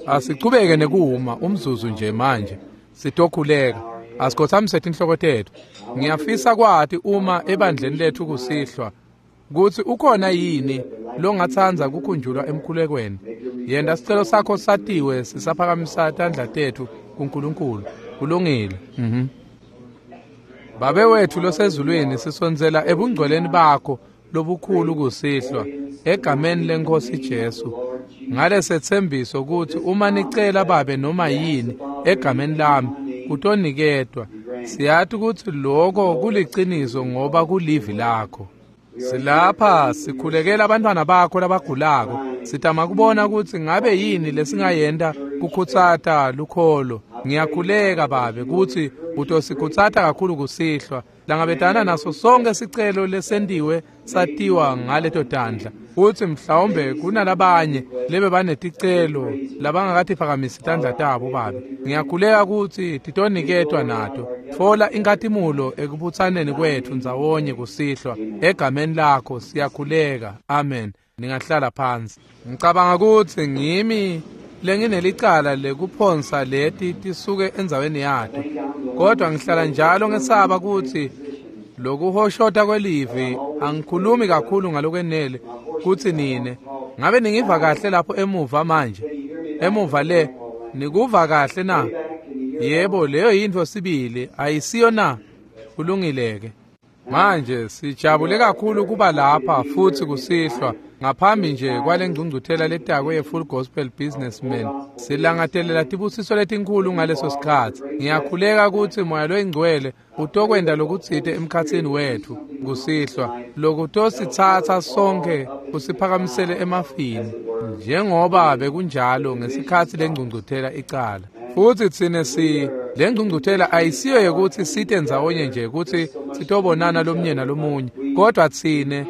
Asichubeke nekuma umzuzu nje manje. Sitokhuleka. Asikhothamise tinhloko tetfu. Ngiyafisa kwati uma ebandleni lethu kusihlwa kutsi ukhona yini longatsandza kukhunjulwa emkhulekweni. Yenta sicelo sakho satiwe sisaphakamisa tandla tetfu kuNkulunkulu. Kulungile. Babe wethu losezulwini, sisondzela ebungcweleni bakho lobukhulu kusihlwa egameni leNkosi Jesu. Ngalesethembiso kutsi uma nicela babe noma yini egameni lami kutoniketwa. Siyati kutsi lokho kuliciniso ngoba kulivi lakho. Silapha sikhulekela abantwana bakho labagulako. Sitama kubona kutsi ngabe yini lesingayenta kukhutsata lukholo. Ngiyakhuleka babe kutsi utosikhutsata kakhulu kusihlwa. Langabetana naso sonke sicelo lesentiwe satiwa ngaleto tandla. Kutsi mhlawumbe kunalabanye lebe baneticelo labangakatiphakamisi tandla tabo babe. Ngiyakhuleka kutsi titoniketwa nato. Tfola inkhatimulo ekubutsaneni kwetfu ndzawonye kusihlwa. Egameni lakho siyakhuleka. Amen. Ningahlala phansi. Ngicabanga kutsi ngimi lenginelicala lekuphonsa leti tisuke endzaweni yato. Kodwa ngihlala njalo ngesaba kutsi lokuhoshota kwelivi angikhulumi kakhulu ngalokwenele kutsi nine ngabe ningiva kahle lapho emuva manje. Emuva le nikuva kahle na? Yebo, leyo yintfo sibili ayisiyo na? Kulungileke. Manje sijabule kakhulu kuba lapha futsi kusihlwa ngaphambi nje kwale ngcungcuthela letako ye-Full Gospel Businessmen. Silangatelela tibusiso letinkhulu ngaleso sikhatsi. Ngiyakhuleka kutsi Moya loyiNgcwele utokwenta lokutsite emkhatsini wetfu kusihlwa lokutositsatsa sonke kusiphakamisele emafini njengoba bekunjalo ngesikhatsi lengcungcuthela icala. Futsi tsine le ngcungcuthela ayisiyo yekutsi site ndzawonye nje kutsi sitobonana lomunye nalomunye, kodwa tsine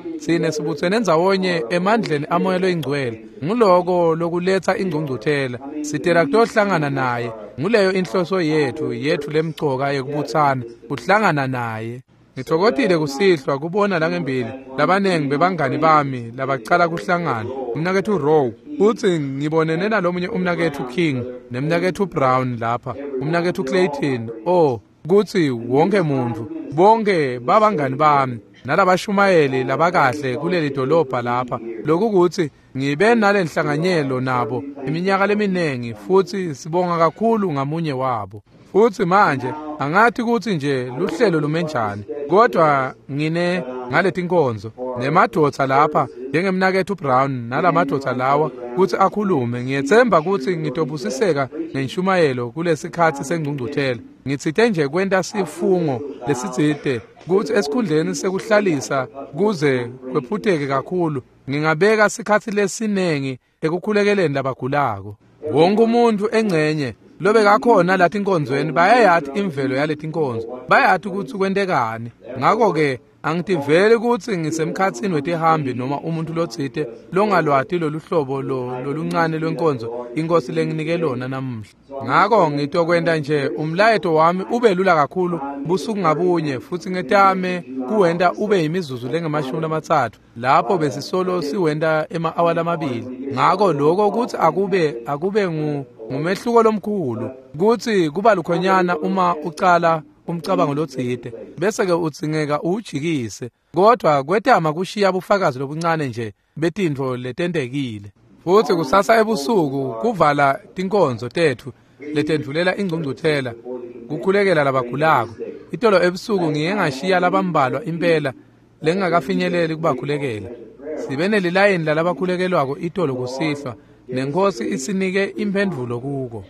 sibutsene ndzawonye emandleni amoya loyingcwele. Nguloko lokuletsa ingcungcuthela. Sitela kutohlangana naye. Nguleyo inhloso yethu lemcoka yekubutsana, kuhlangana naye. Ngitfokotile kusihlwa kubona langembili labanengi bebangani bami labacala kuhlangana. Umnaketfu Rowe, futsi ngibonene nalomunye umnaketfu King nemnaketfu Brown lapha, umnaketfu Clayton. Oh, kutsi wonke muntfu, bonke babangani bami nalabashumayeli labakahle kuleli dolobha lapha. Lokukutsi ngibe nalenhlanganyelo nabo iminyaka leminengi futsi sibonga kakhulu ngamunye wabo. Futsi manje angathi kutsi nje luhlelo lumenjani, kodwa ngine ngaletinkonzo nemadvodza lapha njengemnaketfu Brown nalamadvodza lawa kutsi akhulume. Ngiyetsemba kutsi ngitobusiseka ngenshumayelo kulesikhatsi sengcungcuthela. Ngitsite nje kwenta sifungo lesitsite kutsi esikhundleni sekuhlalisa kuze kwephuteke kakhulu ngingabeka sikhatsi lesinengi ekukhulekeleni labagulako. Wonke umuntu engcenye lobekakhona lathi inkonzweni bayayati imvelo yaletinkonzo, bayati kutsi kwentekani. Ngakho-ke angitiveli kutsi ngisemkhatsini wetihambi noma umuntu lotsite longalwati lolu hlobo loluncane lwenkonzo inkosi lenginike lona namuhla. Ngakho ngitokwenta nje umlayeto wami ube lula kakhulu busuku ngabunye futsi ngetame kuwenta ube yimizuzu lengamashumi lapho besisolo siwenta ema-awa lamabili. Ngakho lokho kutsi akube ngumehluko lomkhulu kutsi kuba lukhonyana uma ucala umcabango lotsite bese ke udzingeka uwujikise, kodwa kwetama kushiya bufakazi lobuncane nje betintfo letentekile. Futsi kusasa ebusuku kuvala tinkonzo tetfu letendvulela ingcungcuthela kukhulekela labagulako. Itolo ebusuku ngiye ngashiya labambalwa impela lengingakafinyeleli kubakhulekela. Sibe nelilayini lalabakhulekelwako itolo kusihlwa nenkosi isinike imphendvulo kuko.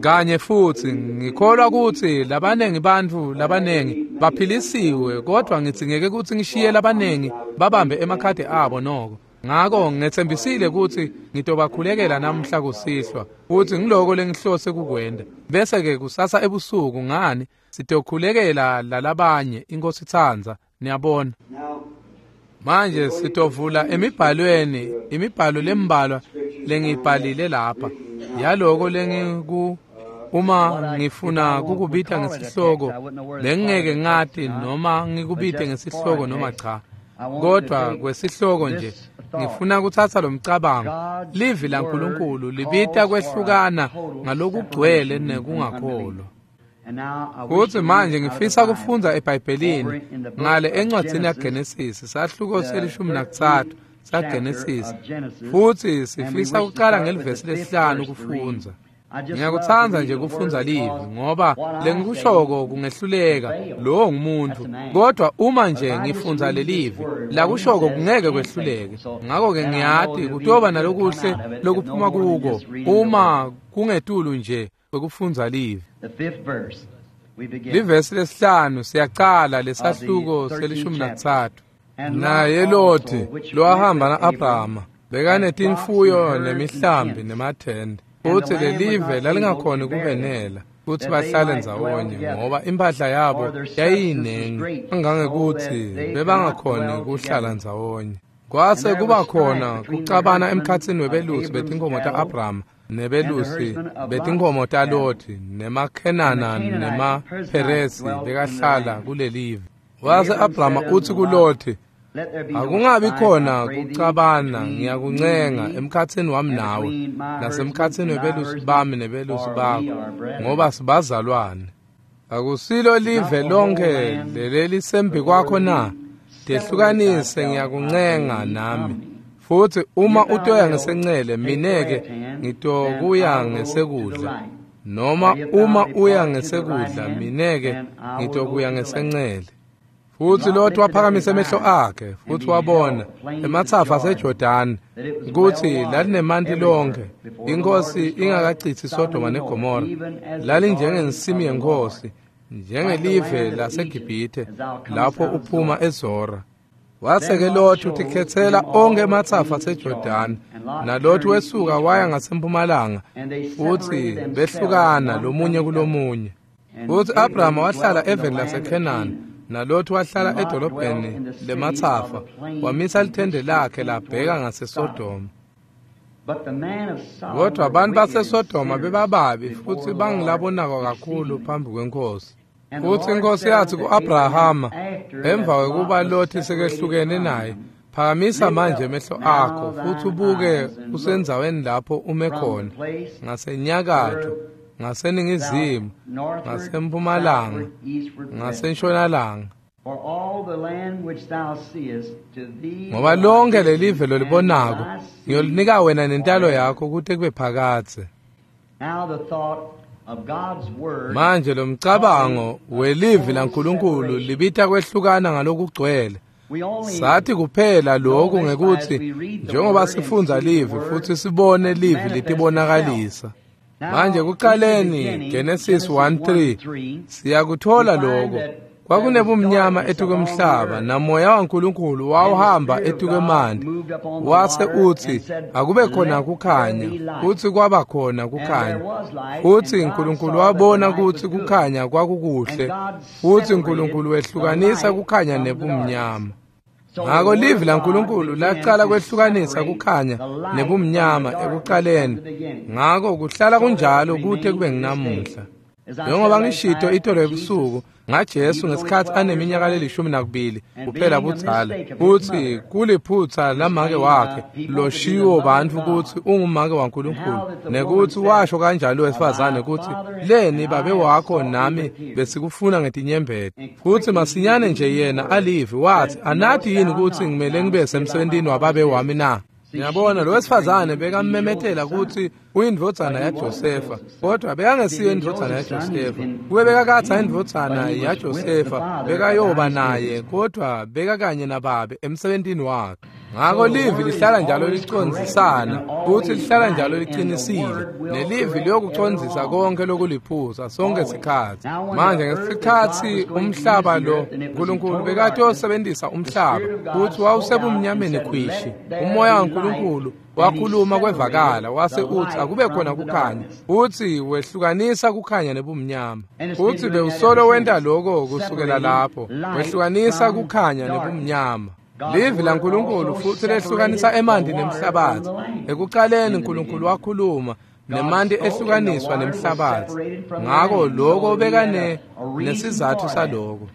Kanye futsi ngikholwa kutsi labanengi bantfu labanengi baphilisiwe, kodwa ngidzingeke kutsi ngishiye labanengi babambe emakhadi abo noko. Ngakho ngetsembisile kutsi ngitobakhulekela namhla kusihlwa, futsi ngiloko lengihlose kukwenta. Bese-ke kusasa ebusuku ngani sitokhulekela lalabanye inkosi itsandza, niyabona. Manje sitovula emibhalweni, imibhalo lembalwa lengiyibhalile lapha yaloko lengiku uma ngifuna kukubita ngesihloko bengingeke ngati noma ngikubite ngesihloko noma cha, kodwa kwesihloko nje Ngifuna kutsatsa lomcabango. Livi laNkulunkulu libita kwehlukana ngalokugcwele nekungakholwa. Futsi manje ngifisa kufundza eBhayibhelini ngale encwadzini yaGenesis, sahluko se-13 saGenesis. Futsi sifisa kucala ngelivesi lesihlanu kufundza. Ngiyakutsandza nje kufundza livi ngoba lengikushoko kungehluleka, lowo ngumuntu. Kodwa uma nje ngifundza lelivi, lakushoko kungeke kwehluleke. Ngako-ke ngiyati kutoba nalokuhle lokuphuma kuko uma kungetulu nje kwekufundza livi. Livesi lesihlanu siyacala lesahluko se-13. Naye Loti lowahamba na-Abrahama bekanetimfuyo nemihlambi nemathende. Futsi lelive lalingakhoni kubenela kutsi bahlale ndzawonye ngoba impahla yabo yayiyinengi kangangekutsi bebangakhoni kuhlala ndzawonye. Kwase kuba khona kucabana emkhatsini webelusi betinkhomo ta-Abrahama nebelusi betinkhomo taLoti nemaKhenana nemaPheresi bekahlala kulelive. Wase Abrahama utsi kuLoti, akungabi khona kucabana, ngiyakuncenga emkhatsini wami nawe nasemkhatsini webelusi bami nebelusi bakho, ngoba sibazalwane. Akusilo live lonke lelelisembi kwakho na? Tehlukanise, ngiyakuncenga nami. Futsi uma utoya ngesencele, mine-ke ngitokuya ngesekudla, noma uma uya ngesekudla, mine-ke ngitokuya ngesencele. Futsi Loti waphakamisa emehlo akhe futsi wabona ematsafa aseJordani kutsi lalinemanti lonke, inkhosi ingakacitsi Sodoma neGomora. Lalinjengensimi yenkhosi, njengelive laseGibhithe lapho uphuma eZora. Wase-ke Loti utikhetsela onkhe ematsafa aseJordani, naLoti wesuka waya ngasempumalanga, futsi behlukana lomunye kulomunye. Futsi Abrahama wahlala eveni laseKhenani, naLoti wahlala edolobheni lematsafa, wamisa lithende lakhe labheka ngaseSodoma. Kodwa abantu baseSodoma bebababi futsi bangilabonako kakhulu phambi kweNkhosi. Futsi iNkhosi yatsi ku-Abrahama, emva kwekuba Loti sekehlukene naye, phakamisa manje emehlo akho futsi ubuke usendzaweni lapho ume khona, ngasenyakatfo, ngaseningizimu, ngasempumalanga, ngasentshonalanga. Ngoba lonke lelive lolibonako ngiyolinika wena nentalo yakho kute kube phakadze. Manje lomcabango welivi laNkulunkulu libita kwehlukana ngalokugcwele. Sathi kuphela lokhu ngekutsi njengoba sifundza livi futsi sibone livi litibonakalisa. Manje kucaleni Genesis 1:3 siyakuthola lokho. Kwakunebumnyama etukwemhlaba, namoya waNkulunkulu wawuhamba etukwemanti. Wase utsi akube khona kukhanya, futsi kwaba khona kukhanya. Futsi Nkulunkulu wabona kutsi kukhanya kwakukuhle, futsi Nkulunkulu wehlukanisa kukhanya nebumnyama. Ngako livi laNkulunkulu lacala kwehlukanisa kukhanya nebumnyama ekucaleni. Ngako kuhlala kunjalo kute kube nginamuhla. Njengoba ngishito itolo ebusuku ngaJesu ngesikhatsi aneminyaka le-12 kuphela budzala, kutsi kuliphutsa lamake wakhe loshiwo bantfu kutsi ungumake waNkulunkulu, nekutsi washo kanjalo wesifazane kutsi leni babe wakho nami besikufuna ngetinyembeti. Futsi masinyane nje yena alivi wathi, anati yini kutsi ngimele ngibe semsebentini wababe wami na? Ngiyabona lo wesifazane bekammemetela kutsi uyindvodzana yaJosefa, kodwa bekangesiyo indvodzana yaJosefa. Kube bekakatsa indvodzana yaJosefa bekayoba naye, kodwa bekakanye nababe emsebentini wakhe. Ngako livi lihlala njalo licondzisana, futsi lihlala njalo liqinisile, nelivi liyokucondzisa konke lokuliphuza sonke sikhatsi. Manje ngesikhatsi umhlaba lo Nkulunkulu bekatosebentisa umhlaba futsi wawusebumnyameni khwishi, umoya waNkulunkulu wakhuluma kwevakala wase utsi akube khona kukhanya, futsi wehlukanisa kukhanya nebumnyama. Futsi bewusolo wenta lokho kusukela lapho, wehlukanisa kukhanya nebumnyama. Livi laNkulunkulu futsi lehlukanisa emanti nemhlabatsi. Ekucaleni Nkulunkulu wakhuluma nemanti ehlukaniswa nemhlabatsi. Ngako lokho bekane nesizathu saloko.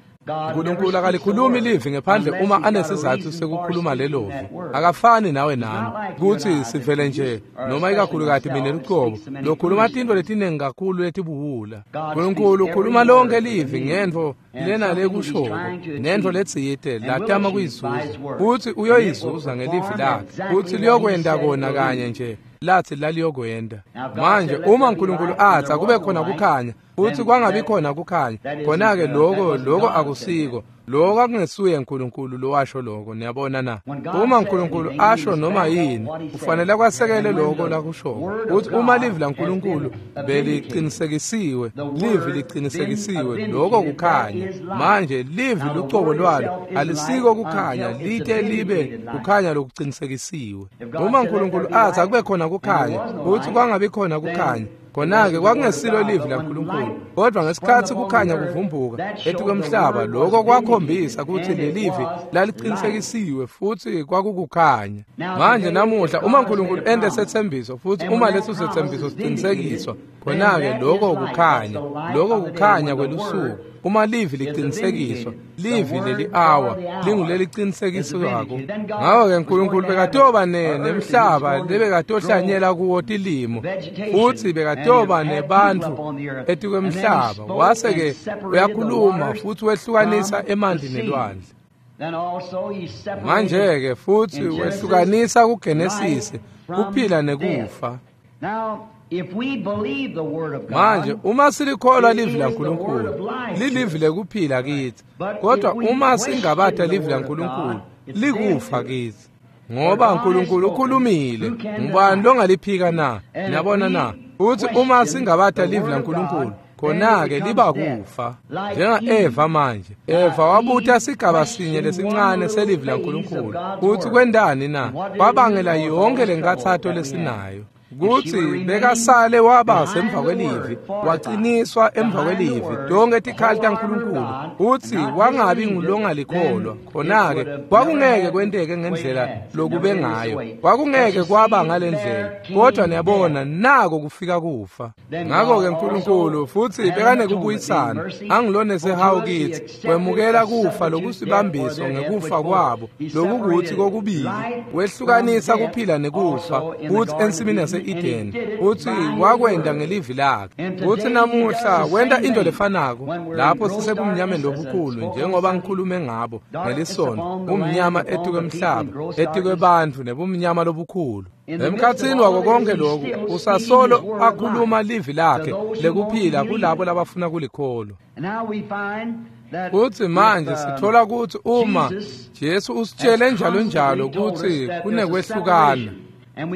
Nkulunkulu akalikhulumi livi ngephandle uma anesizathu sekukhuluma lelovi. Akafani nawe nami kutsi sivele nje noma ikakhulukati mina lucobo lokhuluma tintfo letiningi kakhulu letibuwula. Nkulunkulu ukhuluma lonke livi ngentfo lena lekushoko nentfo letsite latama kuyizuza, futsi uyoyizuza ngelivi lakhe, futsi liyokwenta kona kanye nje lathi laliyokwenda. Manje uma uNkulunkulu athi akube khona kukhanya, futhi kwangabi khona kukhanya, khona-ke lokho akusiko, lokho akungesuye uNkulunkulu lowasho lokho. Niyabona na? Uma uNkulunkulu asho noma yini, kufanele kwasekele lokho lakushoko. Futhi uma livi laNkulunkulu beliqinisekisiwe, livi liqinisekisiwe, lokho kukhanya. Manje livi lucobo lwalo alisiko kukhanya, lite libe kukhanya lokuqinisekisiwe. Uma uNkulunkulu athi akube khona kukhanya, futhi kwangabi khona kukhanya, khona-ke kwakungesilo livi laNkulunkulu. Kodwa ngesikhathi kukhanya kuvumbuka etikwemhlaba, lokho kwakhombisa ukuthi lelivi laliqinisekisiwe futhi kwakukukhanya. Manje namuhla uma uNkulunkulu ente sethembiso, futhi uma leso sethembiso siqinisekiswa, khona-ke lokho kukhanya, lokho kukhanya kwelusuku. Uma livi liqinisekiswa, livi leli awa linguleliqinisekiswako. Ngakho-ke uNkulunkulu bekatoba nemhlaba lebekatohlanyela kuwo tilimo, futhi bekatoba nebantfu etikwemhlaba. Wase-ke uyakhuluma futhi wehlukanisa emanti nelwandle. Manje-ke futhi wehlukanisa kuGenesisi kuphila nekufa. Manje uma silikholwa livi laNkulunkulu, lilivi lekuphila kithi, kodwa uma singabata livi laNkulunkulu, likufa kithi. Ngoba uNkulunkulu ukhulumile, ngubani longaliphika na? Niyabona na? Futhi uma singabata livi laNkulunkulu, khona-ke liba kufa. Njenga-Eva manje, Eva wabuta sigaba sinye lesincane selivi laNkulunkulu. Futhi kwendani na? Kwabangela yonke lenkathato lesinayo. Kutsi bekasale waba semva kwelivi, waciniswa emva kwelivi, tonke tikhali taNkulunkulu, utsi wangabi ngulongalikholwa. Khona-ke kwakungeke kwenteke ngendlela lokube ngayo, kwakungeke kwaba ngalendlela. Kodwa niyabona, nako kufika kufa. Ngakho-ke uNkulunkulu futhi bekanekubuyisana, angilone sehawu kithi, wemukela kufa lokusibambiso ngekufa kwabo, lokukuthi kokubili, wehlukanisa kuphila nekufa, kuthi ensimini yase-Eden, uthi wakwenda ngelivi lakhe. Uthi namuhla wenda into lefanako lapho sisebumnyameni lobukhulu, njengoba ngikhulume ngabo ngelisono, umnyama etikwe mhlaba, etikwe bantfu nebumnyama lobukhulu. Emkhatsini wako konke lokhu, usasolo akhuluma livi lakhe lekuphila kulabo labafuna kulikholwa. Futhi manje sithola ukuthi uma Jesu usitshele njalo njalo ukuthi kunekwehlukana,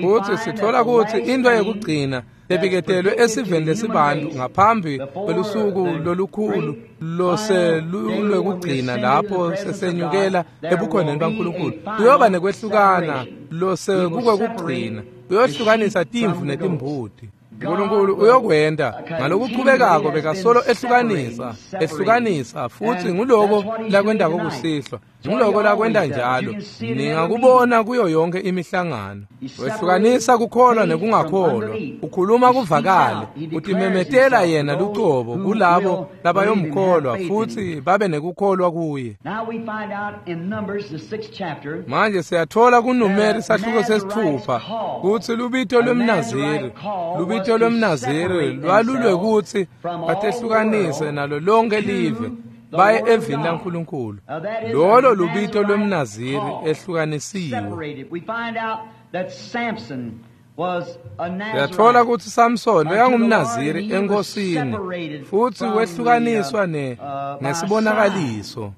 futhi sithola ukuthi into yekugcina lebiketelwe esiveni lesibantu ngaphambi kwelusuku lolukhulu loselulwekugcina, lapho sesenyukela ebukhoneni baNkulunkulu, kuyoba nekwehlukana losekukwekugcina, kuyohlukanisa timvu netimbuti. uNkulunkulu uyokwenda ngalokuchubekako, bekasolo ehlukanisa, ehlukanisa, futhi nguloko lakwendako kusihlwa, nguloko lakwenda njalo. Ningakubona kuyo yonke imihlangano. Wehlukanisa kukholwa nekungakholwa, ukhuluma kuvakale, utimemetela yena lucobo kulabo labayomkholwa futhi babe nekukholwa kuye. Manje siyathola kuNumeri sahluko 6 kutsi lubito lwemNaziri, lubito lwemNaziri lwalulwekutsi batehlukanise nalo lonke live baye evini laNkulunkulu. Lolo lubito lwemNaziri ehlukanisiwe. Siyathola ukuthi Samson bekangumNaziri enkosini, futhi wehlukaniswa nesibonakaliso.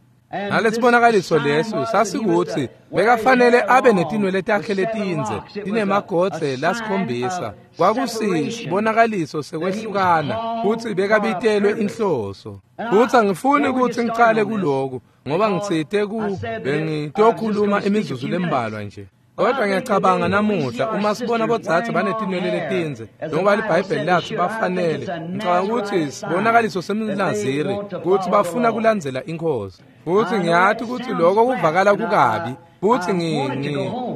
Nalesibonakaliso leso sasikuthi bekafanele abe netinwele takhe letindze tinemagodze lasikhombisa. Kwakusibonakaliso sekwehlukana, futhi bekabitelwe inhloso. Futhi angifuni ukuthi ngicale kuloku, ngoba ngitsite bengitokhuluma imizuzu lembalwa nje. Kodwa ngiyacabanga namuhla uma sibona bodzadze banetinwele letindze, njengoba liBhayibheli lathi bafanele, ngicabanga ukuthi sibonakaliso semNaziri ukuthi bafuna kulandzela inkosi. Futhi ngiyathi ukuthi lokho kuvakala kukabi, Futhi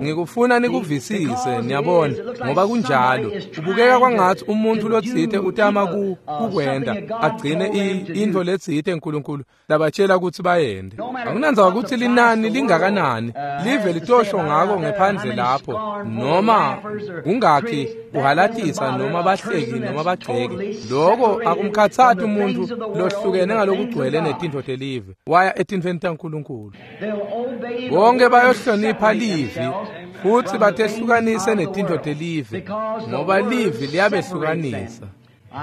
ngikufuna nikuvisise, niyabona, ngoba kunjalo. Ubukeka kwangathi umuntu lotsite utama kukwenda agcine into letsite uNkulunkulu labatshela ukuthi bayende. Akunandzaba ukuthi linani lingakanani, live litosho ngako ngephandle lapho, noma kungakhi uhalatisa noma bahleki noma bagxeki. Lokho akumkhathathi umuntu lohlukene ngalokugcwele netintfo telive, waya etintfweni taNkulunkulu. Bonke bayohlonipha livi futhi batehlukanise netintfo telive, ngoba livi liyabehlukanisa.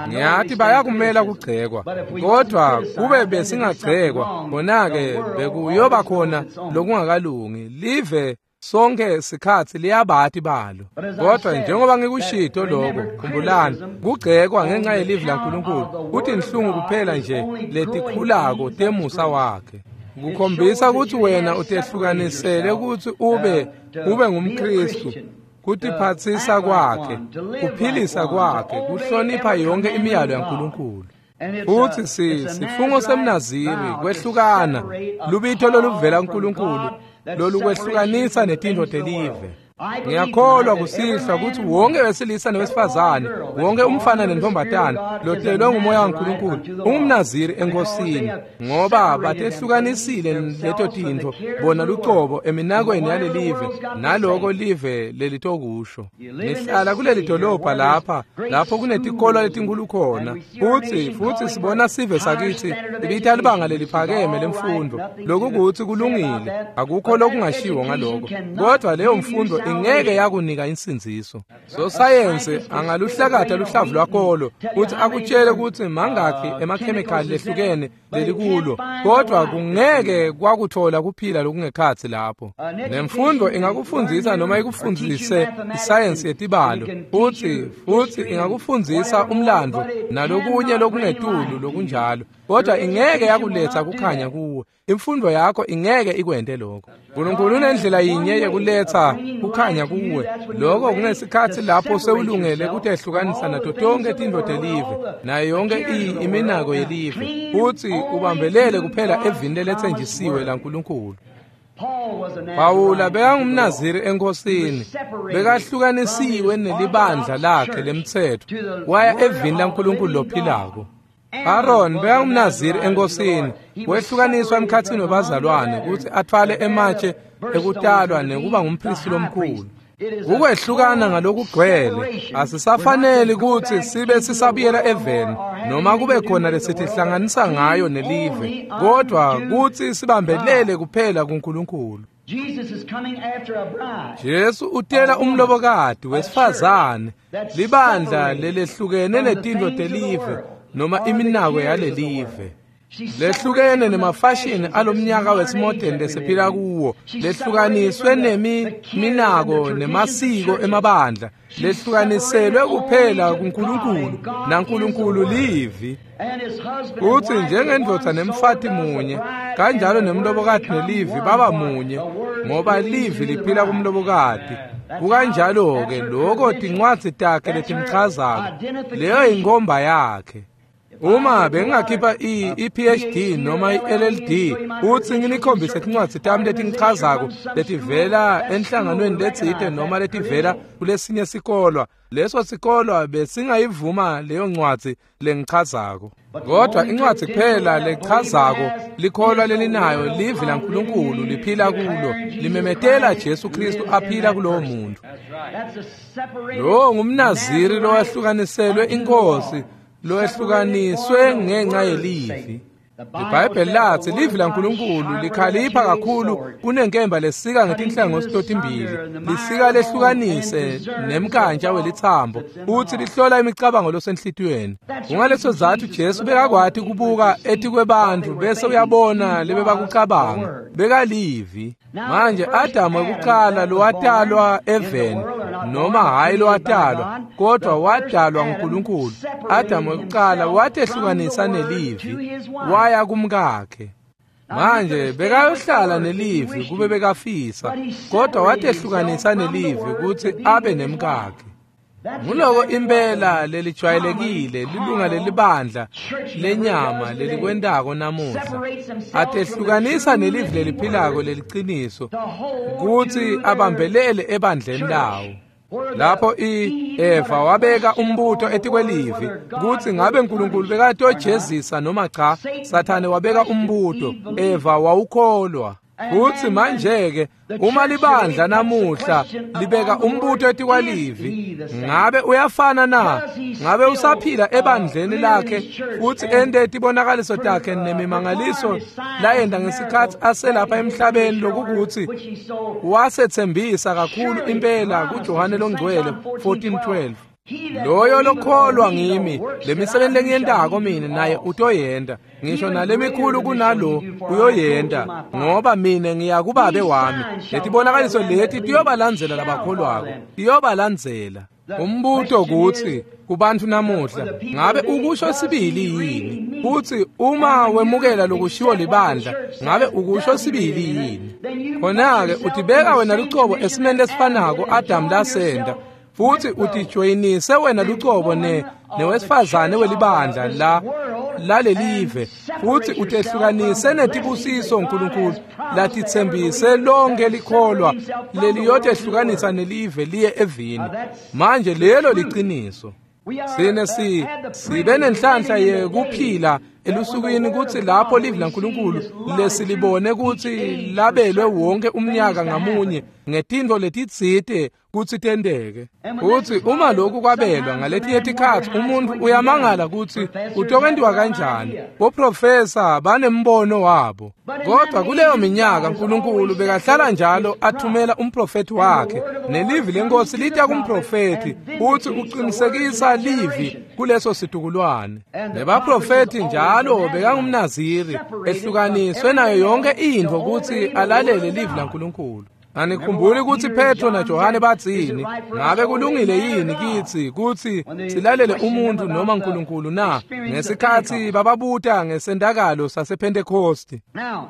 Ngiyathi bayakumela kugcekwa, kodwa kube besingagcekwa, khona-ke bekuyoba khona lokungakalungi. Live sonke sikhathi liyabati balo. Kodwa njengoba ngikushito lokho, khumbulani, kugcekwa ngenxa yelivi laNkulunkulu kutinhlungu kuphela nje letikhulako temusa wakhe. Kukhombisa ukuthi wena utehlukanisele ukuthi ube ngumKristu. Kutiphatsisa kwakhe, kuphilisa kwakhe, kuhlonipha yonke imiyalo yaNkulunkulu. Futhi sifungo semNaziri kwehlukana, lubito loluvela kuNkulunkulu lolukwehlukanisa netintfo telive. Ngiyakholwa kusihlwa ukuthi wonke wesilisa nowesifazane, wonke umfana nentombazane lotelwe ngumoya waNkulunkulu ungumNaziri enkosini, ngoba batehlukanisile leto tintfo bona lucobo eminakweni yalelive naloko live lelitokusho. Nihlala kuleli dolobha lapha lapho kunetikolo letinkulu khona, futhi sibona sive sakithi ibita libanga leliphakeme lemfundo, lokukuthi kulungile, akukho lokungashiwo ngaloko, kodwa leyo mfundo ingeke yakunika insindziso. Sosayensi angaluhlakatha luhlavu lwakolo futhi akutshele ukuthi mangakhi emakhemikhali lehlukene lelikulo, kodwa kungeke kwakuthola kuphila lokungekhathi lapho. Nemfundo ingakufundzisa noma ikufundzise isayensi yetibalo, futhi ingakufundzisa umlando nalokunye lokungetulu lokunjalo, kodwa ingeke yakuletha kukhanya kuwe. Imfundo yakho ingeke ikwente lokho. uNkulunkulu unendlela yinye yekuletha kukhanya kuwe, lokho kungesikhathi lapho sewulungele kutehlukanisa nato tonke tintfo telive nayo yonke iminako yelive, futhi ubambelele kuphela evini leletsenjisiwe laNkulunkulu. Pawula bekangumNaziri enkosini, bekahlukanisiwe nelibandla lakhe lemtsetfo, waya evini laNkulunkulu lophilako. Aaron bekangumNaziri enkosini, wehlukaniswa emkhathini webazalwane ukuthi athwale ematshe ekutalwa nekuba ngumpristi lomkhulu. Ukwehlukana ngalokugcwele asisafaneli ukuthi sibe sisabuyela eveni noma kube khona lesitihlanganisa ngayo nelive, kodwa kuthi sibambelele kuphela kuNkulunkulu. Jesu utela umlobokati wesifazane, libandla lelehlukene netintfo telive noma iminako yalelive. Lehlukene nemafashini alomnyaka wesimodeni lesiphila kuwo, lehlukaniswe nemiminako nemasiko emabandla, lehlukaniselwe kuphela kuNkulunkulu, naNkulunkulu livi. Uthi njengendvodza nemfati munye, kanjalo nemlobokati nelivi baba munye, ngoba livi liphila kumlobokati. Kukanjalo-ke lokho tincwadzi takhe letimchazako, leyo inkomba yakhe. Uma bengingakhipha i-PhD noma i-LLD uthi nginikhombise tincwadzi tami letingichazako letivela enhlanganweni letsite noma letivela kulesinye sikolwa, leso sikolwa besingayivuma leyo ncwadzi lengichazako. Kodwa incwadzi kuphela lechazako likholwa lelinayo livi laNkulunkulu liphila kulo, limemetela Jesu Kristu aphila kulowo muntu. Lo ngumNaziri lowahlukaniselwe inkosi, loehlukaniswe ngenxa yelivi. IBhayibheli lathi livi laNkulunkulu likhalipha kakhulu kunenkemba lesika ngetinhlangothi totimbili, lisika lehlukanise nemkantsha welithambo, futhi lihlola imicabango losenhlitiyweni. Kungaleso zathu Jesu bekakwati kubuka etikwebantfu bese uyabona lebebakucabanga, bekalivi. Manje Adamu wekuqala lowatalwa eveni, noma hhayi lowatalwa, kodwa wadalwa nguNkulunkulu. Adamu wekuqala watehlukanisa nelivi, waya kumkakhe. Manje bekayohlala nelivi kube bekafisa, kodwa watehlukanisa nelivi ukuthi abe nemkakhe. Nguloko impela lelijwayelekile lilunga lelibandla lenyama lelikwentako namuhla. Atehlukanisa nelivi leliphilako leliciniso kutsi abambelele ebandleni lawo. Lapho Eva wabeka umbuto etikwelivi kutsi ngabe uNkulunkulu bekatojezisa noma cha. Sathane wabeka umbuto, Eva wawukholwa. Kutsi manje-ke uma libandla namuhla libeka umbuto etikwalivi, ngabe uyafana na? Ngabe usaphila ebandleni lakhe futsi ente tibonakaliso takhe nemimangaliso layenta ngesikhatsi aselapha emhlabeni, lokukutsi wasetsembisa kakhulu impela kuJohane Longcwele 14:12. Loyo lokholwa ngimi, lemisebenzi lengiyentako mina naye utoyenta, ngisho nalemikhulu kunalo uyoyenta, ngoba mina ngiya kubabe wami. Letibonakaliso leti tiyobalandzela labakholwako, tiyobalandzela. Umbuto kutsi kubantu namuhla, ngabe ukusho sibili yini? Kutsi uma wemukela lokushiwo libandla, ngabe ukusho sibili yini? Khona-ke utibeka wena lucobo esimeni lesifanako Adamu lasenta, futhi utijoyinise wena lucobo newesifazane welibandla la lalelive, futhi utehlukanise netibusiso uNkulunkulu latitsembise lonke likholwa leliyotehlukanisa nelive liye evini. Manje lelo liciniso. Sine sibe nenhlanhla yekuphila elusukwini kutsi lapho livi laNkulunkulu lesilibone kutsi labelwe wonke umnyaka ngamunye ngetintfo letitsite kutsi tenteke. Kutsi uma lokhu kwabelwa ngaletinye tikhatsi umuntu uyamangala kutsi kutokwentiwa kanjani. Boprofesa banembono wabo, kodwa kuleyo minyaka uNkulunkulu bekahlala njalo athumela umprofethi wakhe, nelivi lenkosi lita kumprofethi futsi uqinisekisa livi kuleso situkulwane. Nebaprofethi njalo bekangumnaziri ehlukaniswe nayo yonke intfo kutsi alalele livi laNkulunkulu. Anikhumbuli kutsi Petro naJohane batsini? Ngabe kulungile yini kitsi kutsi silalele umuntu noma uNkulunkulu na? Ngesikhatsi bababuta ngesentakalo sasePhentekosti.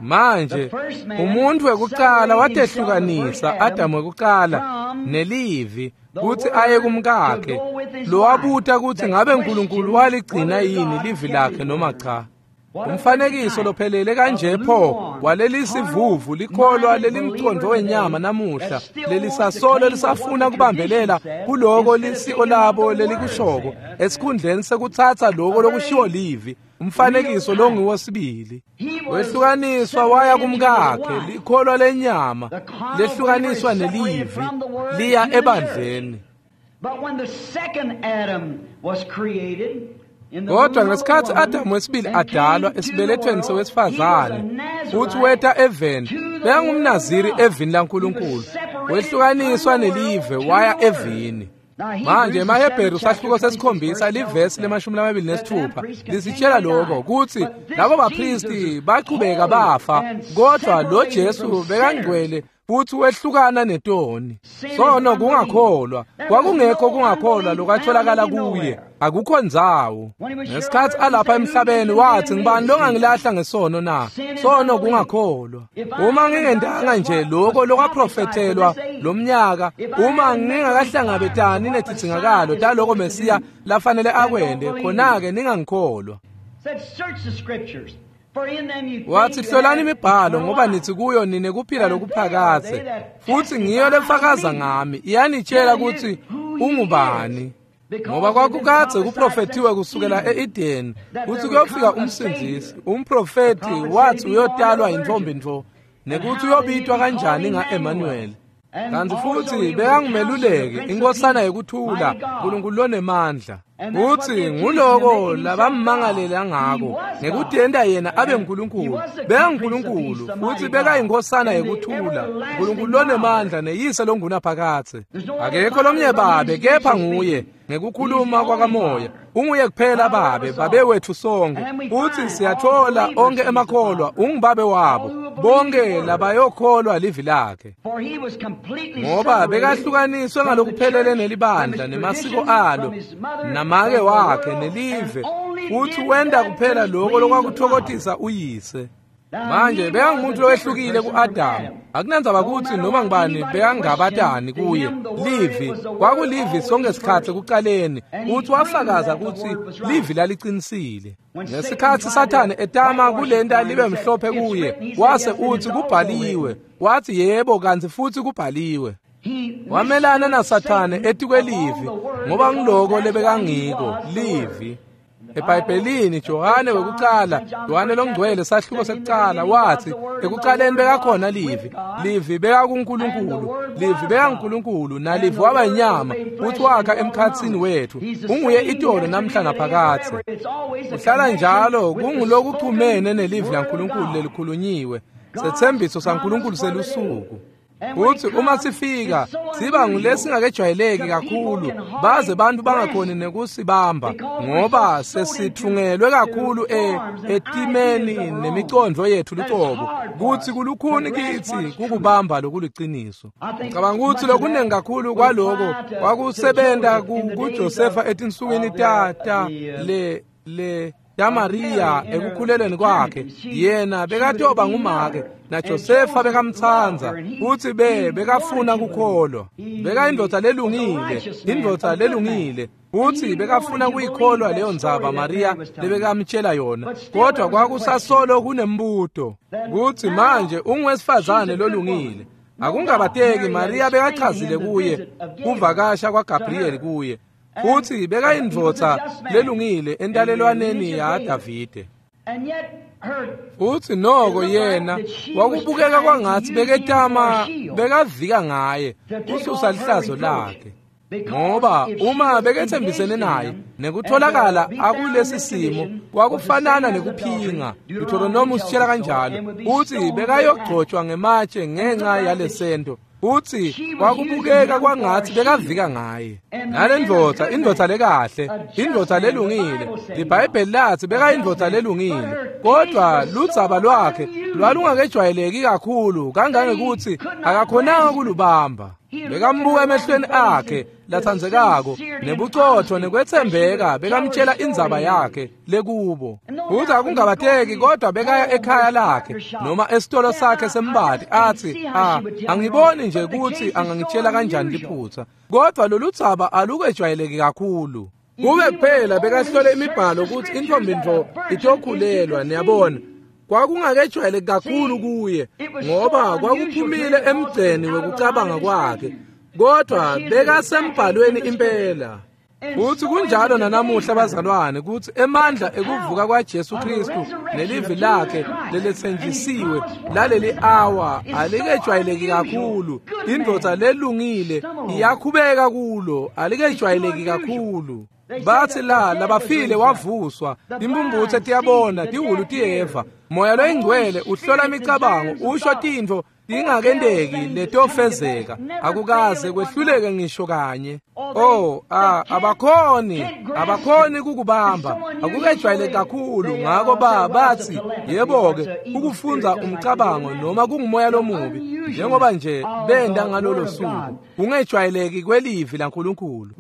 Manje umuntu wekucala watehlukanisa, Adamu wekucala, nelivi kutsi aye kumkakhe, lowabuta kutsi ngabe uNkulunkulu waligcina yini livi lakhe noma cha. Umfanekiso lophelele kanje pho walelisivuvu likholwa lelimcondvo wenyama namuhla lelisasolo lisafuna kubambelela kuloko lisiko labo lelikushoko esikhundleni sekutsatsa loko lokushiwo livi. Umfanekiso longiwo sibili. Wehlukaniswa waya kumkakhe, likholwa lenyama lehlukaniswa nelivi liya ebandleni. Kodwa ngesikhatsi Adamu wesibili adalwa esibelethweni sewesifazane futhi weta eveni, bekangumnaziri evini laNkulunkulu, wehlukaniswa nelive waya evini. Manje emaHebheru sahluko sesikhombisa livesi le-26 lisitshela lokho kutsi labo baphristi baqhubeka bafa, kodwa lo Jesu bekangcwele futhi wehlukana netoni. Sono kungakholwa, kwakungekho kungakholwa lokwatholakala kuye, akukho ndzawo. Ngesikhatsi alapha emhlabeni wathi, ngibani longangilahla ngesono na? Sono kungakholwa. Uma ngingentanga nje lokho lokwaprofethelwa lomnyaka, uma ngingakahlangabetani netidzingakalo taloko Mesiya lafanele akwente, khona-ke ningangikholwa. Wathi, hlolani imibhalo ngoba nithi kuyo nine kuphila lokuphakadze, futhi ngiyo lefakaza ngami, iyanitshela ukuthi ungubani. Ngoba kwakukadze kuprofethiwe kusukela e-Edeni kutsi kuyofika umsindzisi. Umprofethi wathi uyotalwa yintfombi ntfo, nekuthi uyobitwa kanjani nga-Emmanuel. Kanti futhi bekangumeluleki, inkosana yekuthula, uNkulunkulu lonemandla. Kutsi nguloko labammangalela ngako, ngekutenta yena abe nguNkulunkulu. BekanguNkulunkulu futhi bekayinkosana yekuthula, uNkulunkulu lonemandla neyise longunaphakadze. Akekho lomnye babe kepha nguye, ngekukhuluma kwakamoya. Unguye kuphela babe, babe wethu sonke. Futhi siyathola onke emakholwa ungubabe wabo, bonke labayokholwa livi lakhe. Ngoba bekahlukaniswe ngalokuphelele nelibandla nemasiko alo, namake wakhe nelive, futhi wenda kuphela lokho lokwakuthokothisa uyise. Manje bekangumuntu lowehlukile ku-Adamu. Akunandzaba kutsi noma ngubani bekangabatani kuye. Livi kwakulivi sonke sikhatsi ekucaleni, kutsi wafakaza kutsi livi lalicinisile. Ngesikhatsi Sathane etama kulenta libe mhlophe kuye, wase utsi kubhaliwe. Wathi yebo kantsi futsi kubhaliwe. Wamelana naSathane etikwelivi ngoba ngiloko lebekangiko livi. EBhayibhelini Johane wekucala, Johane longcwele sahluko sekucala wathi ekucaleni bekakhona livi, livi bekakuNkulunkulu, livi bekaNkulunkulu nalivi waba inyama futhi wakha emkhatsini wethu. Unguye itolo namhla naphakadze. Kuhlala njalo kungulokuchumene nelivi laNkulunkulu lelikhulunyiwe, setsembiso saNkulunkulu selusuku. Kuthi uma sifika siba ngulesingakejwayeleki kakhulu baze bantu bangakhoni nekusibamba ngoba sesithungelwe kakhulu etimeni nemicondvo yethu lucobo kutsi kulukhuni kitsi kukubamba lokuliciniso. Ngicabanga ukuthi lokunengi kakhulu kwaloko kwakusebenta kuJosefa etinsukwini ta le yaMariya ekukhulelweni kwakhe. Yena bekatoba ngumake naJosefa bekamtsandza futsi bekafuna kukholwa. Bekayindvodza lelungile, indvodza lelungile futsi bekafuna kuyikholwa leyo ndzaba Mariya lebekamtshela yona, kodwa kwakusasolo kunembuto kutsi manje ungwesifazane lolungile. Akungabateki Mariya bekachazile kuye kuvakasha kwaGabriel kuye futsi bekayindvodza lelungile entalelwaneni yaDavide. Futsi noko yena wakubukeka kwangatsi beketama bekavika ngaye kususa lihlazo lakhe, ngoba uma bekethembisene naye nekutholakala akulesi simo kwakufanana nekuphinga. Deuteronomy usitshela kanjalo utsi bekayogcotshwa ngematshe ngenxa yalesento. Utsi kwakubukeka kwangatsi bekavika ngaye. Nalendvodza, indvodza lekahle, indvodza lelungile, liBhayibheli latsi bekayindvodza lelungile, kodwa ludzaba lwakhe lwalungakejwayeleki kakhulu kangangekutsi akakhonanga kulubamba. Bekambuka emehlweni akhe latsandzekako nebucotfo nekwetsembeka, bekamtshela indzaba yakhe lekubo. Futsi akungabateki kodwa bekaya ekhaya lakhe noma esitolo sakhe sembati atsi, angiboni nje kutsi angangitshela kanjani liphutsa, kodwa loludzaba alukejwayeleki kakhulu. Kube kuphela bekahlole imibhalo kutsi intfombi ntfo itokhulelwa, niyabona. Kwakungakejwayeleki kakhulu kuye ngoba kwakuphumile emgceni wekucabanga kwakhe, kodwa bekasembhalweni impela. Futsi kunjalo nanamuhla bazalwane kutsi emandla ekuvuka kwaJesu Kristu nelivi lakhe leletsenjisiwe laleli awa alikejwayeleki kakhulu. Indvodza lelungile iyakhubeka kulo, alikejwayeleki kakhulu. Bathi la labafile wavuswa, timpumputse tiyabona, tihhulu tiyeva. Moya loyingcwele uhlola imicabango, usho tintfo tingakenteki letofezeka, akukaze kwehluleke ngisho kanye. Abakhoni kukubamba, akukejwayeleki kakhulu. Ngako bathi yebo-ke ukufundza umcabango noma kungumoya lomubi, njengoba nje benda ngalolo suku, kungejwayeleki kwelivi laNkulunkulu.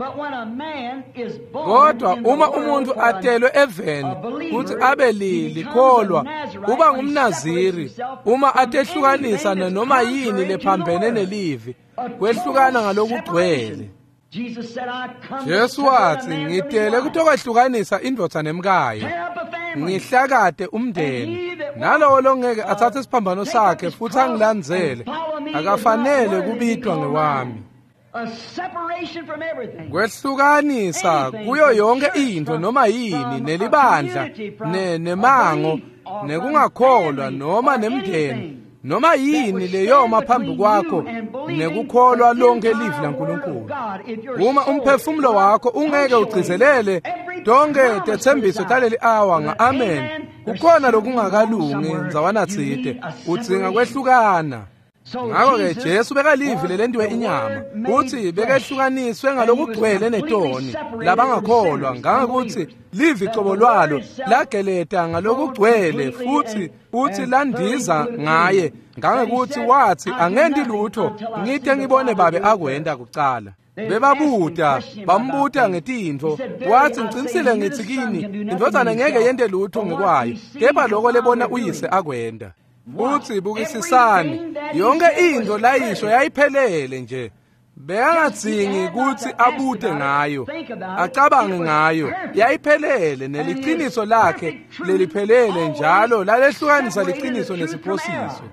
Kodwa uma umuntu atelwe eveni kutsi abe likholwa, uba ngumnaziri uma atehlukanisa noma yini lephambene nelivi, kwehlukana ngalokugcwele. Jesu wathi ngitele kutokwehlukanisa indvodza nemkayo, ngihlakate umndeni, nalowo longeke atsatse isiphambano sakhe futsi angilandzele akafanele kubitwa ngewami. Kwehlukanisa kuyo yonke intfo noma yini nelibandla nemango nekungakholwa noma nemndeni noma yini leyoma phambi kwakho nekukholwa lonke livi laNkulunkulu. Uma umphefumulo wakho ungeke ugcizelele tonke tetsembiso taleli awa nga-amen, kukhona lokungakalungi ndzawana tsite, udzinga kwehlukana. Ngakho-ke Jesu bekalivi lelentiwe inyama, kutsi bekehlukaniswe ngalokugcwele netoni labangakholwa, ngangekutsi livi cobo lwalo lageleta ngalokugcwele futsi landiza ngaye, ngangekutsi watsi angenti lutho ngite ngibone babe akwenta kucala. Bebabuta bambuta ngetintfo, wathi ngicinisile ngithi kini indvodzana ngeke yente lutho ngekwayo, kepha loko lebona uyise akwenta. Futsi bukisisani, yonke intfo layisho yayiphelele nje. Bekangadzingi kutsi abute ngayo, acabange ngayo, yayiphelele neliciniso lakhe leliphelele njalo lalehlukanisa liciniso nesiphosiso.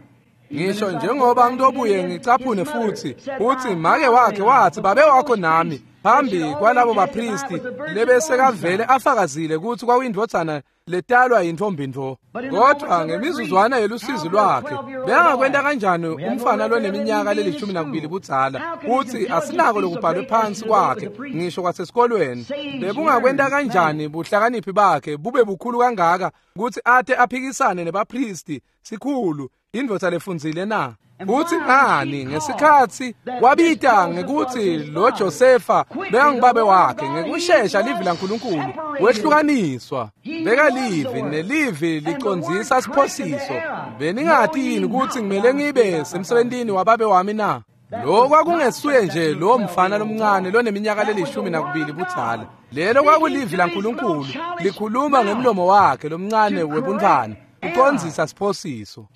Ngisho njengoba ngitobuye ngicaphune futsi, utsi make wakhe watsi babe wakho nami phambi kwalabo bapristi lebesekavele afakazile kutsi kwakuyindvodzana letalwa yintfombi ntfo. Kodwa ngemizuzwana yelusizi lwakhe bekangakwenta kanjani umfana loneminyaka leli-12 budzala kutsi asinako lokubhalwe phansi kwakhe ngisho kwasesikolweni? Bebungakwenta kanjani buhlakaniphi bakhe bube bukhulu kangaka kutsi ate aphikisane nebapristi sikhulu indvodza lefundzile na? Kutsi ngani ngesikhatsi wabita ngekutsi lo Josefa bekangubabe wakhe, ngekushesha livi laNkulunkulu wehlukaniswa. Beka livi nelivi licondzisa siphosiso. Beningati yini kutsi ngimele ngibe semsebentini wababe wami na? Lo kwakungesuye nje lo mfana lomncane loneminyaka leli-12 budzala. Lelo kwakulivi laNkulunkulu likhuluma ngemlomo wakhe lomncane webuntfwana, ucondzisa siphosiso.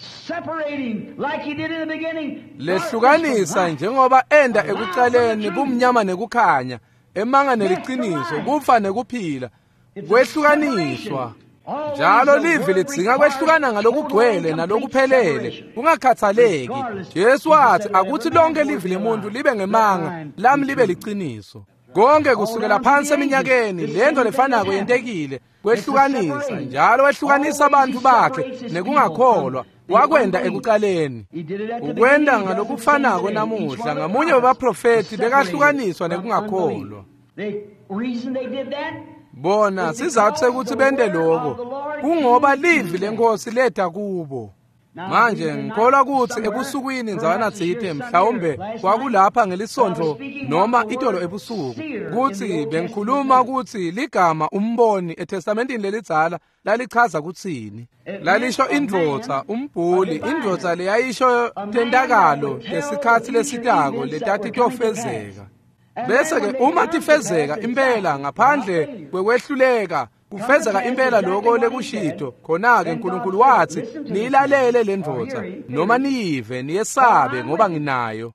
Lehlukanisa njengoba enda ekucaleni bumnyama nekukhanya, emanga neliciniso, kufa nekuphila, kwehlukaniswa. Njalo livi lidzinga kwehlukana ngalokugcwele nalokuphelele, kungakhathaleki. Jesu wathi akuthi lonke livi lemuntu libe ngemanga, lami libe liciniso. Konke kusukela phansi eminyakeni lento lefanako yentekile, kwehlukanisa njalo wehlukanisa abantu bakhe nekungakholwa. Wakwenda ekucaleni, ukwenda ngalokufanako namuhla. Ngamunye webaprofethi bekahlukaniswa nekungakholwa. Bona sizathu sekuthi bente lokho kungoba livi lenkosi leta kubo. Manje ngikholwa kutsi ebusukwini ndzawana tsite, mhlawumbe kwakulapha ngelisontfo noma itolo ebusuku, kutsi bengikhuluma kutsi ligama umboni eTestamentini lelidzala lalichaza kutsini. Lalisho indvodza, umbhuli, indvodza leyayisho tentakalo lesikhatsi lesitako letatitofezeka. Bese-ke uma tifezeka impela ngaphandle kwekwehluleka, kufezeka impela lokho lekushito, khona-ke uNkulunkulu wathi niyilalele le ndvodza noma niyive niyesabe ngoba nginayo.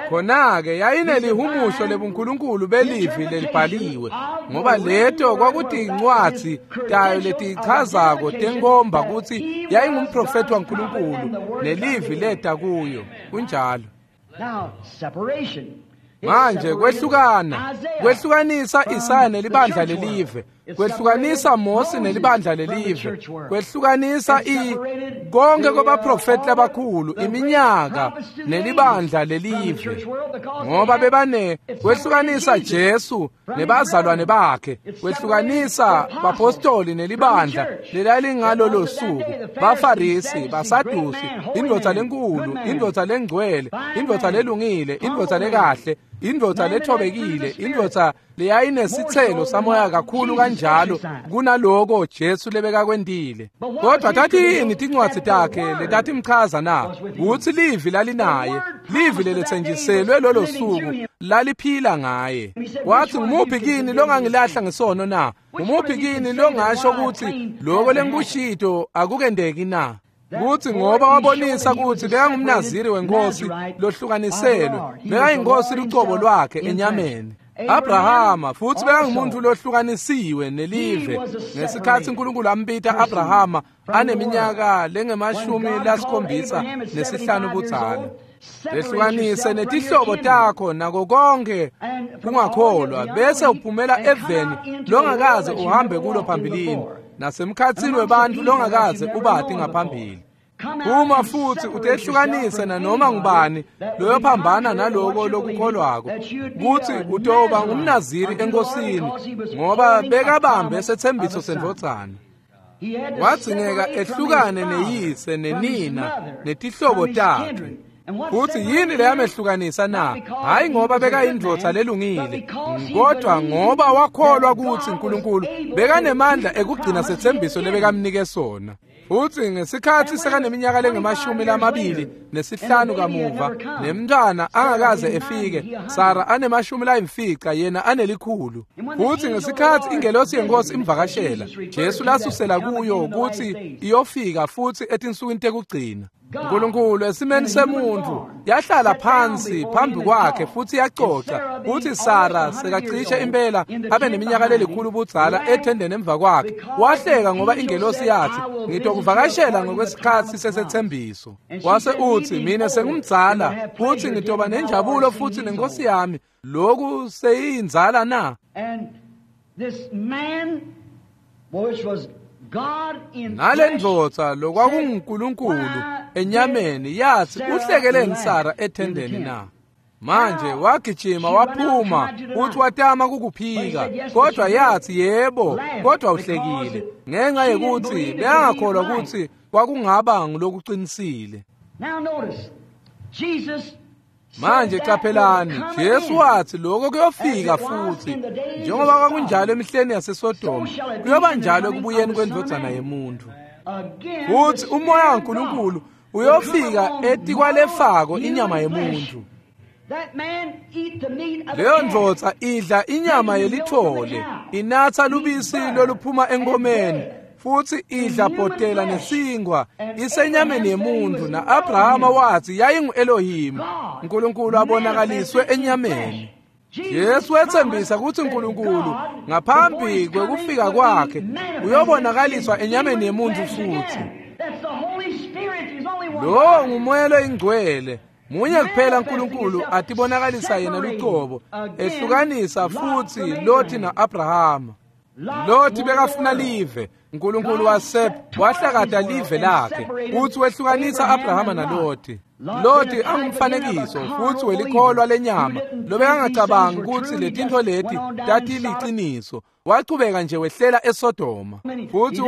Khona-ke yayinelihumusho lebuNkulunkulu belivi lelibhaliwe, ngoba leto kwakutincwadzi tayo letichazako tenkomba kutsi yayingumprofethi waNkulunkulu nelivi leta kuyo. Kunjalo. Manje kwehlukana, kwehlukanisa Isaya nelibandla lelive, kwehlukanisa Mose nelibandla lelive, kwehlukanisa konke kwabaprofeti labakhulu iminyaka nelibandla lelive, ngoba bebane kwehlukanisa Jesu nebazalwane bakhe, kwehlukanisa bapostoli nelibandla lelalingalolo suku, baFarisi, baSadusi, indvodza lenkulu, indvodza lengcwele, indvodza lelungile, indvodza lekahle, indvodza lethobekile, indvodza leyayinesitselo samoya kakhulu kanjalo kunaloko Jesu lebekakwentile. Kodwa tatiyini tincwadzi takhe letatimchaza na? Kutsi livi lalinaye, livi leletsenjiselwe lolo suku laliphila ngaye. Wathi ngumuphi kini longangilahla ngesono na? Ngumuphi kini longasho kutsi loko lengikushito akukendeki na? Kutsi ngoba wabonisa kutsi bekangumnaziri wenkosi lohlukaniselwe, bekayinkosi lucobo lwakhe enyameni. Abrahama futsi bekangumuntu lohlukanisiwe nelive ngesikhatsi uNkulunkulu ambita Abrahama aneminyaka lengama-75 budzala. Lehlukanise netihlobo takho nako konke kungakholwa, bese uphumela eveni longakaze uhambe kulo phambilini, nasemkhatsini webantfu longakaze ubati ngaphambili. Phuma futsi utehlukanise nanoma ngubani loyophambana naloko lokukholwako, kutsi utoba ngumnaziri enkosini, ngoba bekabambe sethembiso sendvodzana. Wadzingeka ehlukane neyise nenina netihlobo takhe. Futsi yini leyamehlukanisa na? Hhayi ngoba bekayindvodza lelungile, kodwa ngoba wakholwa kutsi uNkulunkulu bekanemandla ekugcina sethembiso lebekamnike sona. Futsi ngesikhatsi sekaneminyaka lengama-25 kamuva, nemntwana angakaze efike, Sara anema-50, yena anelikhulu. Futsi ngesikhatsi ingelosi yenkosi imvakashela, Jesu lasusela kuyo kutsi iyofika futsi etinsukwini tekugcina. Nkulunkulu esimeni semuntu yahlala phansi phambi kwakhe futsi yacoca kutsi Sara sekacishe impela abe neminyaka lelikhulu budzala ethendeni emva kwakhe. Wahleka ngoba ingelosi yathi, ngitokuvakashela ngokwesikhatsi sesethembiso. Wase utsi, mina sengumdzala futsi ngitoba nenjabulo futsi nenkosi yami, lokhu seyinzala na? Nalendvodza lokwakunguNkulunkulu enyameni yathi, uhlekeleni Sara ethendeni na? Manje wagijima waphuma futhi watama kukuphika, kodwa yathi yebo, kodwa uhlekile ngenxa yekuthi bekangakholwa ukuthi kwakungaba ngulokuqinisile. Manje qaphelani, Jesu wathi lokho kuyofika futhi njengoba kwakunjalo emihleni yaseSodoma, kuyoba njalo ekubuyeni kwendvodzana yemuntu. Futhi umoya kaNkulunkulu uyofika etikwalefako inyama yemuntu. Leyo ndvodza idla inyama yelithole, inatsa lubisi loluphuma enkomeni, futhi idla bhotela nesinkwa isenyameni yemuntu. Na-Abrahama wathi yayingu-Elohim, uNkulunkulu abonakaliswe enyameni. Jesu wethembisa ukuthi uNkulunkulu ngaphambi kwekufika kwakhe uyobonakaliswa enyameni yemuntu futhi. Lowo ngumoya loyingcwele, munye kuphela uNkulunkulu atibonakalisa yena lucobo, ehlukanisa futhi Loti na-Abrahama. Loti bekafuna live, uNkulunkulu wahlakata live lakhe futhi wehlukanisa Abrahama naLoti. Loti angumfanekiso futhi welikholwa lenyama lobekangacabangi ukuthi letintfo leti tatiliciniso. Wachubeka nje wehlela eSodoma futhi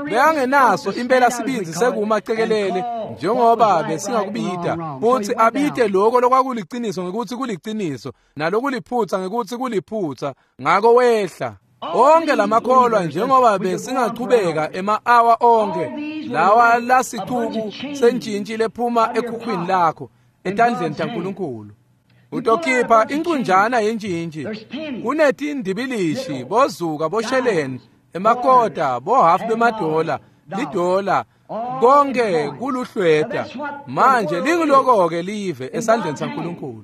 bekangenaso impela sibindzi sekuma cekelele njengoba besingakubita, futhi abite lokho lokwakuliciniso ngekuthi kuliciniso nalokuliphutsa ngekuthi kuliphutsa. Ngako wehla. Onke lamakholwa njengoba besingachubeka ema-awa onke lawa lasicuku sentshintshi lephuma ekhukhwini lakho etandleni taNkulunkulu. Utokhipha inkunjana yentshintshi, kunetindibilishi, bozuka, bosheleni, emakota, bohafu bemadola, lidola, konke kuluhlweta. Manje lingiloko-ke live esandleni saNkulunkulu.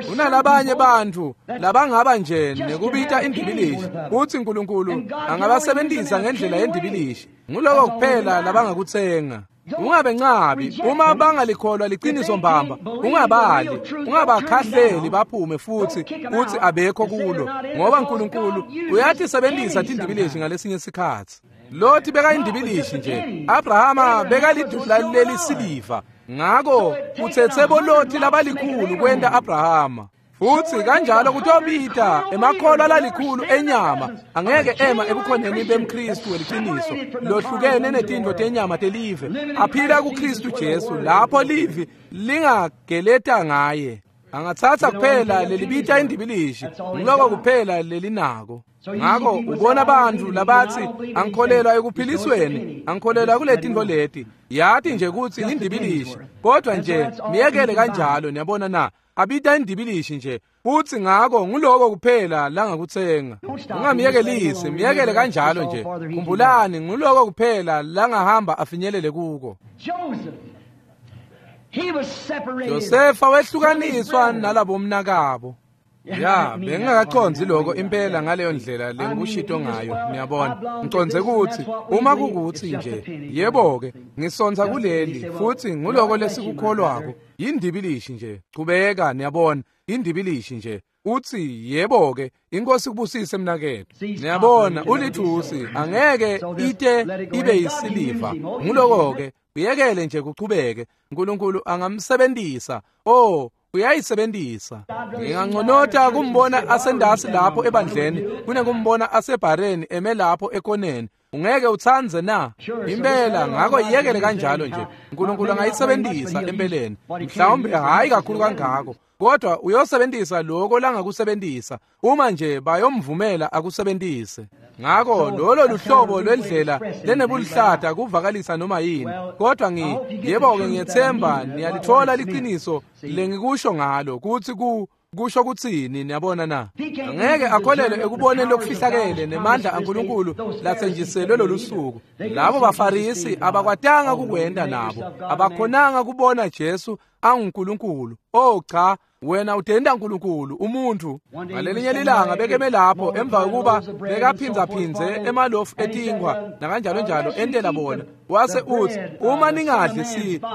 Kunalabanye bantfu labangaba nje nekubita indibilishi kutsi uNkulunkulu angabasebentisa ngendlela yendibilishi. Nguloko kuphela labangakutsenga. Ungabencabi uma bangalikholwa liciniso mbamba, ungabali, ungabakhahleli baphume futhi uthi abekho kulo, ngoba uNkulunkulu uyatisebentisa tindibilishi ngalesinye sikhatsi. Loti bekayindibilishi nje, Abrahama bekalidudla lelisiliva. Ngako utsetse boloti labalikhulu kwenta Abrahama. Futhi kanjalo kutobita emakholwa lalikhulu enyama angeke ema ebukhoneni bemKristu weliciniso lohlukene netintfo tenyama telive, aphila kuKristu Jesu lapho livi lingageleta ngaye. Angatsatsa kuphela lelibita indibilishi, ngiloko kuphela lelinako. Ngako ubona bantfu labatsi angikholelwa ekuphilisweni, angikholelwa kuletintfo leti. Yati nje kutsi indibilishi, kodwa nje miyekele kanjalo. Niyabona na? Abita indibilishi nje futhi ngako nguloko kuphela langakutsenga. Ungamyekelisi, miyekele kanjalo nje. Khumbulani, nguloko kuphela langahamba afinyelele kuko. Josefa wehlukaniswa nalabomnakabo. Ya, bengingakacondzi loko impela ngaleyo ndlela lengikushito ngayo, niyabona. Ngicondze kutsi uma kukuthi nje, yebo-ke, ngisonza kuleli futhi nguloko lesikukholwako, yindibilishi nje. Chubeka, niyabona, indibilishi nje. Uthi yebo-ke, inkosi kubusise mnaketfu. Niyabona, ulithusi angeke ite ibe yisiliva. Nguloko-ke, uyekele nje kuchubeke. uNkulunkulu angamsebentisa. Oh, uyayisebentisa. Nginganconota kumbona asendasi lapho ebandleni kunekumbona asebhareni eme lapho ekoneni. Ungeke utsandze na? Impela, ngako iyekele kanjalo nje. uNkulunkulu angayisebentisa empeleni, mhlawumbe hhayi kakhulu kangako, kodwa uyosebentisa lokho langakusebentisa uma nje bayomvumela akusebentise. Ngako lolo luhlobo lwendlela lenebuluhlata kuvakalisa noma yini. Kodwa yebo-ke ngiyethemba niyalithola liqiniso lengikusho ngalo kutsi kusho kutsini, niyabona na? Angeke akholelwe ekuboneni lokufihlakele nemandla aNkulunkulu latsenjiselwe lolu suku. Labo baFarisi abakwatanga kukwenta nabo, abakhonanga kubona Jesu anguNkulunkulu. Oh cha, wena utenda uNkulunkulu umuntu. Ngalelinye lilanga bekeme lapho emva kokuba bekaphindzaphindze emalofu etinkwa nakanjalo njalo entela bona, wase utsi uma ningadli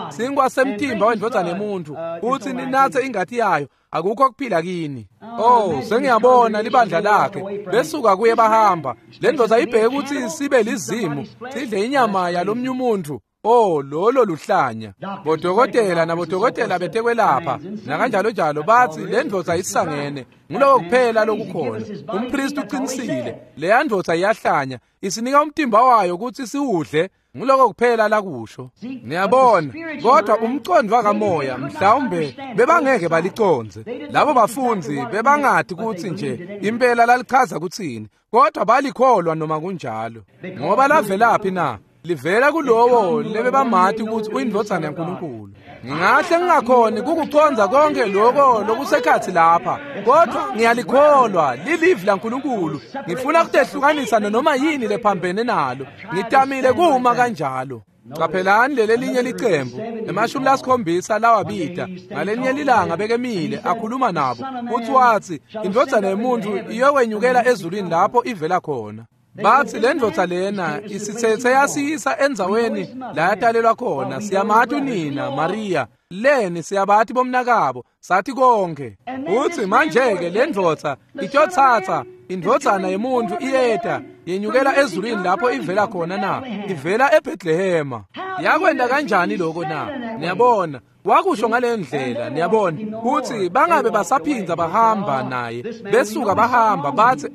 sinkwa semtimba wendvodzana yemuntfu utsi ninatse ingati yayo, akukho kuphila kini. Oh, sengiyabona libandla lakhe besuka kuye bahamba. Le ndvodza ibheke kutsi sibe lizimu sidle inyama yalomnye umuntu. Oh, lolo luhlanya. Bodokotela nabodokotela betekwelapha nakanjalo njalo batsi le ndvodza isangene. Nguloko kuphela lokukhona. Umpristi uqinisile, leya ndvodza iyahlanya, isinika umtimba wayo kutsi siwudle. Nguloko kuphela lakusho. Niyabona, kodwa umcondvo wakamoya mhlawumbe bebangeke balicondze. Labo bafundzi bebangati kutsi nje impela lalichaza kutsini, kodwa balikholwa noma kunjalo. Ngoba lavelaphi na? Livela kulowo lebebamati kutsi uyindvodzana yaNkulunkulu. Ngingahle ngingakhoni kukucondza konke loko lokusekhatsi lapha, kodwa ngiyalikholwa lilivi laNkulunkulu. Ngifuna kutehlukanisa noma yini lephambene nalo. Ngitamile kuma kanjalo. Qaphelani lelelinye licembu ema-70 lawabita. Ngalenye lilanga bekemile akhuluma nabo, uthi wathi indvodzana yemuntfu iyokwenyukela ezulwini lapho ivela khona. Batsi le ndvodza lena isithethe yasiyisa endzaweni la yatalelwa khona. Siyamati unina Maria, leni siyabati bomnakabo, sathi konke. Utsi manje-ke le ndvodza itotsatsa indvodzana yemuntfu iyeta yenyukela ezulwini lapho ivela khona na? Ivela eBethlehema. Yakwenta kanjani lokho na? Niyabona, wakusho ngale ndlela. Niyabona kutsi bangabe basaphindza bahamba naye, besuka bahamba batsi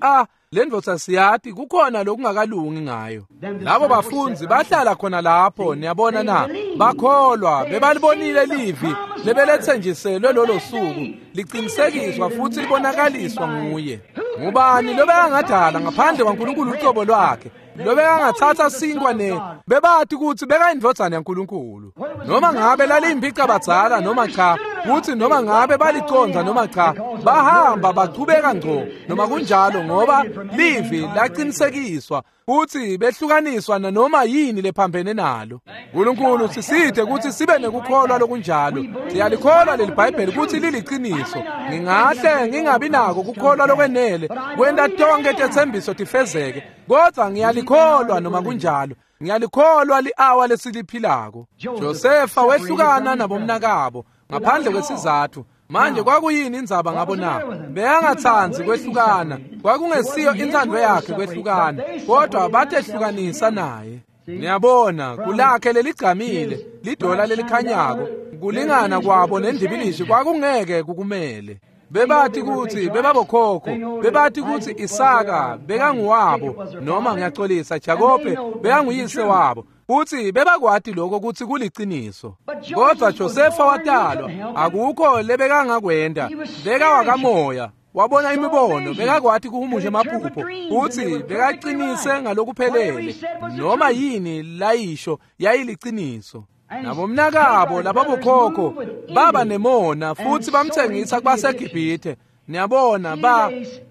le ndvodza siyati kukhona lokungakalungi ngayo. Labo bafundzi bahlala khona lapho, niyabona na? Bakholwa, bebalibonile livi lebeletsenjiselwe lolo suku liqinisekiswa futhi libonakaliswa nguye. Ngubani lobekangadala ngaphandle kwaNkulunkulu ucobo lwakhe, lobekangatsatsa sinkwa ne bebati kutsi bekayindvodzana yaNkulunkulu? Noma ngabe laliyimpicabadzala noma cha, kutsi noma ngabe balicondza noma cha, bahamba bachubeka ngco noma kunjalo, ngoba livi laqinisekiswa futhi behlukaniswa nanoma yini lephambene nalo. Nkulunkulu siside kutsi sibe nekukholwa lokunjalo. Siyalikholwa leli Bhayibheli kutsi liliqiniso. Ngingahle ngingabi nako kukholwa lokwenele kwenta tonke tetsembiso tifezeke, kodwa ngiyalikholwa noma kunjalo. Ngiyalikholwa li-awa lesiliphilako. Josefa wehlukana nabomnakabo ngaphandle kwesizathu. Manje kwakuyini indzaba ngabo na? Beyangatsandzi kwehlukana, kwakungesiyo intsandvo yakhe kwehlukana, kodwa batehlukanisa naye. Niyabona, kulakhe leligcamile lidola lelikhanyako, kulingana kwabo nendibilishi kwakungeke kukumele. Bebati kutsi bebabokhokho, bebati kutsi Isaka bekanguwabo, noma ngiyaxolisa, Jakobe bekanguyise wabo. Futsi bebakwati lokho kutsi kuliciniso. Kodwa Josefa watalwa, akukho lebekangakwenta, bekawakamoya. Wabona imibono, bekakwati kuhumusha emaphupho, futsi bekaqinise ngalokuphelele. Noma yini layisho yayiliciniso. Nabomnakabo lababokhokho baba nemona futhi bamthengisa kubaseGibhithe. Niyabona,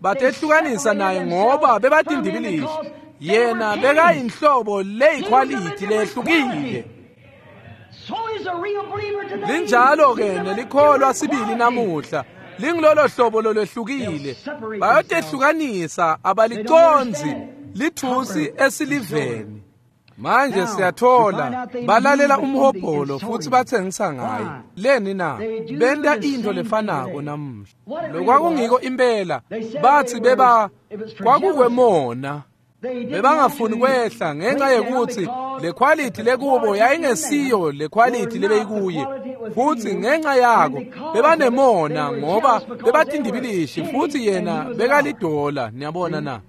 batehlukanisa naye ngoba bebatindibilishi. Yena bekayinhlobo leyikhwalithi lehlukile. Linjalo-ke nelikholwa sibili namuhla, lingilolo hlobo lolwehlukile. Bayotehlukanisa, abalicondzi lithusi esiliveni. Manje siyathola balalela umhobholo futhi bathengisa ngaye. Leni na? Benta into lefanako namuhla. Lokwakungiko impela, bathi beba kwakukwemona. Bebangafuni kwehla ngenxa yekuthi le quality lekubo yayingesiyo le quality lebeyikuye, futhi ngenxa yako bebanemona ngoba bebatindibilishi futhi yena bekalidola. Niyabona na?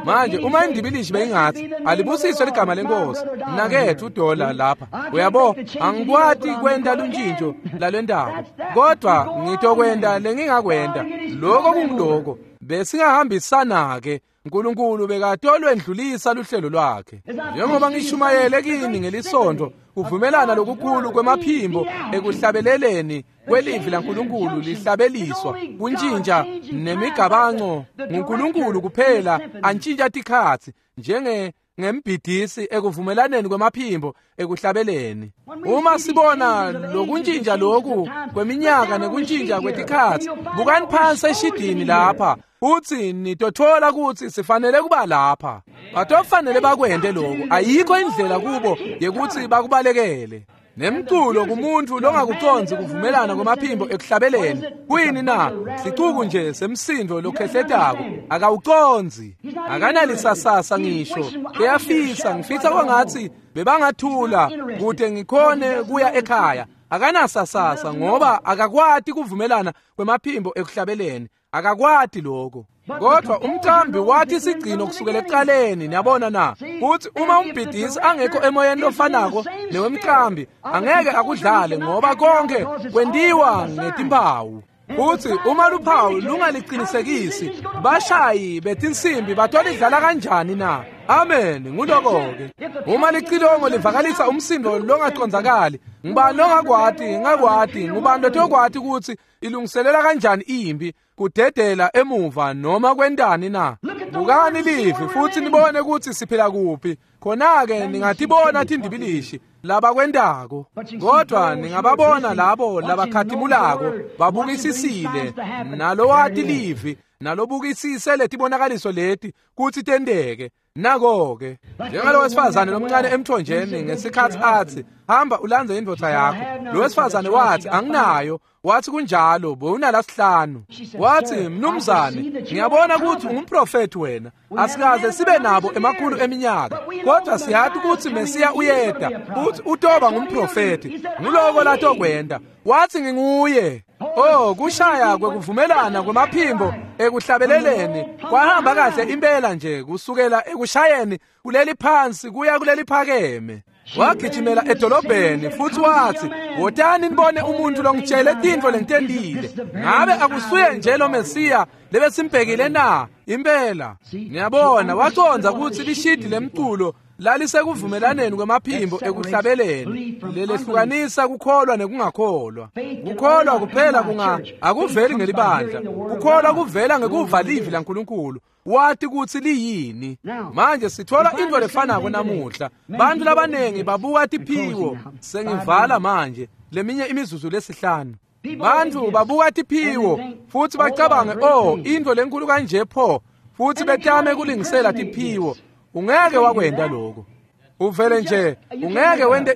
Manje uma indibilishi beyingathi alibusiswe ligama lenkosi, mnakethu udola lapha, uyabo, angikwati kwenta luntshintsho lalwentako, kodwa ngitokwenta lengingakwenta. Lokho kungiloko. Besingahambisana-ke. uNkulunkulu bekatolwendlulisa luhlelo lwakhe. Njengoba ngishumayele kini ngelisonto, kuvumelana lokukhulu kwemaphimbo ekuhlabeleleni kwelivi laNkulunkulu lihlabeliswa kuntshintsha nemigabango nguNkulunkulu kuphela antshintsha tikhatsi njenge ngembhidisi ekuvumelaneni kwemaphimbo ekuhlabeleni. Uma sibona lokuntshintsha lokhu kweminyaka nekuntshintsha kwetikhatsi, bukani phansi eshidini lapha futhi nitothola ukuthi sifanele kuba lapha. Batofanele bakwente lokhu, ayikho indlela kubo yekuthi bakubalekele. Nemculo kumuntu longakuconzi kuvumelana kwemaphimbo ekuhlabeleni kuyini na? Sicuku nje semsindo lokhehletako, akawuconzi, akanalisasasa ngisho. Kuyafisa, ngifisa kwangathi bebangathula kude ngikhone kuya ekhaya. Akanasasasa ngoba akakwati kuvumelana kwemaphimbo ekuhlabeleni, akakwati lokho. Kodwa umcambi wathi sigcino kusukela ekuqaleni, niyabona na? Futhi uma umbhidisi angekho emoyeni lofanako newemcambi, angeke akudlale ngoba konke kwentiwa ngetimpawu. Futhi uma luphawu lungaliqinisekisi, bashayi betinsimbi batolidlala kanjani na? Amen, nguloko-ke. Uma licilongo livakalisa umsindo longacondzakali, ngubani longakwati, ngakwati, ngubani lotokwati ukuthi ilungiselela kanjani impi, kudedela emuva noma kwentani na? Bukani livi futhi nibone ukuthi siphila kuphi. Khona-ke ningatibona tindibilishi labakwentako, kodwa ningababona labo labakhatimulako babukisisile nalowati livi nalobukisise letibonakaliso leti kutsi tenteke. Nako-ke njengalo wesifazane lomncane emthonjeni ngesikhathi athi hamba ulandze indvodza yakho, lo wesifazane wathi anginayo. Wathi kunjalo, bowunalasihlanu. Wathi mnumzane, ngiyabona ukuthi ungumprofethi wena, asikaze sibe nabo emakhulu eminyaka, kodwa siyathi ukuthi Mesiya uyeda futhi utoba ngumprofethi, nguloko latokwenda. Wathi nginguye. Oh, kushaya kwekuvumelana kwemaphimbo ekuhlabeleleni kwahamba kahle impela nje kusukela ekushayeni kuleli phansi kuya kuleli phakeme. Wagijimela edolobheni futhi wathi wotani nibone umuntu longitshele tintfo lengitentile. Ngabe akusuye nje lo Mesiya lebesimbhekile na? Impela. Niyabona, wacondza ukuthi lishidi lemculo lalisekuvumelaneni kwemaphimbo ekuhlabeleni lelehlukanisa kukholwa nekungakholwa. Kukholwa kuphela akuveli ngelibandla, kukholwa kuvela ngekuva livi laNkulunkulu, wathi ukuthi liyini. Manje sithola into lefanako namuhla. Bantu labanengi babuka tiphiwo. Sengivala manje leminye imizuzu lesihlanu. Bantu babuka tiphiwo futhi bacabange, oh, into lenkulu kanje pho, futhi betame kulingisela tiphiwo. Ungeke wakwenda lokho. Uvele nje ungeke wente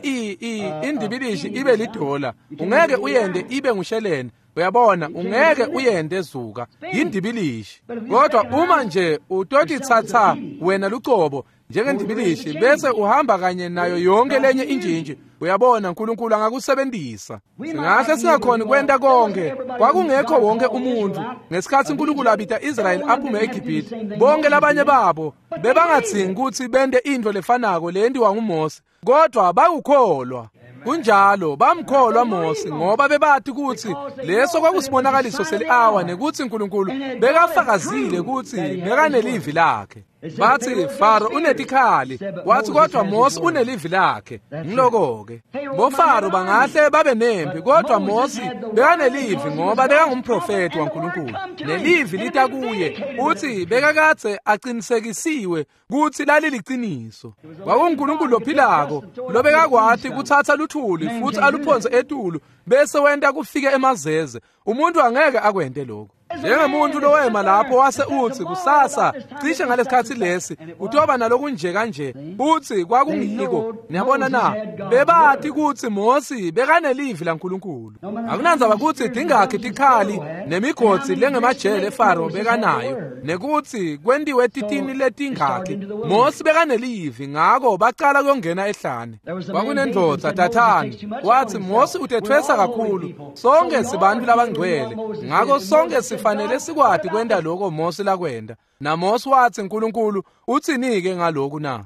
indibilishi ibe lidola, ungeke uyende ibe ngusheleni. Uyabona, ungeke uyende zuka, yindibilishi. Kodwa uma nje utotitsatsa wena lucobo njengendibilishi bese uhamba kanye nayo yonke lenye injinji, uyabona, uNkulunkulu angakusebenzisa. Singahle singakhoni kwenta konke. Kwakungekho wonke umuntu ngesikhathi uNkulunkulu abita Israyeli aphume eGibhithe. Bonke labanye babo bebangadzingi ukuthi bente into lefanako leyentiwa nguMose, kodwa bakukholwa. Kunjalo, bamkholwa Mose ngoba bebathi ukuthi leso kwakusibonakaliso seli-awa nekuthi uNkulunkulu bekafakazile ukuthi bekanelivi lakhe. Bathi Faro unetikhali, wathi kodwa Mose unelivi lakhe. Ngiloko-ke. BoFaro bangahle babe nempi, kodwa Mose bekanelivi ngoba bekangumprofethi waNkulunkulu. Nelivi lita kuye, uthi bekakadze aqinisekisiwe kuthi laliliciniso. KwakunguNkulunkulu lophilako lobekakwati kuthatha luthuli futhi aluphonse etulu bese wenta kufike emazeze. Umuntu angeke akwente lokho. Njengemuntu lowema lapho wase uthi kusasa cishe ngalesikhathi lesi utoba nalokunje kanje, uthi kwakungiko. Niyabona na? Bebathi ukuthi Mose bekanelivi laNkulunkulu. Akunandzaba ukuthi dingakhi tikhali nemigotsi lengemajele eFaro bekanayo nekuthi kwentiwe titini letingakhi, Mose bekanelivi, ngako bacala kuyongena ehlane. Kwakunendvodza Dathani, wathi Mose utethwesa kakhulu, sonke sibantu labangcwele, ngako sonke sifanele sikwati kwenta lokho Mose lakwenta. NaMose wathi uNkulunkulu uthini-ke ngalokhu na?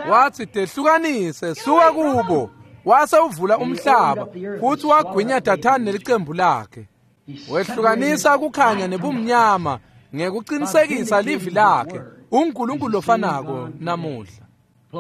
Wathi tehlukanise, suka kubo. Wase uvula umhlaba futhi wagwinya Dathani nelicembu lakhe. Wehlukanisa kukhanya nebumnyama ngekuqinisekisa livi lakhe. UNkulunkulu lofanako namuhla.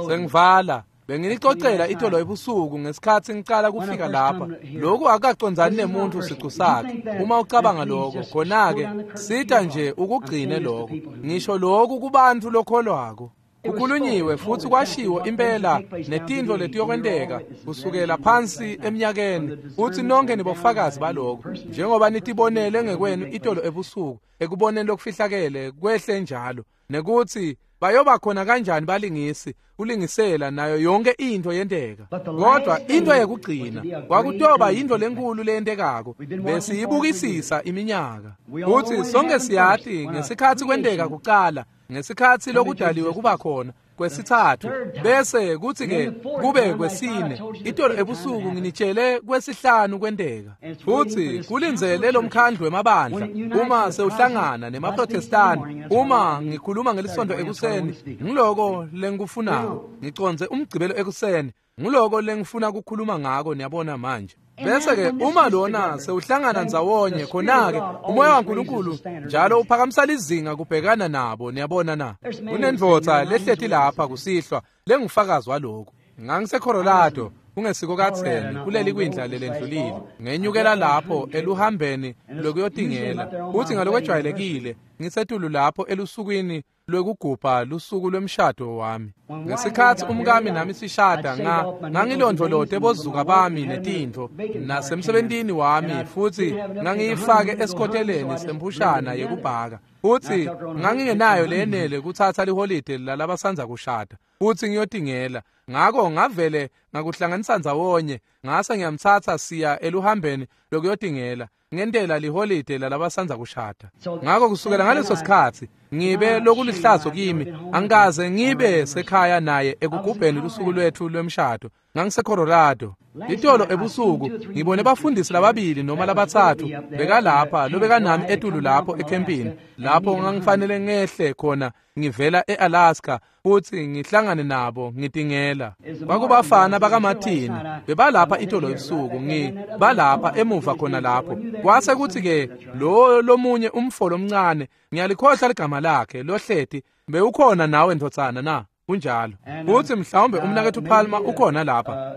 Sengivala. Benginicocela itolo ebusuku ngesikhathi ngicala kufika lapha. Lokhu akacondzani nemuntu sicu sakhe. Uma ucabanga lokho, khona-ke sita nje ukugcine lokho. Ngisho lokhu kubantu lokholwako. Kukhulunyiwe futhi kwashiwo impela netintfo letiyokwenteka kusukela phansi eminyakeni, futhi nonke nibofakazi baloko, njengoba nitibonele ngekwenu itolo ebusuku ekuboneni lokufihlakele kwehle njalo, nekuthi bayoba khona kanjani balingisi kulingisela nayo yonke into yenteka. Kodwa into yekugcina kwakutoba yinto lenkulu leyentekako, besiyibukisisa iminyaka. Futhi sonke siyati ngesikhathi kwenteka kucala, ngesikhathi lokudaliwe kuba khona kwesithathu, bese kuthi-ke kube kwesine. Itolo ebusuku nginitshele kwesihlanu kwenteka. Futhi kulindzele lomkhandlu wemabandla uma sewuhlangana nemaprotestani. Uma ngikhuluma ngelisonto ekuseni, ngiloko lengikufunako. Ngicondze umgcibelo ekuseni, ngiloko lengifuna ukukhuluma ngako, niyabona manje. Bese-ke uma lona sewuhlangana ndzawonye, khona-ke umoya waNkulunkulu njalo uphakamisa lizinga kubhekana nabo, niyabona na. Kunendvodza lehleti lapha kusihlwa lengufakazi walokhu. NgangiseColorado kungesiko katheni kuleli kwindla lelendlulile, ngenyukela lapho eluhambeni lokuyotingela, futhi ngalokwejwayelekile ngisetulu lapho elusukwini lwekugubha lusuku lwemshado wami. Ngesikhathi umkami nami sishada, ngangilondvolote bozuka bami netintfo nasemsebentini wami, futhi ngangiyifake esikoteleni semphushana yekubhaka, futhi ngangingenayo leyenele kutsatsa liholide lalabasandza kushada futhi ngiyotingela. Ngako ngavele ngakuhlanganisa ndzawonye, ngase ngiyamtsatsa siya eluhambeni lokuyotingela, ngentela liholide lalabasandza kushada. Ngako kusukela ngaleso sikhathi ngibe lokulihlazo kimi, angikaze ngibe sekhaya naye ekugubheni lusuku lwethu lwemshado. NgangiseColorado itolo ebusuku, ngibone bafundisi lababili noma labathathu bekalapha lobekanami etulu lapho ekhempini, lapho ngangifanele ngehle khona ngivela eAlaska futhi ngihlangane nabo ngitingela. Kwakubafana bakaMartin bebalapha itolo ebusuku, ngibalapha emuva khona lapho. Kwase kuthi-ke lo lomunye umfo lomncane, ngiyalikhohlwa ligama lakhe, lohleti, bewukhona nawe ndvodzana na? Kunjalo. Futhi mhlawumbe umnakethu Palmer ukhona lapha.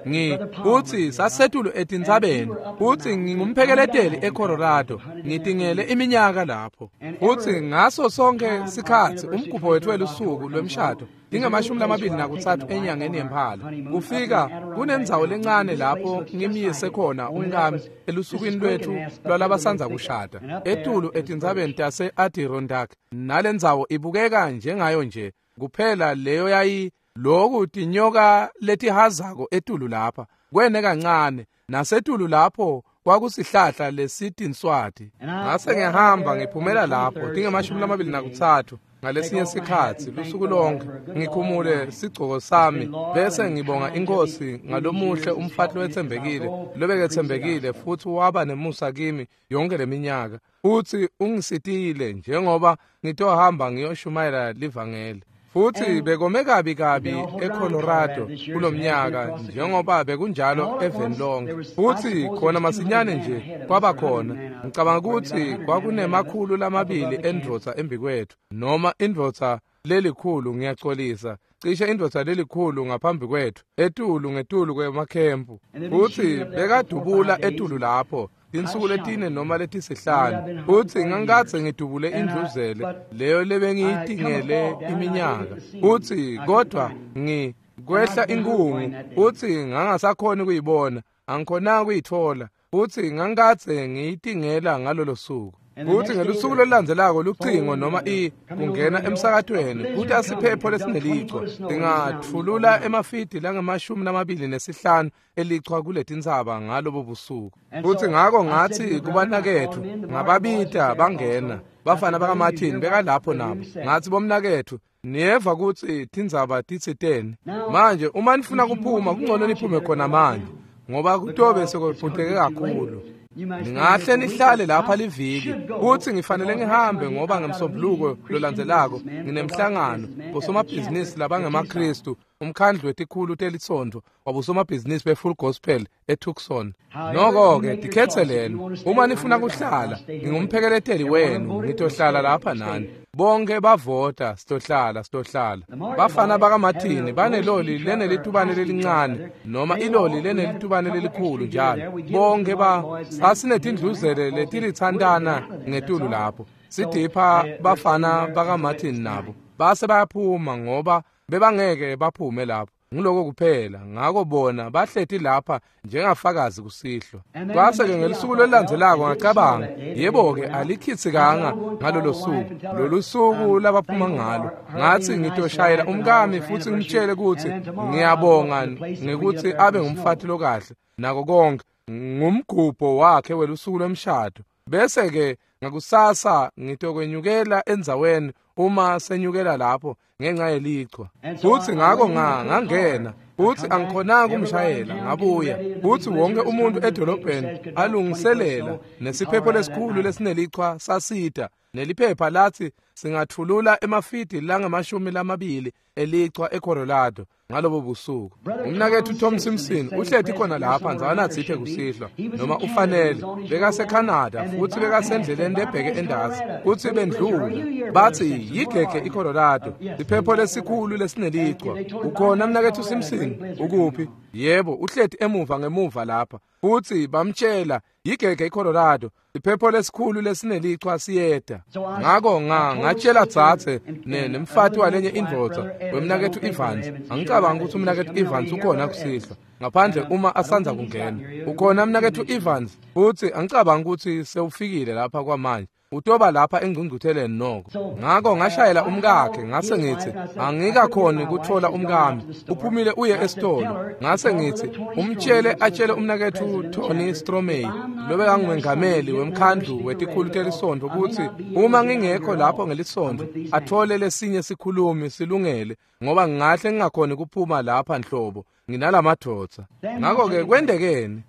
Futhi sasetulu etintsabeni, futhi ngingumphekeleteli eColorado, ngitingele iminyaka lapho. Futhi ngaso sonke sikhathi umgubho wethu welusuku lwemshado tinge-23 enyangeni yeMphala, kufika kunendzawo lencane lapho ngimyise khona umkami elusukwini lwethu lwalabasandza kushada, etulu etintsabeni tase-Adirondack. Nalendzawo ibukeka njengayo nje kuphela leyo yayi loku tinyoka letihazako etulu lapha kwene kancane, nasetulu lapho kwakusihlahla lesitinswati. Ngase ngihamba ngiphumela lapho tinge-23 ngalesinye sikhathi lusuku lonke, ngikhumule sigcoko sami bese ngibonga inkosi ngalomuhle umfati lowetsembekile lobeketsembekile futhi waba nemusa kimi yonke leminyaka, futhi ungisitile njengoba ngitohamba ngiyoshumayela livangeli. Futhi bekome kabi kabi eColorado kulomnyaka njengoba bekunjalo eveni lonke. Futhi khona masinyane nje kwaba khona, ngicabanga ukuthi kwakunemakhulu lamabili endvodza embikwethu, noma indvodza lelikhulu, ngiyaxolisa, cishe indvodza lelikhulu ngaphambi kwethu, etulu ngetulu kwemakhempu. Futhi bekadubula etulu lapho tinsuku letine noma letisihlanu, futhi ngangikadze ngidubule indluzele leyo lebengiyitingele iminyaka. Futhi kodwa kwehla inkungu, futhi ngangasakhoni kuyibona, angikhonanga kuyithola, futhi ngangikadze ngiyitingela ngalolo suku. Futhi ngelusuku lolulandzelako lucingo noma kungena emsakatweni kuthi asiphepho lesinelichwa singathulula emafidi langama-25 elichwa kuletintsaba ngalobo busuku. Futhi ngako ngathi kubanakethu, ngababita bangena, bafana bakaMartin bekalapho nabo. Ngathi bomnakethu, niyeva ukuthi tindzaba titsiteni manje. Uma nifuna kuphuma kungcono niphume khona manje, ngoba kutobe sekuphuteke kakhulu. Ningahle nihlale lapha liviki, kutsi ngifanele ngihambe ngoba ngemsombuluko lolandzelako nginemhlangano bosomabhizinisi labangemaKhristu, umkhandlu wetikhulu telisonto wabosomabhizinisi be-Full Gospel eTucson. Noko-ke tikhetseleni, uma nifuna kuhlala, ngingumphekeleteli wenu, ngitohlala lapha nani. Bonke bavota, sitohlala, sitohlala. Bafana bakaMartin baneloli lenelitubane lelincane noma iloli lenelitubane lelikhulu njalo. Bonke sasinetindluzele letilitsantana ngetulu lapho. Sidipha bafana bakaMartin nabo. Base bayaphuma ngoba bebangeke baphume lapho. Ngiloko kuphela, ngako bona bahleti lapha njengafakazi kusihlwa. Kwase-ke ngelusuku lolulandzelako ngacabanga, yebo-ke alikhitsikanga ngalolo suku, lolu suku labaphuma ngalo. Ngathi ngitoshayela umkami futsi ngimtshele kutsi ngiyabonga ngekutsi abe ngumfati lokahle nako konke, ngumgubho wakhe welusuku lwemshado. Bese-ke ngakusasa ngitokwenyukela endzaweni uma senyukela lapho ngenxa yelichwa. Futsi ngako ngangena, futsi angikhonanga ukumshayela, ngabuya. Futsi wonke umuntu edolobheni alungiselela, nesiphepho lesikhulu lesinelichwa sasita, neliphepha lathi singathulula emafidi langama-20 elichwa eColorado ngalobo busuku. Umnaketfu Tom Simpson uhleti khona lapha ndzawanatsite kusihlwa, noma ufanele, bekaseCanada futsi bekasendleleni lebheke endasi, futsi bendlula bathi yigege iColorado, siphepho lesikhulu lesinelichwa. Ukhona mnaketfu Simpson? Ukuphi? Yebo, uhleti emuva ngemuva lapha. Futsi bamtshela yigege iColorado, siphepho lesikhulu lesinelichwa siyeta. Ngako ngatshela dzadze nemfati walenye indvodza wemnaketfu Evans. Angicabanga ukuthi umnaketfu Evans ukhona kusihlwa, ngaphandle uma asandza kungena. Ukhona mnaketfu Evans? Futsi angicabanga ukuthi sewufikile lapha kwamanje. Utoba lapha engcungcutheleni noko. Ngako ngashayela umkakhe, ngase ngithi angikakhoni kuthola umkami, uphumile uye esitolo. Ngase ngithi umtshele atshele umnaketfu Tony Stromey lobekangumengameli wemkhandlu wetikhulu telisonto kutsi uma ngingekho lapho ngelisonto athole lesinye sikhulumi silungele, ngoba ngingahle ngingakhoni kuphuma lapha nhlobo nginalamadvodza. Ngako-ke kwendekeni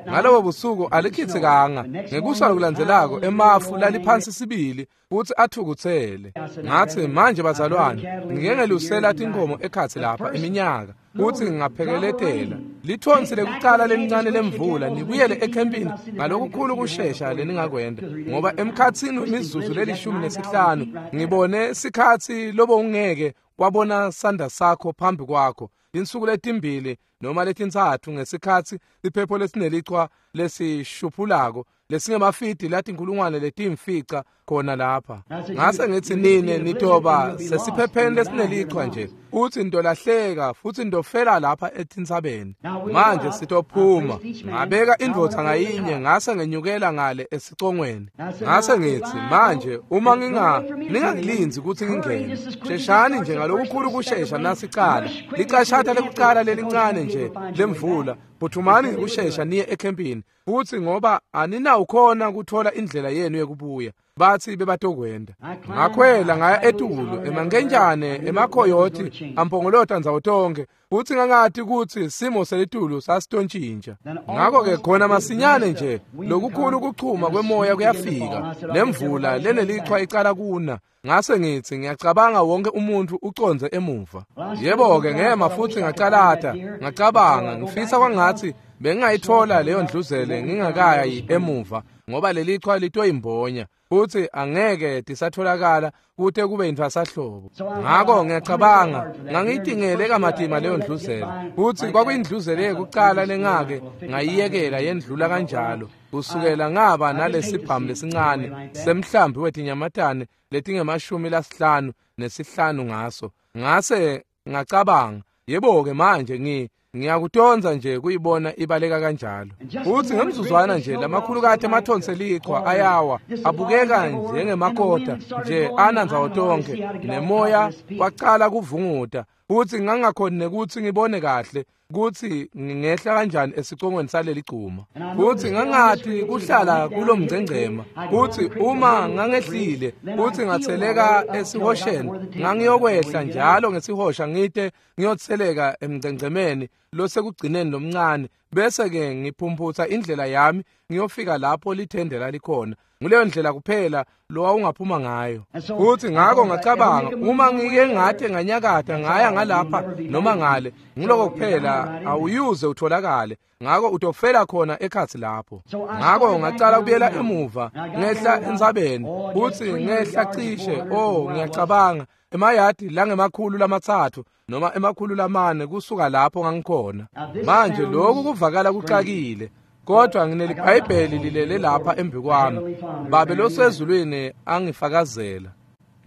ngalobo busuku alikhitsikanga. Ngekusa lokulandzelako emafu laliphansi sibili futsi athukutsele. Ngathi manje bazalwane, ngike ngelusela tinkhomo ekhatsi lapha iminyaka futsi ngingaphekeletela lithonsi lekucala lelincane lemvula, nibuyele ekhempini ngalokukhulu kushesha leningakwenda, ngoba emkhatsini wemizuzu leli-15 ngibone sikhatsi lobo ungeke wabona sandla sakho phambi kwakho insuku letimbili noma letintsatfu ngesikhatsi siphepho lesinelichwa lesishuphulako lesingemafidi latinkulungwane letimfica khona lapha. Ngase ngithi nine nitoba sesiphepheni lesinelichwa nje, futsi nitolahleka futsi nitofela lapha etintsabeni. Manje sitophuma. Ngabeka indvodza ngayinye, ngase ngenyukela ngale esicongweni. Ngase ngithi manje uma ningangilindzi kutsi ngingene, sheshani nje ngalokukhulu kushesha nasicala licashata lekucala lelincane nje lemvula, phuthumani ngekushesha niye ekhempini, futsi ngoba aninawukhona kuthola indlela yenu yekubuya. Bathi bebatokwenda. Ngakhwela ngaya etulu emankentshane emakhoyothi ampongolota ndzawo tonke, futsi ngangati kutsi simo selitulu sasitontjintja. Ngako-ke khona masinyane nje lokukhulu kuchuma kwemoya kuyafika, nemvula lenelichwa icala kuna. Ngase ngithi ngiyacabanga wonke umuntu uconze emuva. Yebo-ke ngema futsi ngacalata, ngacabanga ngifisa kwangathi bengingayithola leyo ndluzele ngingakayi emuva, ngoba lelichwa litoyimbonya futsi angeke tisatholakala kute kube yintfwasahlobo. Ngako ngiyacabanga ngangiyitingele kamatima leyo ndluzele, futsi kwakuyindluzele yekucala lengake ngayiyekela yendlula kanjalo kusukela ngaba nalesibhamu lesincane semhlambi wetinyamatane letingama-55 ngaso. Ngase ngacabanga, yebo-ke manje ngiyakutonza nje kuyibona ibaleka kanjalo. Futsi ngemzuzwana nje lamakhulukati emathonsi elichwa ayawa, abukeka njengemakota nje ana ndzawo tonke, nemoya wacala kuvunguta, futsi ngangakhoni nekutsi ngibone kahle kutsi ngingehla kanjani esicongweni saleli gcuma. Futsi ngangati kuhlala kulomngcengcema, kutsi uma ngangehlile futsi ngatseleka esihosheni, ngangiyokwehla njalo ngesihosha ngite ngiyotseleka emngcengcemeni losekugcineni lomncane, bese-ke ngiphumphutsa indlela yami ngiyofika lapho lithende lalikhona. Nguleyo ndlela kuphela lowawungaphuma ngayo. Futsi ngako ngacabanga, uma ngike ngate nganyakata ngaya ngalapha noma ngale, ngiloko kuphela awuyuze utholakale, ngako utofela khona ekhatsi lapho. Ngako ngacala kubuyela emuva ngehla entsabeni, futsi ngehla cishe, ngiyacabanga emayadi langemakhulu 3 noma 400 kusuka lapho ngangikhona. Manje lokhu kuvakala kuxakile, kodwa ngineliBhayibheli lilele lapha embi kwami. Babe losezulwini angifakazela.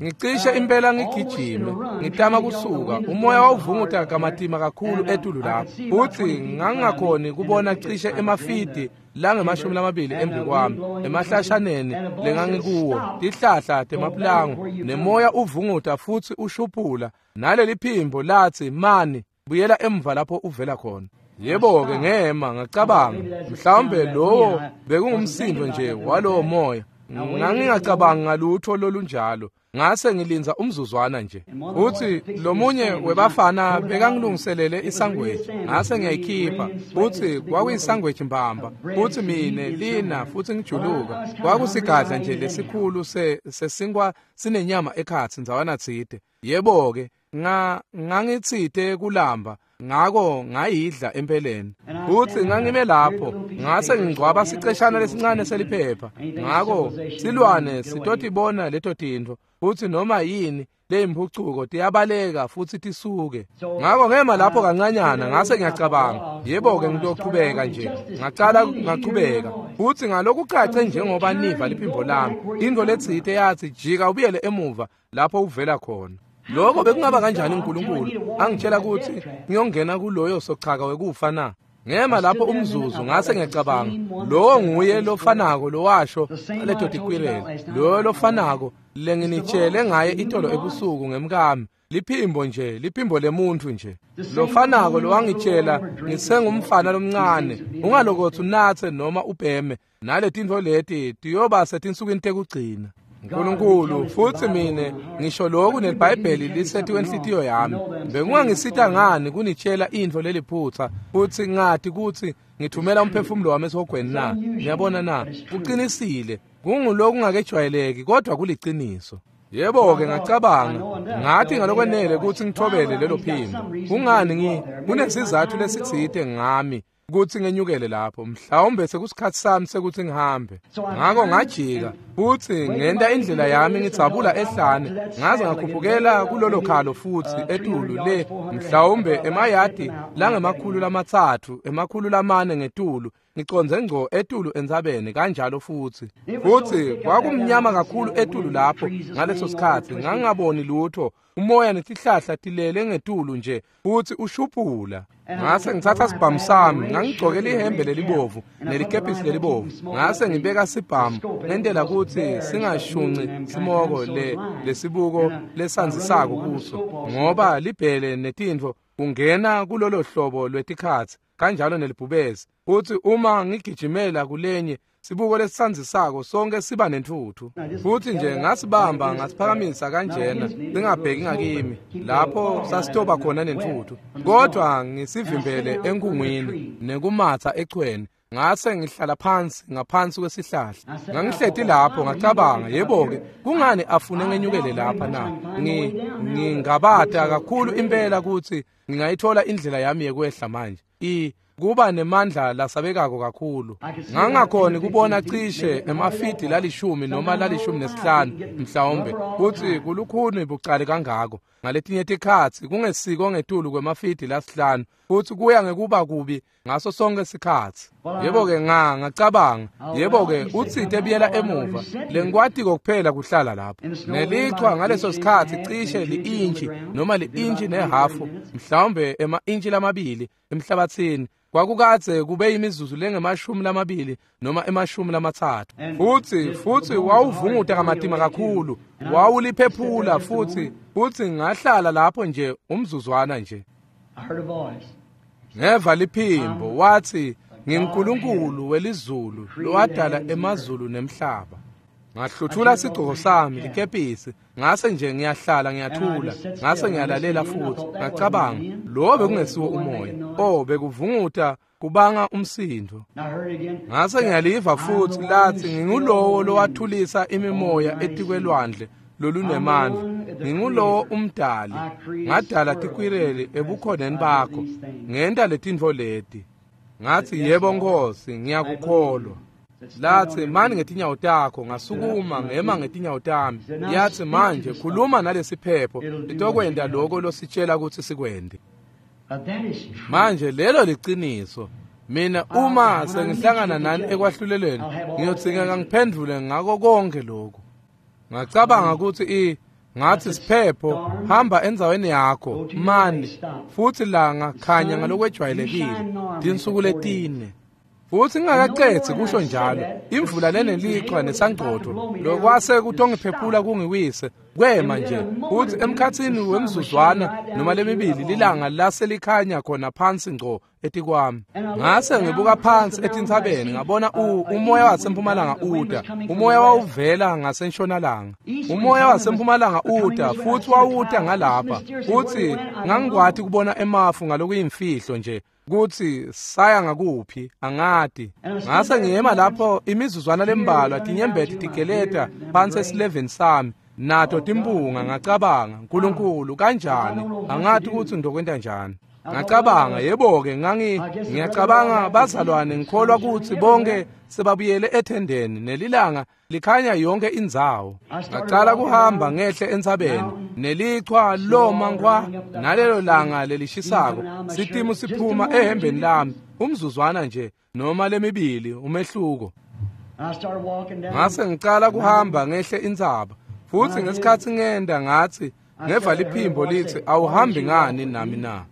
Ngicishe impela ngigijime, ngitama kusuka, umoya wawuvunguta kamatima kakhulu etulu lapho, futsi ngangingakhoni kubona cishe emafidi langema-20 embi kwami, emahlashaneni lengangikuwo, tihlahla temapulango, nemoya uvunguta futsi ushuphula, naleli phimbo latsi, mani, buyela emva lapho uvela khona. Yebo-ke ngema ngacabanga, mhlawumbe lowo bekungumsindo nje walowo moya. Ngangingacabangi ngalutho lolunjalo. Ngase ngilindza umzuzwana nje. Uthi lomunye webafana bekangilungiselele isangweji, ngase ngiyayikhipha. Uthi kwakuyisangweji mbamba. Uthi mine lina futhi ngijuluka. Kwakusigadla nje lesikhulu sesinkwa sinenyama ekhatsi ndzawana tsite. Yebo-ke ngangitsite kulamba, ngako ngayidla empeleni. Futhi ngangime lapho, ngase ngingcwaba siceshana lesincane seliphepha. Ngako silwane sitotibona leto tintfo, futhi noma yini leyimpucuko tiyabaleka futhi tisuke. Ngako ngema lapho kancanyana, ngase ngiyacabanga, yebo-ke ngitochubeka nje. Ngacala ngachubeka, futhi ngalokucace njengoba niva liphimbo lami, intfo letsite yathi, jika ubuyele emuva lapho uvela khona. Lokho bekungaba kanjani uNkulunkulu angitshela ukuthi ngiyongena kuloyo sochaka wekufa na? Ngema lapho umzuzu, ngase ngiyacabanga, lowo nguye lofanako lowasho leto tikwirele, loyo lofanako lenginitshele ngaye itolo ebusuku ngemkami, liphimbo nje, liphimbo lemuntu nje, lofanako lowangitshela ngisengumfana lomncane, ungalokotsi unatse noma ubheme, naletintfo leti tiyoba setinsukwini tekugcina. Nkulunkulu, futhi mine ngisho lokhu neliBhayibheli lisetiwe enhlitiyo yami. Bekungangisita ngani kunitshela intfo leliphutsa futhi ngati kutsi ngithumela umphefumulo wami esihogweni na? Niyabona na? Kuqinisile, kungulokungakejwayeleki kodwa kuliciniso. Yebo-ke ngacabanga, ngathi ngalokwenele kutsi ngithobele lelo phimbo. Kungani kunesizathu lesitsite ngami kutsi ngenyukele lapho, mhlawumbe sekusikhatsi sami sekuthi ngihambe. Ngako ngajika futhi ngenta indlela yami ngidzabula ehlane, ngaze ngakhuphukela kulolo khalo futhi etulu le, mhlawumbe emayadi langema-300, 400 ngetulu, ngicondze ngco etulu entsabeni kanjalo futhi. Futhi kwakumnyama kakhulu etulu lapho ngaleso sikhatsi, ngangingaboni lutho, umoya netihlahla tilele ngetulu nje futhi ushuphula. Ngase ngitsatsa sibhamu sami, ngangigcoke lihembe lelibovu nelikepisi lelibovu, ngase ngibeka sibhamu ngentela kutsi singashunci simoko lesibuko lesandzisako kuso, ngoba libhele netintfo kungena kulolo hlobo lwetikhatsi kanjalo nelibhubesi. Futhi uma ngigijimela kulenye sibuko lesisandzisako sonke siba nentfutfu. Futhi nje ngasibamba ngasiphakamisa kanjena singabheki ngakimi lapho sasitoba khona nentfutfu, kodwa ngisivimbele enkungwini nekumatsa echweni. Ngase ngihlala phansi ngaphansi kwesihlahla. Ngangihleti lapho ngacabanga, yebo-ke kungani afune ngenyukele lapha na? Ngingabata kakhulu impela kutsi ngingayithola indlela yami yekwehla manje. Kuba nemandla lasabekako kakhulu. Ngangakhoni kubona cishe emafidi lalishumi noma 15 mhlawumbe, kutsi kulukhuni bucali kangako. Ngaletinye tikhatsi kungesiko ngetulu kwemafidi 5, futsi kuya ngekuba kubi ngaso sonke sikhatsi. Yebo-ke ngacabanga, yebo-ke utsite buyela emuva, lengikwatiko kuphela kuhlala lapho. Nelichwa ngaleso sikhatsi cishe li-intshi noma li-intshi nehafu, mhlawumbe ema-intshi 2 emhlabathini. Kwakukadze kube imizuzu lengama-20 noma 30. Futhi wawuvunguta kamatima kakhulu, wawuliphephula futhi ngahlala lapho nje umzuzwana nje. Ngeva liphimbo wathi, "NginguNkulunkulu welizulu lowadala emazulu nemhlaba." Ngahluthula sigqoko sami likepisi, ngase nje ngiyahlala ngiyathula, ngase ngiyalalela futhi. Ngacabanga, lo bekungesiwo umoya. Oh, bekuvunguta kubanga umsindo. Ngase ngiyaliva futhi lathi, "Ngingulowo lowathulisa imimoya etikwelwandle lolunemandla. Ngingulowo umdali. Ngadala tikwireli ebukhoneni bakho. Ngenta letintfo leti." Ngathi, "Yebo Nkosi, ngiyakukholwa." Lathi, "Mani ngetinyawo takho." Ngasukuma ngema ngetinyawo tami. Yathi, "Manje khuluma nalesiphepho, litokwenta lokho lositshela ukuthi sikwente." Manje lelo liciniso. Mina uma sengihlangana nani ekwahlulelweni, ngiyodzingeka ngiphendvule ngako konke lokhu. Ngacabanga ukuthi ngathi, "Siphepho, hamba endzaweni yakho, mani futhi langa khanya ngalokwejwayelekile tinsuku letine." Futhi ngingakaqedzi kusho njalo, imvula lenelichwa nesangcotfo lokwase kutongiphephula kungiwise kwema nje. Futhi emkhatsini wemzuzwana noma lemibili lilanga laselikhanya khona phansi ngco etikwami. Ngase ngibuka phansi etintsabeni, ngabona umoya wasempumalanga uta. Umoya wawuvela ngasentshonalanga. Umoya wasempumalanga uta futhi wawuta ngalapha. Futhi ngangikwati kubona emafu ngalokuyimfihlo nje kuthi saya ngakuphi angati. Ngase ngiyema lapho imizuzwana lembalwa, tinyembeti tigeleta phansi esileveni sami, nato timpunga. Ngacabanga, "Nkulunkulu, kanjani? Angati ukuthi ngizokwenta njani." Ngacabanga, yebo-ke, ngiyacabanga bazalwane, ngikholwa ukuthi bonke sebabuyele ethendeni nelilanga likhanya yonke indzawo. Ngacala kuhamba ngehle entsabeni, nelichwa loma nkwa nalelo langa lelishisako, sitimu siphuma ehembeni lami umzuzwana nje noma lemibili umehluko. Ngase ngicala kuhamba ngehle intsaba, futhi ngesikhathi ngenda ngathi ngeva liphimbo lithi, "Awuhambi ngani nami na?"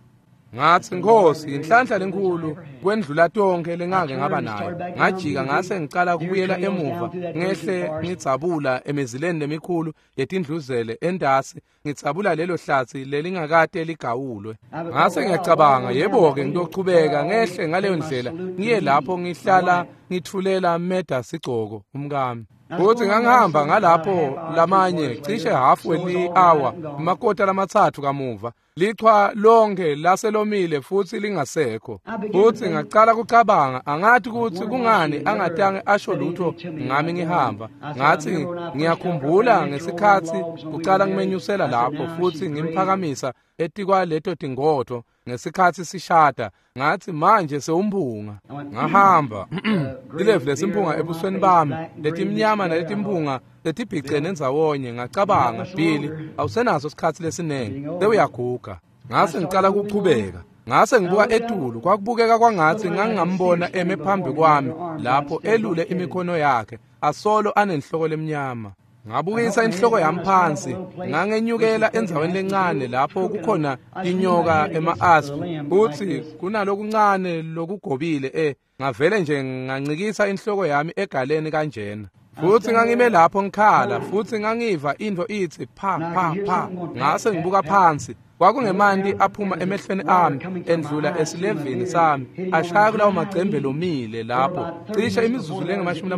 Ngathi, "Nkosi, inhlanhla lenkulu kwendlula tonke lengake ngaba nayo." Ngajika ngase ngicala kubuyela emuva, ngehle ngidzabula emizileni lemikhulu yetindluzele endasi, ngidzabula lelo hlathi lelingakade ligawulwe. Ngase ngiyacabanga, yebo-ke, ngiyochubeka ngehle ngaleyo ndlela ngiye lapho ngihlala ngithulela meda sigcoko umkami. Futhi ngangihamba ngalapho lamanye cishe hafu weli-hour, amakota lamathathu kamuva, lichwa lonke laselomile futhi lingasekho. Futhi ngacala kucabanga, angathi ukuthi kungani angatange asho lutho ngami ngihamba. Ngathi, ngiyakhumbula ngesikhathi kucala ngimenyusela lapho futhi ngimphakamisa etikwaleto tingodo ngesikhathi sishada. Ngathi, manje sewumphunga. Ngahamba ilevu lesimphunga ebusweni bami, letimnyama naletimphunga letibhicene ndzawonye. Ngacabanga, Billy, awusenaso isikhathi lesinengi, sewuyaguga. Ngase ngicala kuchubeka. Ngase ngibuka etulu, kwakubukeka kwangathi ngangingambona eme phambi kwami lapho elule imikhono yakhe, asolo anenhloko lemnyama. Ngabukisa inhloko yami phansi, ngangenyukela endzaweni lencane lapho kukhona inyoka ema-asp, futhi kunalokuncane lokugobile ngavele nje ngancikisa inhloko yami egaleni kanjena. Futhi ngangime lapho ngikhala, futhi ngangiva into ithi pha pha pha. Ngase ngibuka phansi, kwakungemanti aphuma emehlweni ami endlula esilevini sami, ashaya kulawo macembe lomile lapho. Cishe imizuzu lengamashumi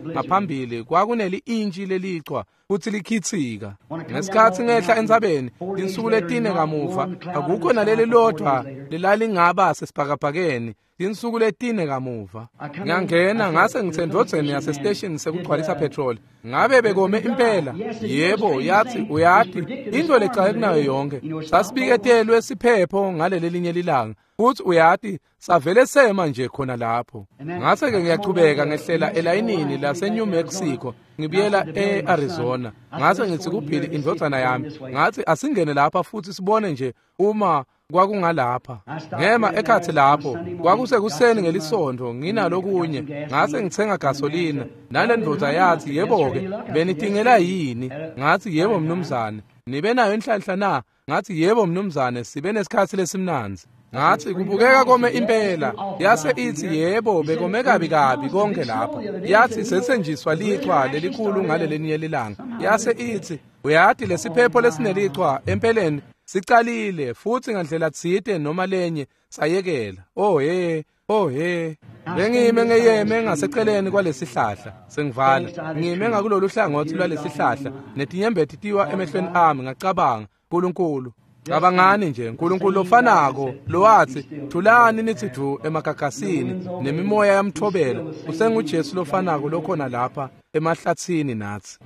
ngaphambili kwakuneli-intshi lelichwa futhi likhithika. Ngesikhathi ngehla entsabeni tinsuku letine kamuva, akukho naleli lodwa lelalingaba sesibhakabhakeni. Tinsuku letine kamuva ngangena, ngase ngithendvodzeni yasesiteshini sekugcwalisa petroli. Ngabe bekome impela? Yebo. Yathi, "Uyati into lecake kunayo yonke, sasibiketelwe siphepho ngaleli linye lilanga, futhi uyati savele sema nje khona lapho." Ngase-ke ngiyachubeka ngehlela elayinini lase-New Mexico ngibuyela e-Arizona. Ngase ngithi kuBilly indvodzana yami, ngathi, "Asingene lapha futhi sibone nje uma kwakungalapha." Ngema ekhathi lapho, kwakusekuseni ngelisonto, nginalokunye. Ngase ngithenga gasolina, nale ndvodza yathi, "Yebo-ke, benidingela yini?" Ngathi, "Yebo mnumzane." "Nibe nayo inhlanhla na?" Ngathi, "Yebo mnumzane, sibe nesikhathi lesimnandzi." Ngathi, "Kubukeka kome impela." Yase ithi, "Yebo, bekome kabi kabi konke lapha." Yathi, "Sethenjiswa lichwa lelikhulu ngalelelinye lilanga." Yase ithi, "Uyati lesiphepho lesinelichwa empeleni Sicalile futhi ngandlela tsite noma lenye sayekela. Oh he, oh he. Bengime ngeyeme ngaseceleni kwalesihlahla sengivala. Ngime ngakulolu hlangothi lwalesihlahla netinyembeti tiwa emehlweni ami ngacabanga uNkulunkulu. Cabangani nje uNkulunkulu lofanako lowathi thulani nithi du emagagasini nemimoya yamthobela usenguJesu lofanako lokhona lapha emahlathini nathi.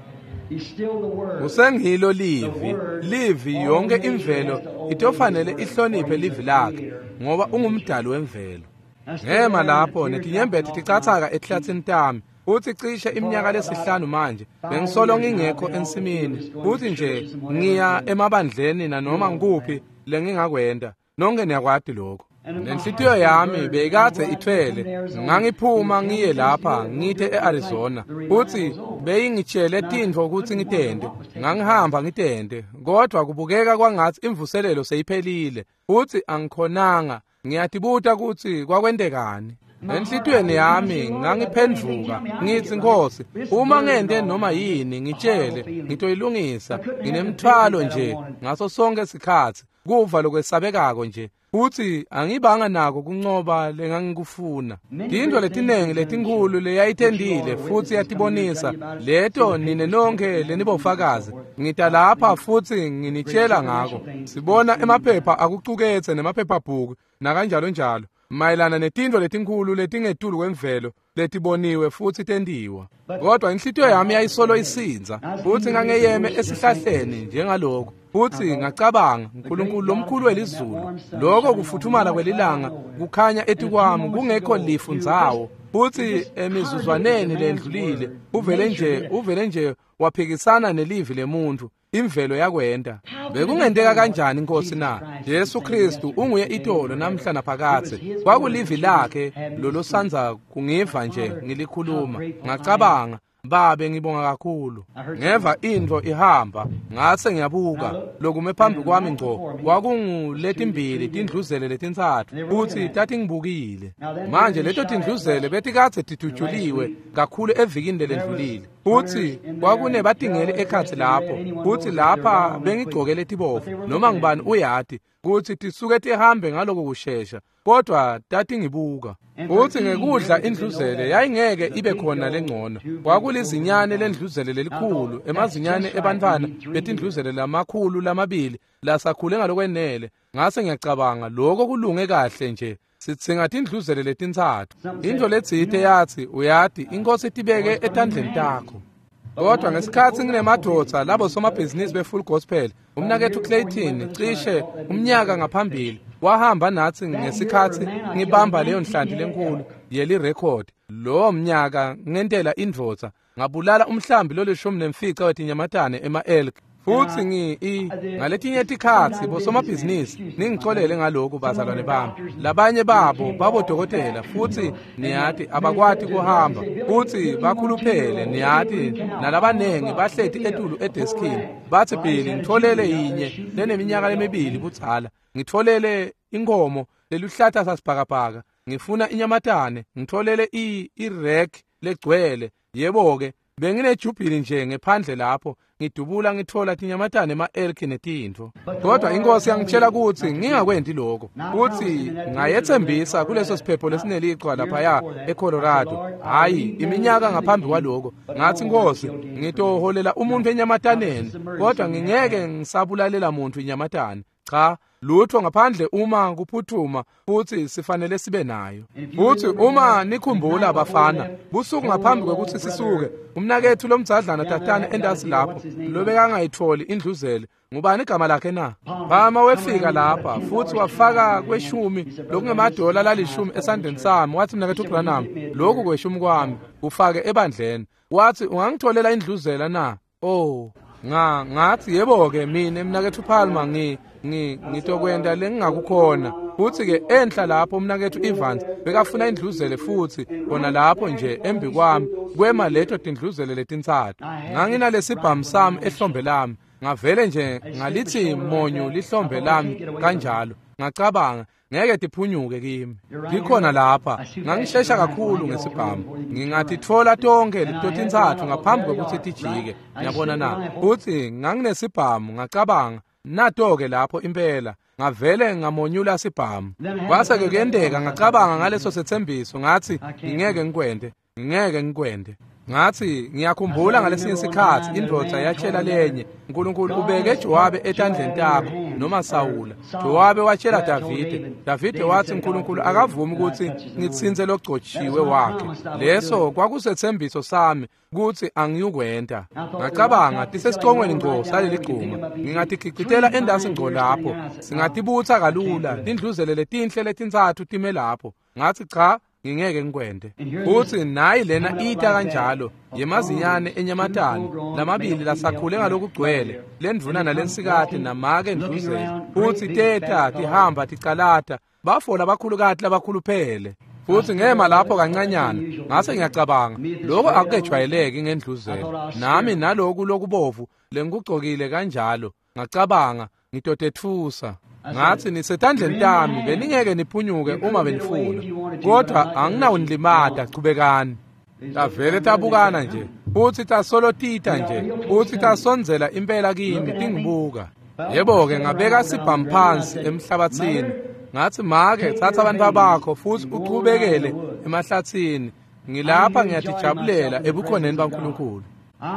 Usengilo livi, livi yonke imvelo itofanele ihloniphe livi lakhe ngoba ungumdali wemvelo. Ngema lapho netinyembeti ticathaka ehlathini tami. Uthi cishe iminyaka lesihlanu manje bengisolo ngingekho ensimini uthi nje ngiya emabandleni nanoma ngikuphi lengingakwenda nonke niyakwati lokho. Nenhlitiyo yami beyikade ithwele ngangiphuma ngiye lapha ngithe eArizona uthi beyingitshele tintfo ukuthi ngitende ngangihamba ngitende kodwa kubukeka kwangathi imvuselelo seyiphelile uthi angikhonanga ngiyatibuta ukuthi kwakwentekani. Enhlitiyweni yami ngangiphendvuka ngithi Nkosi uma ngente noma yini ngitshele ngitoyilungisa nginemthwalo nje ngaso sonke isikhathi kuva lokwesabekako nje futhi angibanga nako kuncoba lengangikufuna. Tintfo letinengi letinkhulu leyayitendile futhi yatibonisa leto nine nonke lenibofakazi ngita lapha futhi nginitshela ngako. Sibona emaphepha akucuketse nemaphephabhuku nakanjalo njalo mayelana netintfo letinkhulu letingetulu kwemvelo letiboniwe futhi tendiwa. Kodwa inhlitiyo yami yayisolo isinza futhi ngangeyeme esihlahleni njengaloko futhi ngacabanga uNkulunkulu lomkhulu welizulu lokho kufuthumala kwelilanga kukhanya etikwami kungekho lifu ndzawo futhi emizuzwaneni lendlulile uvele nje waphikisana nelivi lemuntu imvelo yakwenda. Bekungenteka kanjani Nkosi na? Jesu Kristu unguye itolo namhla naphakathe. Kwakulivi lakhe lolosanza kungiva nje ngilikhuluma. Ngacabanga Babe ngibonga kakhulu. Ngeva intfo ihamba ngase ngiyabuka lokume phambi kwami ngco kwakunguletimbili tindluzele letintsatfu futhi tatingibukile. Manje leto tindluzele betikadze tidutshuliwe kakhulu evikini lelendlulile futhi kwakunebatingeli ekhatsi lapho futhi lapha bengigcoke letibovu noma ngibani uyati kuthi tisuke tihambe ngaloko kushesha kodwa tatingibuka. Futhi ngekudla indluzele yayingeke ibe khona lengcono. Kwakulizinyane lendluzele lelikhulu emazinyane ebantfwana betindluzele lamakhulu lamabili lasakhule ngalokwenele. Ngase ngiyacabanga lokho kulunge kahle nje sitsinga tindluzele letintsatfu. Intfo letsite yathi uyati inkosi tibeke etandleni takho. Kodwa ngesikhathi nginemadvodza labo somabhizinisi be-Full Gospel umnakethu Clayton cishe umnyaka ngaphambili wahamba nathi ngesikhathi ngibamba leyo nhlanti lenkulu yelirekhodi. Lowo mnyaka ngentela indvodza ngabulala umhlambi lolishumi nemfica wetinyamatane ema-elk. Futhi ngaletinye tikhatsi bosomabhizinisi ningicolele ngalokhu bazalwane bami labanye babo babodokotela futhi niyati abakwati kuhamba futhi bakhuluphele niyati nalabanengi bahleti etulu edeskini bathi Billy ngitholele yinye leneminyaka lemibili budzala ngitholele inkomo leluhlata sasibhakabhaka ngifuna inyamatane ngitholele i-rack legcwele. Yebo-ke benginejubhili nje ngephandle lapho ngidubula ngithola tinyamatane ema-elki netintfo. Kodwa inkosi yangitshela ukuthi ngingakwenti lokho futhi ngayethembisa kuleso siphepho lesinelichwa laphaya eColorado. Hhayi iminyaka ngaphambi kwaloko ngathi Nkosi ngitoholela umuntu enyamataneni kodwa ngingeke ngisabulalela muntu inyamatane. Cha lutho ngaphandle uma kuphuthuma futhi sifanele sibe nayo. Futhi uma nikhumbula bafana busuku ngaphambi kwekuthi sisuke umnakethu lomdzadlana tatane endasi lapho lobekangayitholi indluzele ngubani igama lakhe na? Bama wefika lapha futhi wafaka kweshumi lokungemadola lalishumi esandleni sami wathi mnakethu Branham lokhu kweshumi kwami ufake ebandleni. Wathi ungangitholela indluzela na? Oh ngathi yebo-ke mina mnakethu Palmer ngitokwenda lengingakukhona. Futhi ke enhla lapho umnakethu Evans bekafuna indluzele futhi khona lapho nje embi kwami kwema leto tindluzele letintsatfu. Nganginalesibhamu sami ehlombe lami ngavele nje ngalithi monyu lihlombe lami kanjalo ngacabanga ngeke tiphunyuke kimi. Ngikhona lapha ngangishesha kakhulu ngesibhamu ngingatitfola tonke letotintsatfu ngaphambi kwekuthi tijike. Ngiyabona na? Futhi nganginesibhamu ngacabanga Nato-ke lapho impela ngavele ngamonyula sibhamu. Kwase-ke kuyenteka ngacabanga ngaleso setsembiso, ngathi ngingeke ngikwente, ngingeke ngikwente. Ngathi ngiyakhumbula ngalesinye isikhathi indvodza yatshela lenye, uNkulunkulu ubeke Jowabe etandleni takho noma Sawula. Jowabe watshela Davide, Davide wathi uNkulunkulu akavumi ukuthi ngitsintse logcotshiwe wakhe. Leso kwakusetsembiso sami ukuthi angiyukwenta. Ngacabanga tisesicongweni ngco saleli gcuma, ngingatigicitela endasi ngco lapho, singatibutsa kalula tindluzele letinhle letintsatfu time lapho. Ngathi cha, ngingeke ngikwente. Futhi nayi lena ita kanjalo yemazinyane enyamatane lamabili lasakhule ngalokugcwele, lendvuna nalensikati namake ndluzele, futhi teta tihamba ticalata, bafola abakhulukati labakhuluphele. Futhi ngema lapho kancanyana, ngase ngiyacabanga lokho akukejwayeleki ngendluzele, nami naloku lokubovu lengikugcokile kanjalo. Ngacabanga ngitotetfusa. Ngathi nisetandleni tami, beningeke niphunyuke uma benifuna, kodwa anginawunilimata, chubekani. Tavele tabukana nje, futhi tasolotita nje, futhi tasondzela impela kimi tingibuka. Yebo-ke ngabeka sibhamu phansi emhlabathini. Ngathi make, thatha abantu bakho futhi uchubekele emahlathini. Ngilapha ngiyatijabulela ebukhoneni baNkulunkulu.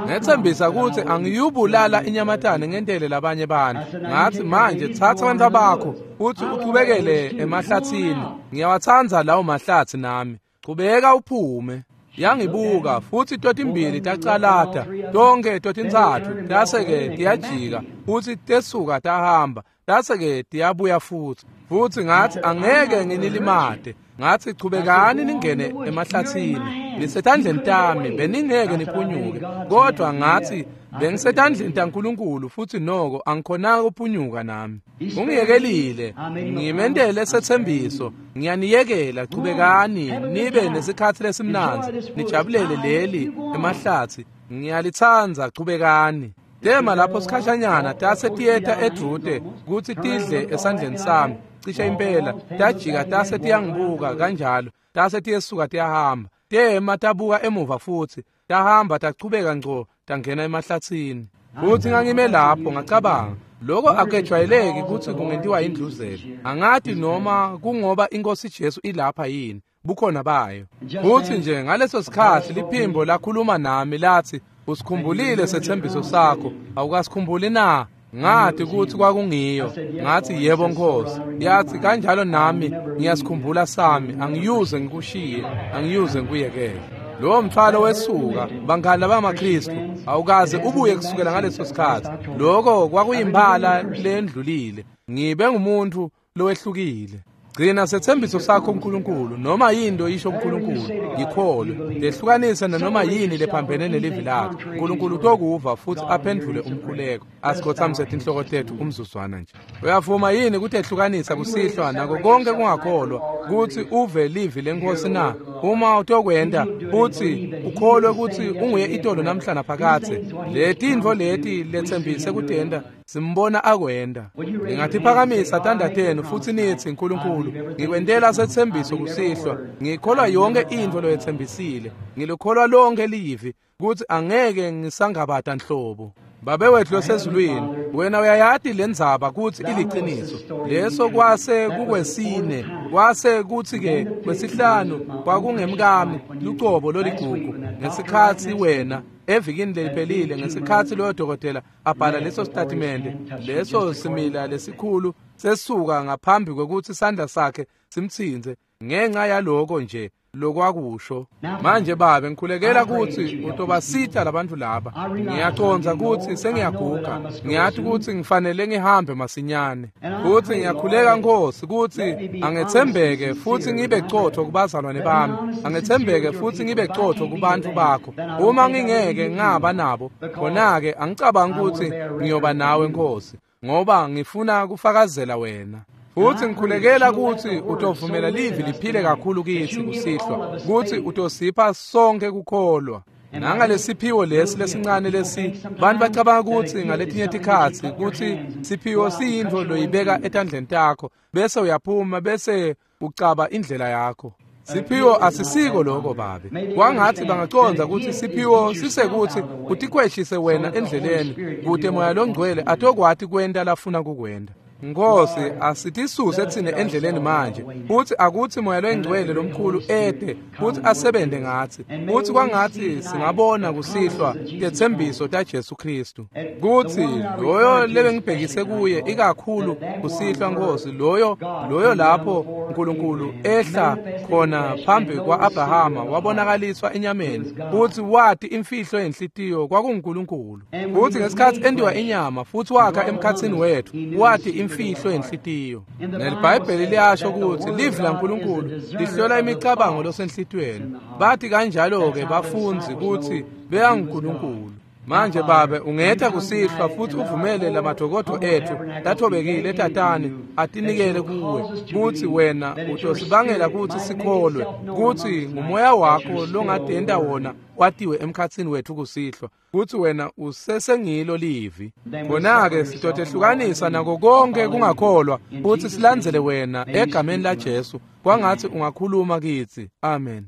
Ngethembisa ukuthi angiyubulala inyamatane ngentele labanye bantu. Ngathi manje thatha abantu bakho futhi uchubekele emahlathini. Ngiyawathanda lawo mahlathi nami. Chubeka uphume. Yangibuka futhi totimbili tacalata, tonke totintsatfu tase-ke tiyajika futhi tesuka tahamba, tase-ke tiyabuya futhi. Futhi ngathi angeke nginilimate. Ngathi chubekani ningene emahlathini, nisetandleni tami, beningeke niphunyuke. Kodwa ngathi bengisetandleni taNkulunkulu futhi noko angikhonanga ukuphunyuka nami. Ungiyekelile, ngimentele setsembiso, ngiyaniyekela, chubekani nibe nesikhathi lesimnandzi, nijabulele leli emahlathi, ngiyalithanda, chubekani. Tema lapho sikhashanyana tase tiyeta edvute kutsi tidle esandleni sami, cishe impela tajika tase tiyangibuka kanjalo, tase tiyesuka tiyahamba. Tema tabuka emuva futhi, tahamba tachubeka ngco tangena emahlathini. Futhi ngangime lapho ngacabanga, lokho akujwayeleki kutsi kungentiwa indluzele. Angati noma kungoba inkosi Jesu ilapha yini, bukhona bayo. Futhi nje ngaleso sikhathi liphimbo lakhuluma nami lathi, usikhumbulile sethembiso sakho, awukasikhumbuli na? Ngathi ukuthi kwakungiyo. Ngathi yebo Nkosi. Yathi kanjalo nami ngiyasikhumbula sami, angiyuze ngikushiye, angiyuze ngikuyekele. Lowo mthwalo wesuka, bangani labamaKristu, awukaze ubuye kusukela ngaleso sikhathi. Lokho kwakuyimphala lendlulile. Ngibe ngumuntu lowehlukile. Gcina sethembiso sakho uNkulunkulu, noma yinto isho uNkulunkulu, ngikholwe. Lehlukanise nanoma yini lephambene nelivi lakhe. uNkulunkulu utokuva futhi aphendvule umkhuleko. Asikhothamise tinhloko tethu umzuzwana nje. Uyavuma yini kutehlukanisa kusihlwa nako konke kungakholwa kutsi uve livi lenkosi na? Uma utokwenta futhi ukholwe kutsi unguye itolo namhla naphakadze, letintfo leti letsembise kutenta simbona akwenta. Ningatiphakamisa tandla tenu futhi nithi, uNkulunkulu, ngikwentela sethembiso kusihlwa, ngikholwa yonke intfo loyetsembisile, ngilukholwa lonke livi kutsi angeke ngisangabata nhlobo. Babe wethu losezulwini, wena uyayati lendzaba kutsi iliciniso. Leso kwase kukwesine, kwase kutsi-ke kwesihlanu kwakungemkami lucobo loligugu. Ngesikhatsi wena evikini leliphelile, ngesikhatsi loyo dokotela abhala leso sitatimende, leso simila lesikhulu sesuka ngaphambi kwekutsi sandla sakhe simtsintse, ngenxa yaloko nje lokwakusho. Manje babe, ngikhulekela kutsi utobasita labantu laba. Ngiyacondza kutsi sengiyaguga, ngiyati kutsi ngifanele ngihambe masinyane. Futsi ngiyakhuleka Nkosi kutsi angetsembeke futhi ngibe cotho kubazalwane bami, angetsembeke futhi ngibe cotho kubantu bakho. Uma ngingeke ngaba nabo, khona-ke angicabangi kutsi ngiyoba nawe Nkosi, ngoba ngifuna kufakazela wena. Futhi ngikhulekela kutsi utovumela livi liphile kakhulu kitsi kusihlwa, kutsi utosipha sonke kukholwa. Nangalesiphiwo lesi lesincane lesi, bantu bacabanga kutsi ngaletinye tikhatsi kutsi siphiwo siyintfo loyibeka etandleni takho, bese uyaphuma bese ucaba indlela yakho. Siphiwo asisiko lokho Babe. Kwangathi bangaconza ukuthi siphiwo sisekuthi utikhweshise wena endleleni kute Moya Longcwele atokwati kwenta lafuna kukwenta. Nkosi, asitisuse tsine endleleni manje, futhi akuthi Moya Longcwele lomkhulu ede futhi asebente ngathi, futhi kwangathi singabona kusihlwa tetsembiso taJesu Kristu, kuthi loyo lebengibhekise kuye ikakhulu kusihlwa Nkosi, loyo lapho uNkulunkulu ehla khona phambi kwa-Abrahama wabonakaliswa enyameni, futhi wati imfihlo yenhlitiyo kwakunguNkulunkulu, futhi ngesikhathi endiwa inyama futhi wakha emkhatsini wethu wati imfihlo yenhlitiyo. NeliBhayibheli liyasho ukuthi livi laNkulunkulu lihlola imicabango losenhlitiyweni. Bathi kanjalo-ke bafundzi ukuthi beyanguNkulunkulu. Manje Babe, ungetha kusihlwa futhi uvumele lamadokodo ethu lathobekile tatane atinikele kuwe, kuthi wena utosibangela ukuthi sikholwe kuthi ngumoya wakho longadenda wona watiwe emkhatsini wethu kusihlwa, kuthi wena usesengilo livi. Khona-ke sitotehlukanisa nako konke kungakholwa futhi silandzele wena egameni laJesu. Kwangathi ungakhuluma kitsi. Amen.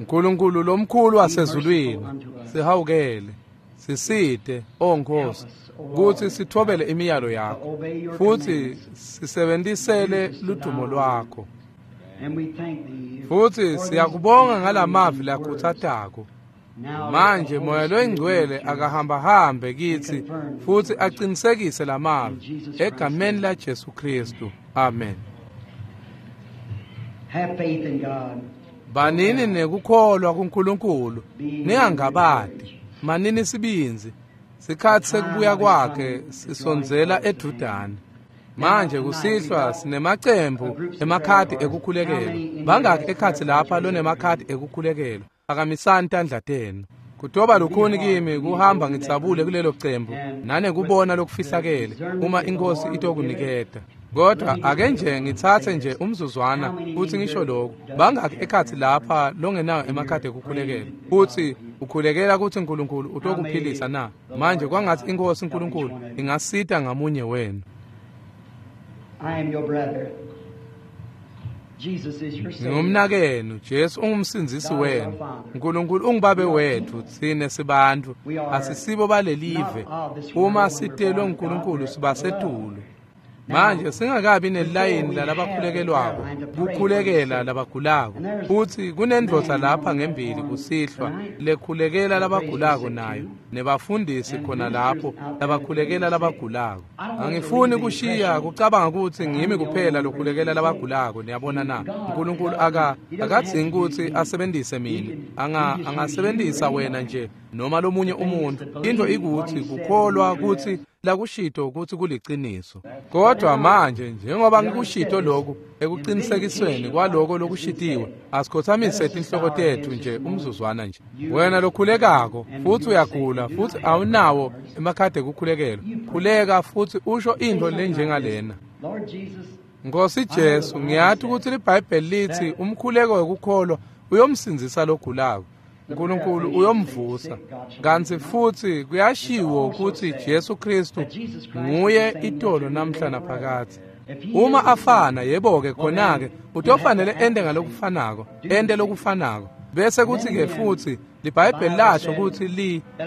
Nkulunkulu lomkhulu wasezulwini, sihawukele, sisite, O Nkosi, kutsi sithobele imiyalo yakho futhi sisebentisele ludumo lwakho. Futhi siyakubonga ngalamavi lakhutsatako. Manje Moya Loyingcwele akahambahambe kitsi futhi aqinisekise lamavi egameni laJesu Kristu. Amen. Have faith in God. Banini nekukholwa kuNkulunkulu, ningangabadi, manini sibinzi. Sikhathi sekubuya kwakhe sisondzela edudane. Manje kusihlwa sinemacembu emakhadi ekukhulekela. Bangaki ekhatsi lapha lonemakhadi ekukhulekela? Phakamisani tandla tenu. Kutoba lukhuni kimi kuhamba ngitsabule kulelo cembu nanekubona lokufihlakele uma inkosi itokuniketa. Kodwa ake nje ngitsatse nje umzuzwana futhi ngisho lokhu. Bangaki ekhatsi lapha longenayo emakhadi ekukhulekela futhi ukhulekela ukuthi uNkulunkulu utokuphilisa na? Manje kwangathi inkosi uNkulunkulu ingasita ngamunye wenu. I am your brother. Jesus is your Savior. Ngumnakenu, Jesu ungumsindzisi wenu. uNkulunkulu ungubabe wethu, tsine sibantu, asisibo balelive. Uma sitelwe uNkulunkulu sibasetulu. Manje singakabi nelayini lalabakhulekelwako, kukhulekela labagulako. Futhi kunendvodza lapha ngembili kusihlwa lekhulekela labagulako nayo, nebafundisi khona lapho labakhulekela labagulako. Angifuni kushiya kucabanga ukuthi ngimi kuphela lokhulekela labagulako, niyabona na? uNkulunkulu akadzingi ukuthi asebenzise mina. Angasebenzisa wena nje noma lomunye umuntu. Into ikutsi kukholwa kutsi lakushito kutsi kuliciniso. Kodwa manje njengoba ngikushito lokhu ekuqinisekisweni kwaloko lokushitiwe, asikhothamise tinhloko tetfu nje umzuzwana nje. Wena lokhulekako futhi uyagula futhi awunawo emakhadi ekukhulekelwa, khuleka futhi usho into lenjengalena: Nkosi Jesu, ngiyathi ukuthi liBhayibheli lithi umkhuleko wekukholwa uyomsindzisa logulako, uNkulunkulu uyomvusa. Kanti futhi kuyashiwo ukuthi Jesu Kristu nguye itolo namhla naphakadze. Uma afana, yebo-ke khona-ke utofanele ente ngalokufanako, ente lokufanako. Bese kuthi-ke futhi liBhayibheli lasho ukuthi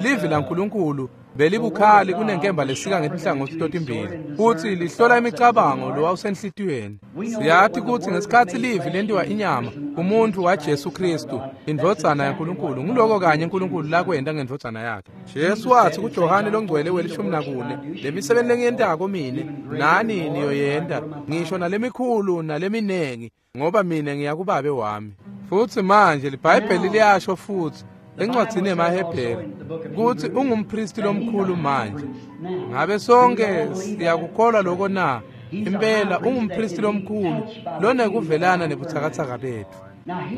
livi laNkulunkulu belibukhali kunenkemba lesika ngetinhlangothi totimbili, futhi lihlola imicabango lowawusenhlitiyweni. Siyathi ukuthi ngesikhathi livi lentiwa inyama, umuntu waJesu Kristu, indvodzana yaNkulunkulu, nguloko kanye uNkulunkulu lakwenta ngendvodzana yakhe. Jesu wathi kuJohane longcwele we-14, lemisebenti lengiyentako mine nani niyoyenta, ngisho nalemikhulu naleminengi, ngoba mina ngiya kuBabe wami. Futhi manje liBhayibheli liyasho futhi encwadzini yemaHebheru kutsi ungumpristi lomkhulu manje. Ngabe sonke siyakukholwa lokho na? Impela ungumpristi lomkhulu lonekuvelana nebutsakatsaka betfu.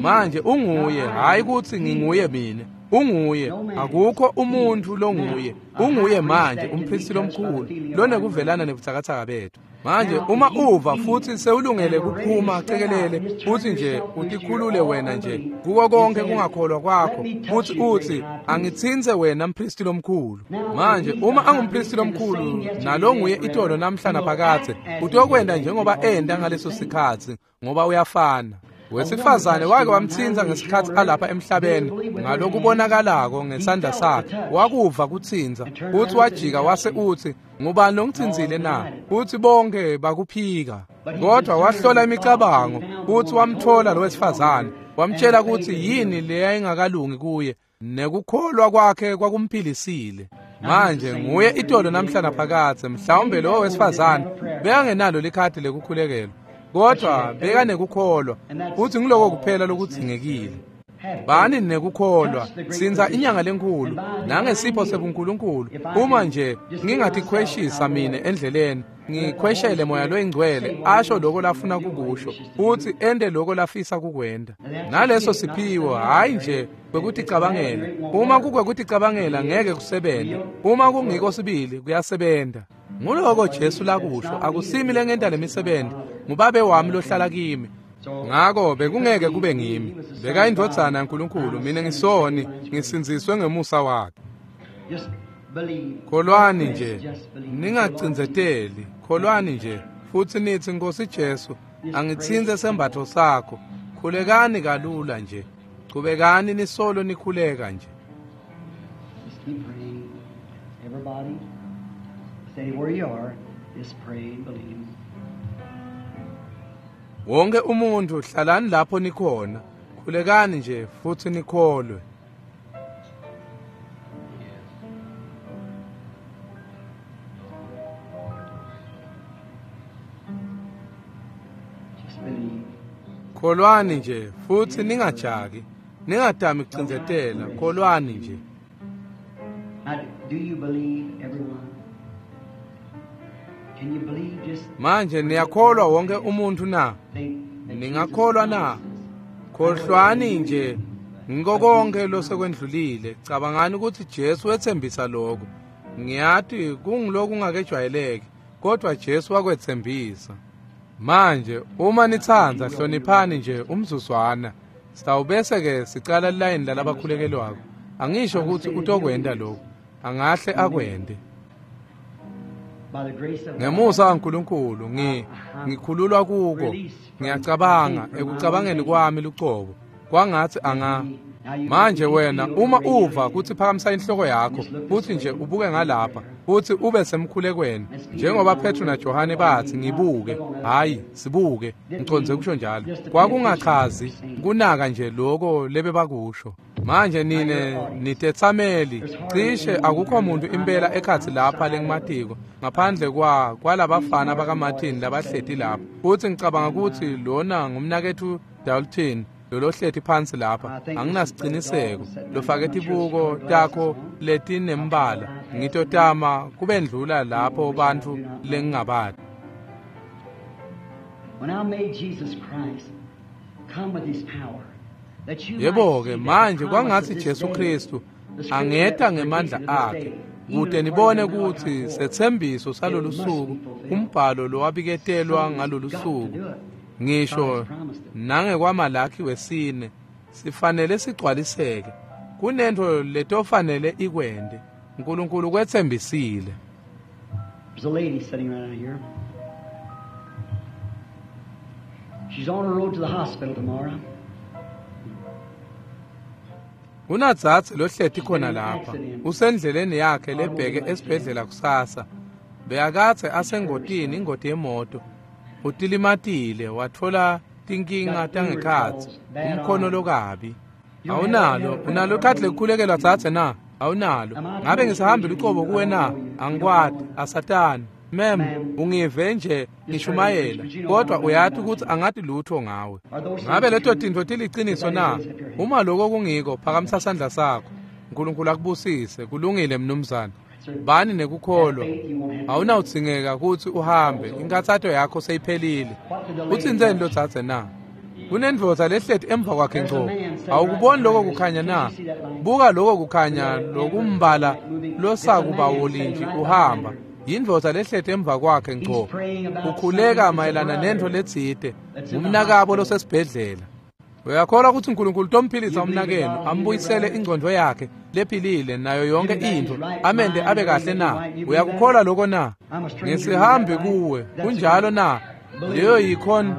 Manje unguye, hhayi kutsi nginguye mina, unguye, akukho umuntu longuye, unguye manje umpristi lomkhulu lonekuvelana nebutsakatsaka betfu. Manje uma uva futhi sewulungele kuphuma cekelele futhi nje utikhulule wena nje kuko konke kungakholwa kwakho, futhi uthi angitsintse wena mpristi lomkhulu. Manje uma angumpristi lomkhulu nalonguye itolo namhla naphakadze, utokwenta njengoba enta ngaleso sikhatsi, ngoba uyafana. Wesifazane wake wamtsintsa ngesikhatsi alapha emhlabeni ngalokubonakalako ngesandla sakhe, wakuva kutsintsa, futhi wajika wase uthi, ngubani longitsintsile na? Futhi bonke bakuphika. Kodwa wahlola imicabango futhi wamthola lo wesifazane, wamtshela ukuthi yini leyayingakalungi kuye, nekukholwa kwakhe kwakumphilisile. Manje nguye itolo namhla naphakadze. Mhlawumbe lowo wesifazane bekangenalo likhadi lekukhulekelwa, kodwa bekanekukholwa, futhi ngiloko kuphela lokudzingekile. Bani nekukholwa, sindza inyanga lenkulu nangesipho sebuNkulunkulu. Uma nje ngingatikhweshisa mine endleleni, ngikhweshele moya loyingcwele asho lokho lafuna kukusho futhi ente lokho lafisa kukwenta. Naleso siphiwo, hhayi nje kwekuticabangela. Uma kukwekuticabangela ngeke kusebente, uma kungiko sibili kuyasebenta. Nguloko Jesu lakusho, akusimi lengenta lemisebenti, nguBabe wami lohlala kimi. Ngako bekungeke kube ngimi. Beka indvodzana yaNkulunkulu, mina ngisoni, ngisindziswe ngemusa wakhe. Kholwani nje, ningacindzeteli, kholwani nje futhi nithi, Nkosi Jesu, angitsintse sembatfo sakho. Khulekani kalula nje, chubekani nisolo nikhuleka nje. Just keep praying. Everybody, stay where you are. Just pray and believe. Wonke umuntu hlalani lapho nikhona, khulekani nje futhi nikholwe. Just believe. Kholwani nje futhi ningajaki, ningadami kucindzetela, kholwani nje. Now, do you believe, everyone? Can you believe just Manje niyakholwa wonke umuntu na? think that Ningakholwa na? Khohlwani nje ngiko konke losekwendlulile. Cabangani ukuthi Jesu wethembisa lokho. Ngiyathi kungiloku kungakejwayeleki, kodwa Jesu wakwethembisa. Manje uma nitsandza hloniphani nje umzuzwana. Sitawubese ke sicala lilayini lalabakhulekelwako. Angisho ukuthi utokwenta lokho, angahle akwente. By the grace of God, Ngemusa kaNkulunkulu ngikhululwa kuko. Ngiyacabanga ekucabangeni kwami lucobo kwangathi anga. Manje wena uma uva kuthi phakamisa inhloko yakho futhi nje ubuke ngalapha futhi ube semkhulekweni, njengoba Petru naJohane bathi ngibuke, hayi sibuke, ngiconze kusho njalo. Kwakungachazi kunaka nje lokho lebebakusho. Manje nine nitetsameli, cishe akukho muntu impela ekhathi lapha lengimatiko ngaphandle kwalabafana bakaMartin labahleti lapha. Futhi ngicabanga ukuthi lona ngumnakethu Dalton Lolohleti phansi lapha, anginasiciniseko. Lofake tibuko takho letinembala, ngitotama kubendlula lapho bantfu lengingabati. Yebo-ke manje kwangatsi Jesu Kristu angeta ngemandla akhe kute nibone kutsi setsembiso salolu suku, umbhalo lowabiketelwa ngalolu suku, ngisho nangekwaMalakhi wesine, sifanele sigcwaliseke. Kunento letofanele ikwente. Nkulunkulu kwetsembisile. There's a lady sitting right out here. She's on her road to the hospital tomorrow. Kunadzadze lohleti khona lapha, usendleleni yakhe lebheke esibhedlela kusasa. Bekakadze asengotini, ingoti yemoto. Utilimatile, watfola tinkinga tangekhatsi, umkhono lokabi. Awunalo, unalo ikhadi lekukhulekelwa dzadze na? Awunalo. Ngabe ngisahambile ucobo kuwe na? Angikwati, asatani. Mem, ungive nje ngishumayela, kodwa uyati ukuthi angati lutho ngawe. Ngabe leto tintfo tiliciniso na? Uma lokho kungiko, phakamisa sandla sakho. Nkulunkulu akubusise. Kulungile mnumzane. Bani nekukholwa. Awunawudzingeka kutsi uhambe, inkathato yakho seyiphelile. Utsintseni lo dzadze na? Kunendvodza lehleti emva kwakhe ngco. Awukuboni lokho kukhanya na? Buka lokho kukhanya lokumbala losakuba wolinji uhamba. Yindvodza lehleti emva kwakhe ngco. Ukhuleka mayelana nentfo letsite, ngumnakabo losesibhedlela. Uyakholwa ukuthi uNkulunkulu utomphilisa umnakenu, ambuyisele ingcondvo yakhe lephilile nayo yonke intfo, amende abe kahle na? Uyakukholwa lokho na? Ngisihambi kuwe, kunjalo na? Leyo yikhona.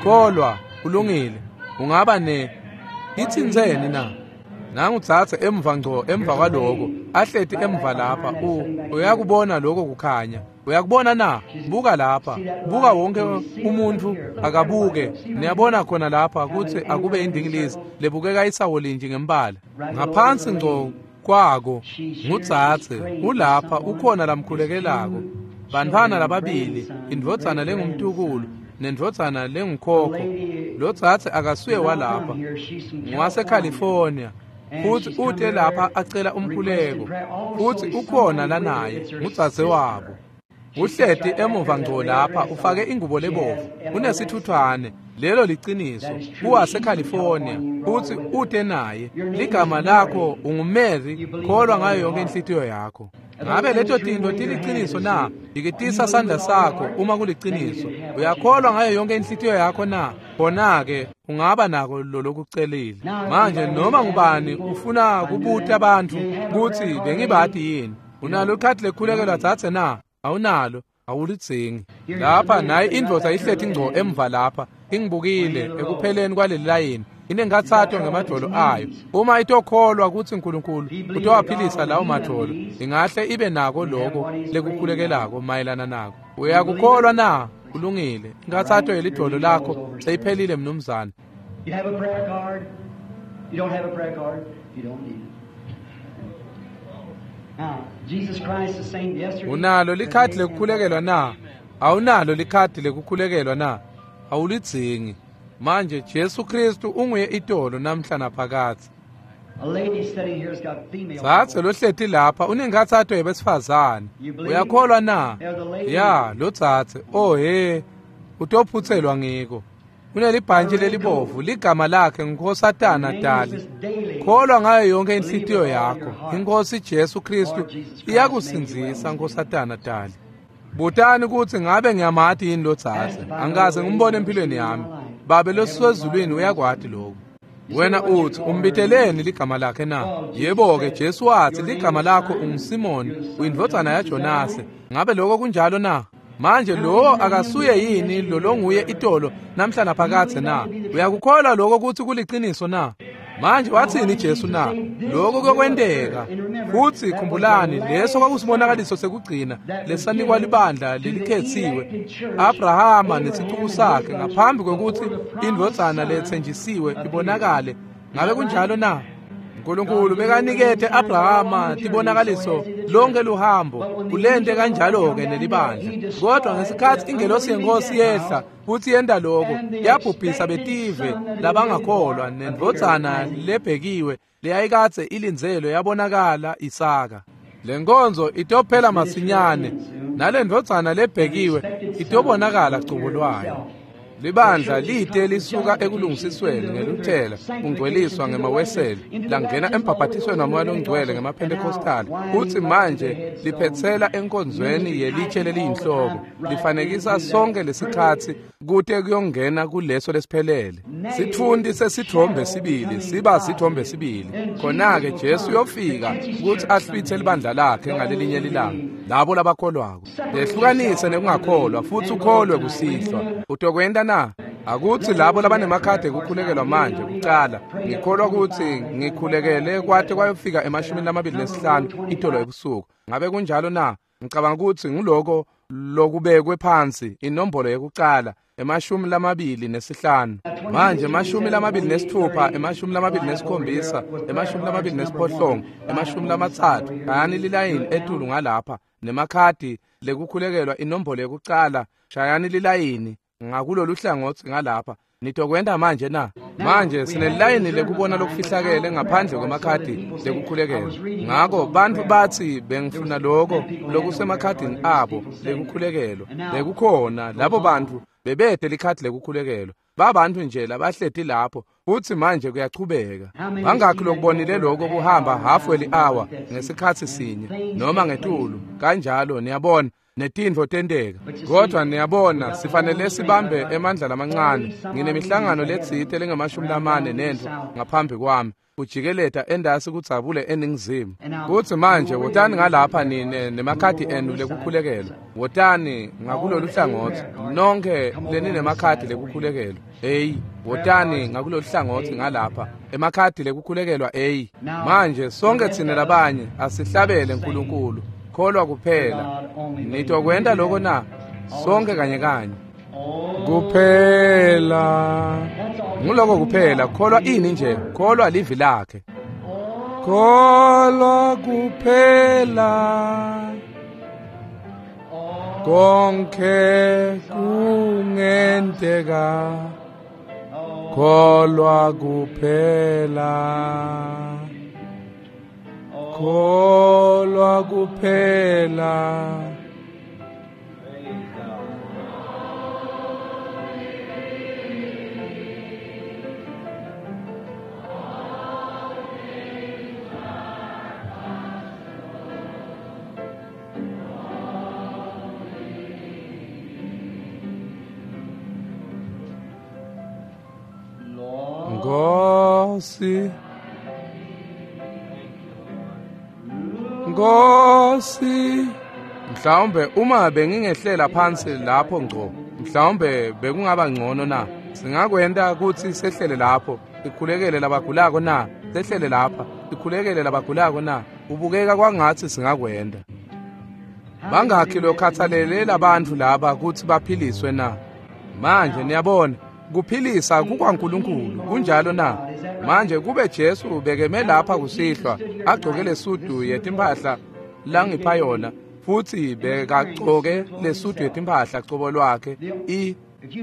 Kholwa, kulungile. Ungaba ne itsintseni na? Nangutsatse emva ngco emva kwaloko, ahleti emva lapha, uyakubona lokho kukhanya. Uyakubona na? Buka lapha. Buka wonke umuntu akabuke. Niyabona khona lapha kutsi akube indingilizi lebukeka isawolinji ngembala. Ngaphansi ngco kwako ngutsatse ulapha ukhona lamkhulekelako. Bantfwana lababili, indvodzana lengumtukulu nendvodzana lengukhokho. Lotsatse akasuye walapha, ngwaseCalifornia. Futhi ute lapha acela umkhuleko, futhi ukhona lanaye ngudzadze wabo. Uhleti emuva ngco lapha, ufake ingubo lebovu, unesithuthwane. Lelo liciniso, uwaseCalifornia, futhi ute naye. Ligama lakho unguMary, kholwa ngayo yonke inhlitiyo yakho. Ngabe leto tintfo tiliciniso na? Yikitisa sandla sakho uma kuliciniso. Uyakholwa ngayo yonke inhlitiyo yakho na? Khona-ke ungaba nako lolokucelile. Manje noma ngubani ufuna kubuta abantu kutsi bengibati yini? Unalo ikhadi lekukhulekelwa dzadze na? Awunalo, awulidzingi. Lapha nayi indvodza ihleti ngco emva lapha, ingibukile ekupheleni kwaleli layini. Inenkhatsato ngemadvolo ayo. Uma itokholwa kutsi Nkulunkulu utowaphilisa lawo madvolo, ingahle ibe nako loko lekukhulekelako mayelana nako. Uyakukholwa na? Kulungile. Inkhatsato yelidvolo lakho seyiphelile mnumzane. You have a prayer card? You don't have a prayer card? You don't need it. Now, Jesus Christ the same yesterday. Unalo likhadi lekukhulekelwa na? Awunalo likhadi lekukhulekelwa na? Awulidzingi. Manje Jesu Kristu unguye itolo namhla naphakadze. A lady sitting here's got female. Dzadze lohleti lapha unenkhatsato yebesifazane. Uyakholwa na? Ya, lo dzadze. Oh he. Utophutselwa ngiko. Unelibhantshi lelibovu, ligama lakhe nguNkosatana Dali. Kholwa ngayo yonke inhlitiyo yakho. Inkosi Jesu Kristu iyakusindzisa Nkosatana Dali. Butani kutsi ngabe ngiyamati yini lo dzadze. Angikaze ngimbone empilweni yami. Babe losezulwini uyakwati lokho. Wena uthi umbiteleni ligama lakhe na? Yebo-ke, Jesu watsi ligama lakho unguSimoni, uyindvodzana yaJonase. Ngabe lokho kunjalo na? Manje lo akasuye yini lolonguye itolo namhla naphakadze na? Uyakukholwa lokho kutsi kuliciniso na? Manje watsini Jesu na? Lokho kuyokwenteka. Futsi khumbulani, leso kwakusibonakaliso sekugcina lesanikwa libandla lelikhetsiwe, Abrahama nesicuku sakhe, ngaphambi kwekutsi indvodzana letsenjisiwe ibonakale. Ngabe kunjalo na? Nkulunkulu bekanikete Abrahama tibonakaliso lonke luhambo, kulente kanjalo-ke nelibandla. Kodwa ngesikhatsi ingelosi yeNkosi yehla futsi yenta loko, yabhubhisa betive labangakholwa, nendvodzana lebhekiwe leyayikadze ilindzelwe yabonakala Isaka. Le nkonzo itophela masinyane, nalendvodzana lebhekiwe itobonakala cobo lwayo. Libandla lite lisuka ekulungisisweni ngeluthela, kungcweliswa ngemaweseli, langena embhabhatisweni waMoya loNgcwele ngemaPentecostal, futsi manje liphetsela enkonzweni yelitshe leliyinhloko, lifanekisa sonke lesikhatsi kute kuyongena kuleso lesiphelele. Sitfunti sesitfombe sibili siba sitfombe sibili. Khona-ke Jesu uyofika kutsi ahlwithe libandla lakhe ngalelinye lilanga, labo labakholwako. Lehlukanise nekungakholwa futsi ukholwe kusihlwa. Utokwenta na? Akutsi labo labanemakhadi ekukhulekelwa manje kucala. Ngikholwa kutsi ngikhulekele kwate kwayofika 25 itolo ebusuku. Ngabe kunjalo na? Ngicabanga kutsi nguloko lokubekwe phansi, inombolo yekucala, 25. Manje 26, 27, 28, 30. Shayani lilayini etulu ngalapha nemakhadi lekukhulekelwa inombolo yekucala. Shayani lilayini ngakulolu hlangotsi ngalapha. Nitokwenta manje na? Manje sinelayini lekubona lokufihlakele ngaphandle kwemakhadi lekukhulekelwa. Ngako bantfu batsi bengifuna loko lokusemakhadini abo lekukhulekelwa. Bekukhona labo bantfu bebete likhadi lekukhulekelwa. Babantu nje labahleti lapho, futsi manje kuyachubeka. Bangakhi lokubonile lokho kuhamba half hour ngesikhatsi sinye noma ngetulu kanjalo, niyabona, netintfo tenteka. Kodwa niyabona, sifanele sibambe emandla lamancane. Nginemihlangano letsite lengama-40 nentfo ngaphambi kwami, kujikeleta endasi kudzabule eningizimu. Kutsi manje wotani ngalapha nine nemakhadi enu lekukhulekelwa. Wotani ngakulolu hlangotsi nonkhe leninemakhadi lekukhulekelwa. Hey, wotani ngakulolu hlangotsi ngalapha emakhadi lekukhulekelwa. Hey, manje sonke tsine labanye asihlabele Nkulunkulu. Kholwa kuphela. Nitokwenta loko na? Sonke kanye kanye. Kuphela. Nguloko kuphela. Kholwa ini nje? Kholwa livi lakhe. Kholwa kuphela. Konke kungenteka. Kholwa kuphela. Kholwa kuphela. Nkosi, Nkosi, mhlawumbe uma bengingehlela phansi lapho ngco, mhlawumbe bekungaba ngcono na? Singakwenta kutsi sehlele lapho, sikhulekele labagulako na? Sehlele lapha, sikhulekele labagulako na? Ubukeka kwangatsi singakwenta. Bangakhi lokhathalele labantfu laba kutsi baphiliswe na? Manje niyabona, kuphilisa kukwaNkulunkulu, kunjalo na? Manje kube Jesu bekeme lapha kusihlwa agcoke lesudu yetimphahla langipha yona, futsi bekagcoke lesudu yetimphahla cobo lwakhe,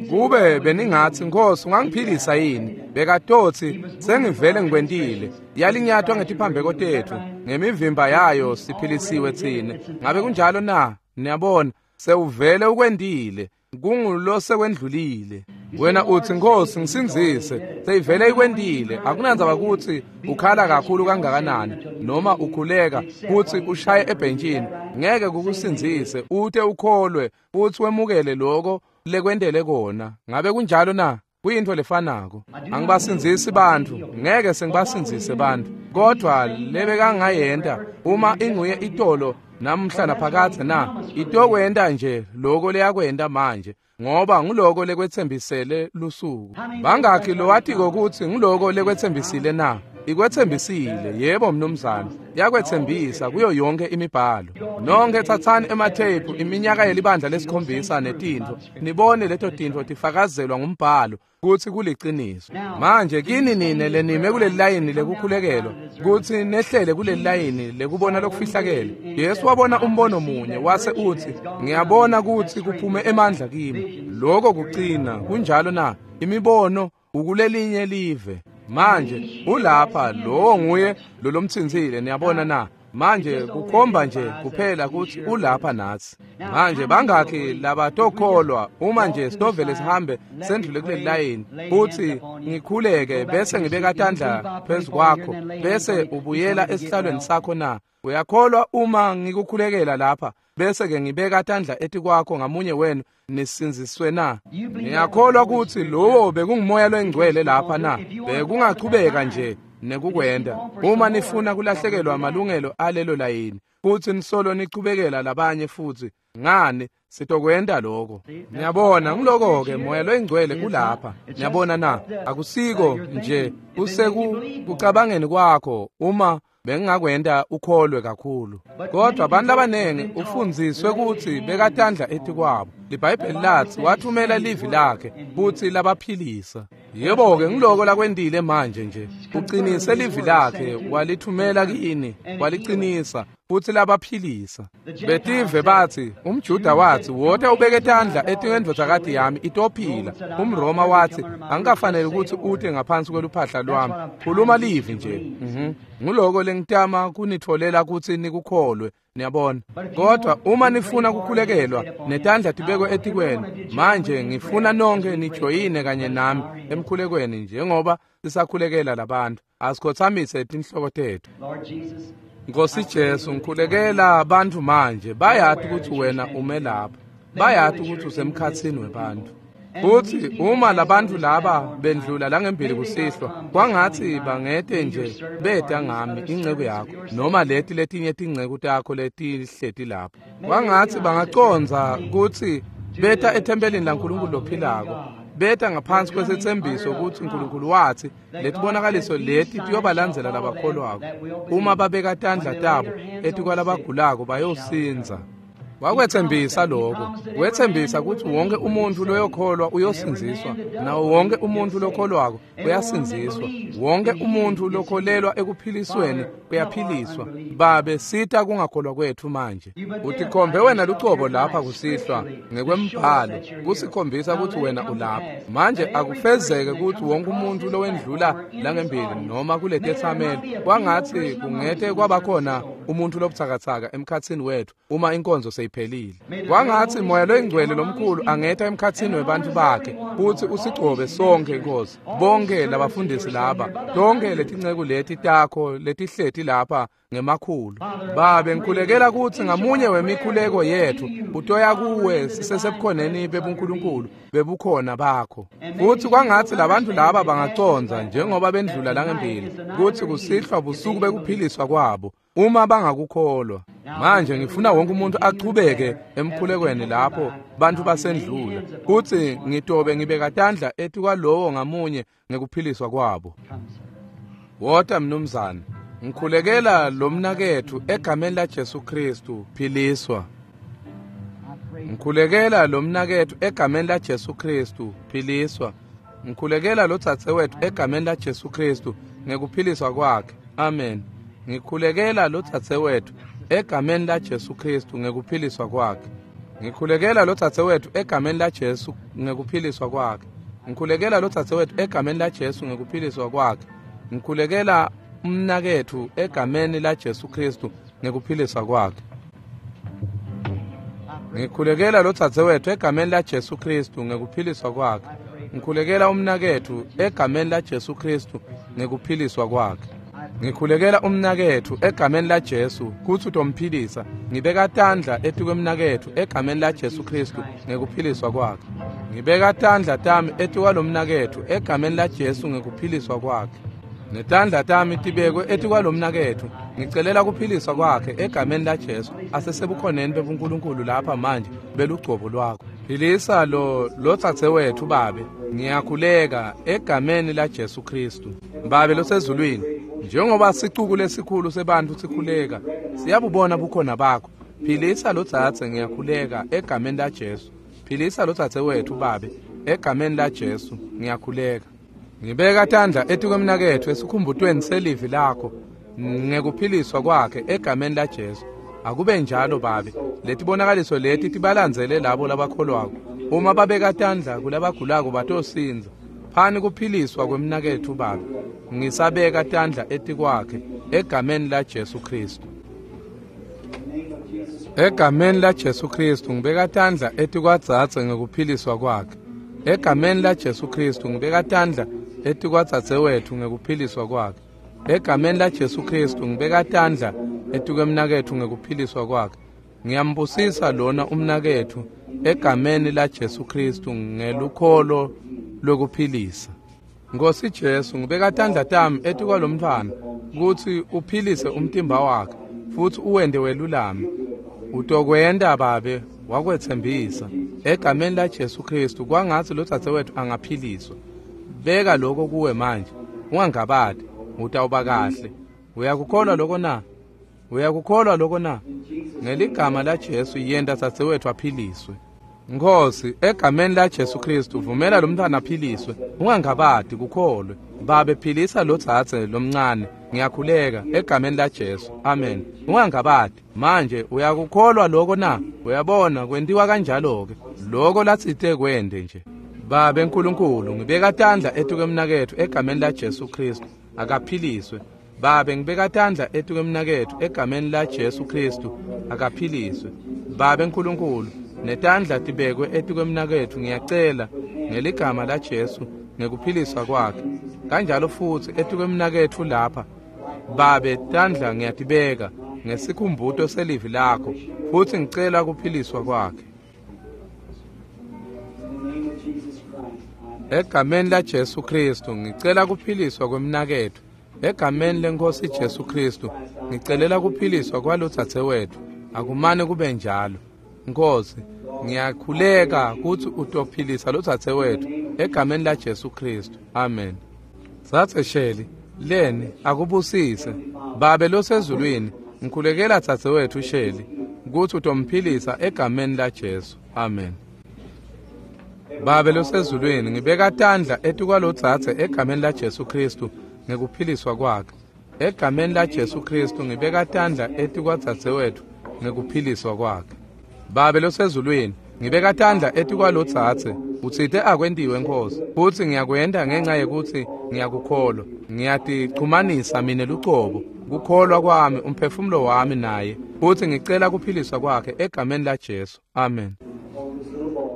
kube beningatsi, Nkosi, ungangiphilisa yini? Bekatotsi, sengivele ngikwentile. Yalinyatwa ngetiphambeko tetfu, ngemivimba yayo siphilisiwe tsine. Ngabe kunjalo na? Niyabona, sewuvele ukwentile. Kungulosekwendlulile. Wena utsi, Nkosi, ngisindzise. Seyivele ikwentile. Akunandzaba kutsi ukhala kakhulu kangakanani noma ukhuleka futsi ushaye ebhentshini, ngeke kukusindzise ute ukholwe futsi wemukele loko lekwentele kona. Ngabe kunjalo na? Kuyintfo lefanako. Angibasindzisi bantfu, ngeke sengibasindzise bantfu, kodvwa lebekangayenta uma inguye itolo namhla naphakadze na, itokwenta nje loko leyakwenta manje, ngoba nguloko lekwetsembisele lusuku. Bangakhi lowatiko kutsi nguloko lekwetsembisile na? Ikwetsembisile, yebo mnumzane, yakwetsembisa kuyo yonke imibhalo. Nonke tsatsani ematheyiphu iminyaka yelibandla lesikhombisa netintfo, nibone leto tintfo tifakazelwa ngumbhalo kutsi kuliciniso. Manje kini nine lenime kuleli layini lekukhulekelwa, kutsi nehlele kuleli layini lekubona lokufihlakele. Yesu wabona umbono munye wase utsi, ngiyabona kutsi kuphume emandla kimi. Lokho kucina, kunjalo na? Imibono ukulelinye live. Manje ulapha, lowo nguye lolomtsintsile, niyabona na? Manje kukhomba nje kuphela kutsi ulapha natsi. Manje bangakhi labatokholwa uma nje sitovele sihambe sendlule kuleli layini futsi ngikhuleke bese ngibeka tandla phezu kwakho bese ubuyela esihlalweni sakho na? Uyakholwa uma ngikukhulekela lapha bese ke ngibeka tandla etikwakho ngamunye wenu nisindziswe na? Ngiyakholwa kutsi lowo bekungumoya longcwele lapha na? Bekungachubeka nje nekukwenda. Uma nifuna kulahlekelwa amalungelo alelo layini futsi nisolo nichubekela labanye futsi, ngani sitokwenta lokho. Niyabona, ngiloko-ke moya loyingcwele ulapha. Niyabona na? Akusiko nje kusekucabangeni kwakho uma bengingakwenta ukholwe kakhulu. Kodwa abantu abaningi ufundziswe kutsi bekatandla etikwabo. LiBhayibheli lathi wathumela livi lakhe futsi labaphilisa. Yebo-ke ngiloko lakwentile manje nje. Uqinise livi lakhe walithumela kini, waliqinisa futsi labaphilisa. Betive bathi, umJuda wathi, wota ubeke tandla etikwendvodzakati yami itophila. UmRoma wathi, angikafanele ukuthi ute ngaphansi kweluphahla lwami. Khuluma livi nje. Nguloko lengitama kunitfolela kutsi nikukholwe. Niyabona. Kodwa uma nifuna kukhulekelwa netandla tibekwe etikwenu, manje ngifuna nonke nijoyine kanye nami emkhulekweni njengoba sisakhulekela labantu. Asikhothamise tinhloko tethu. Nkosi Jesu, ngikhulekela abantu manje. Bayati ukuthi wena ume lapha, bayati ukuthi usemkhatsini webantu. Futhi uma labantu laba bendlula langembili kusihlwa, kwangathi bangete nje beta ngami inceku yakho noma leti letinye tinceku takho letihleti lapho. Kwangathi bangacondza kutsi beta ethempelini laNkulunkulu lophilako, beta ngaphansi kwesethembiso ukuthi uNkulunkulu wathi letibonakaliso leti tiyobalandzela labakholwako. Uma babeka tandla tabo etikwalabagulako bayosindza. Wakwethembisa lokho. Wethembisa ukuthi wonke umuntu loyokholwa uyosindziswa, nawo wonke umuntu lokholwako uyasindziswa, wonke umuntu lokholelwa ekuphilisweni uyaphiliswa. Babe, sita kungakholwa kwethu manje. Utikhombe wena lucobo lapha kusihlwa ngekwembhalo kusikhombisa ukuthi wena ulapha. Manje akufezeke ukuthi wonke umuntu lowendlula langembili noma kuletetsamelo, kwangathi kungete kwabakhona umuntu lobutsakatsaka emkhatsini wethu uma inkonzo seyiphelile. Kwangathi moya loyingcwele lomkhulu angeta emkhatsini webantu bakhe futhi usigcobe sonke Nkosi, bonke labafundisi laba, tonke letinceku leti takho letihleti lapha ngemakhulu. Babe, ngikhulekela kutsi ngamunye wemikhuleko yethu utoya kuwe sisesebukhoneni bebuNkulunkulu bebukhona bakho. Futhi kwangathi labantu laba bangacondza njengoba bendlula langembili kutsi kusihlwa busuku bekuphiliswa kwabo uma bangakukholwa. Manje ngifuna wonke umuntu achubeke emkhulekweni lapho bantu basendlula, kutsi ngitobe ngibeka tandla etikwalowo ngamunye ngekuphiliswa kwabo. Wota mnumzane, ngikhulekela lo mnaketfu egameni la Jesu Kristu, philiswa. Ngikhulekela lo mnaketfu egameni la Jesu Kristu, philiswa. Ngikhulekela lo dzadzewetfu egameni la Jesu Kristu ngekuphiliswa kwakhe. Amen. Ngikhulekela lo dzadzewetfu egameni la Jesu Kristu ngekuphiliswa kwakhe. Ngikhulekela lo dzadzewetfu egameni la Jesu ngekuphiliswa kwakhe. Ngikhulekela lo dzadzewetfu egameni la Jesu ngekuphiliswa kwakhe. Ngikhulekela umnaketfu egameni la Jesu Kristu ngekuphiliswa kwakhe. Ngikhulekela lo dzadzewetfu egameni la Jesu Kristu ngekuphiliswa kwakhe. Ngikhulekela umnaketfu egameni la Jesu Kristu ngekuphiliswa kwakhe. Ngikhulekela umnaketfu egameni la Jesu kutsi utomphilisa. Ngibeka tandla etikwemnaketfu egameni la Jesu Kristu ngekuphiliswa kwakhe. Ngibeka tandla tami etikwalomnaketfu egameni la Jesu ngekuphiliswa kwakhe. Netandla tami tibekwe etikwalomnaketfu. Ngicelela kuphiliswa kwakhe egameni la Jesu. Asesebukhoneni bebuNkulunkulu lapha manje belugcobo lwakho. Philisa lo dzadzewetfu Babe. Ngiyakhuleka egameni la Jesu Kristu. Babe losezulwini, Njengoba sicuku lesikhulu sebantfu sikhuleka, siyabubona bukhona bakho. Philisa lodzadze, ngiyakhuleka egameni laJesu. Philisa lodzadze wetfu Babe, egameni laJesu ngiyakhuleka. Ngibeka tandla etikwemnaketfu esikhumbutweni selivi lakho ngekuphiliswa kwakhe egameni laJesu. Akube njalo Babe, letibonakaliso leti tibalandzele labo labakholwako. Uma babeka tandla kulabagulako batosindza. Phani kuphiliswa kwemnaketfu Babe. Ngisabeka tandla etikwakhe egameni laJesu Khristu. Egameni laJesu Khristu ngibeka tandla etikwadzadze ngekuphiliswa kwakhe. Egameni laJesu Khristu ngibeka tandla etikwadzadzewetfu ngekuphiliswa kwakhe. Egameni laJesu Khristu ngibeka tandla etikwemnaketfu ngekuphiliswa kwakhe. Ngiyambusisa lona umnaketfu egameni laJesu Khristu ngelukholo lwekuphilisa. Nkosi Jesu, ngibeka tandla tami etikwalomntfwana kutsi uphilise umtimba wakhe futsi uwente welulame. Utokwenta Babe, wakwetsembisa. Egameni laJesu Khristu kwangatsi lodzadzewetfu angaphiliswa. Beka lokho kuwe manje, ungangabati, utawuba kahle. Uyakukholwa lokho na? Uyakukholwa lokho na? Ngeligama laJesu yenta dzadzewetfu aphiliswe. Nkosi, egameni laJesu Khristu vumela lomntfwana aphiliswe. Ungangabati, kukholwe. Babe, philisa lodzadze lomncane. Ngiyakhuleka egameni laJesu. Amen. Ungangabati. Manje uyakukholwa lokho na? Uyabona kwentiwa kanjalo-ke. Lokho latsite kwente nje. Babe Nkulunkulu, ngibeka tandla etikwemnaketfu egameni laJesu Khristu. Akaphiliswe. Babe, ngibeka tandla etikwemnaketfu egameni laJesu Khristu. Akaphiliswe. Babe Nkulunkulu, netandla tibekwe etikwemnaketfu, ngiyacela ngeligama laJesu ngekuphiliswa kwakhe. Kanjalo futsi etikwemnaketfu lapha. Babe, tandla ngiyatibeka ngesikhumbuto selivi lakho futsi ngicela kuphiliswa kwakhe. Egameni laJesu Khristu ngicela kuphiliswa kwemnaketfu. Egameni leNkosi Jesu Khristu ngicelela kuphiliswa kwalodzadzewetfu. Akumane kube njalo. Nkosi, ngiyakhuleka kutsi utophilisa lodzadzewetfu egameni laJesu Khristu. Amen. Dzadze Shelley, leni akubusise. Babe losezulwini, ngikhulekela dzadzewetfu Shelley kutsi utomphilisa egameni laJesu. Amen. Babe losezulwini, ngibeka tandla etikwalodzadze egameni laJesu Khristu ngekuphiliswa kwakhe. Egameni laJesu Khristu ngibeka tandla etikwadzadzewetfu ngekuphiliswa kwakhe. Babe losezulwini, ngibeka tandla etikwalodzadze. Utsite akwentiwe Nkosi, futsi ngiyakwenta ngenxa yekutsi ngiyakukholwa. Ngiyatichumanisa mine lucobo, kukholwa kwami, umphefumulo wami naye, futsi ngicela kuphiliswa kwakhe egameni laJesu. Amen.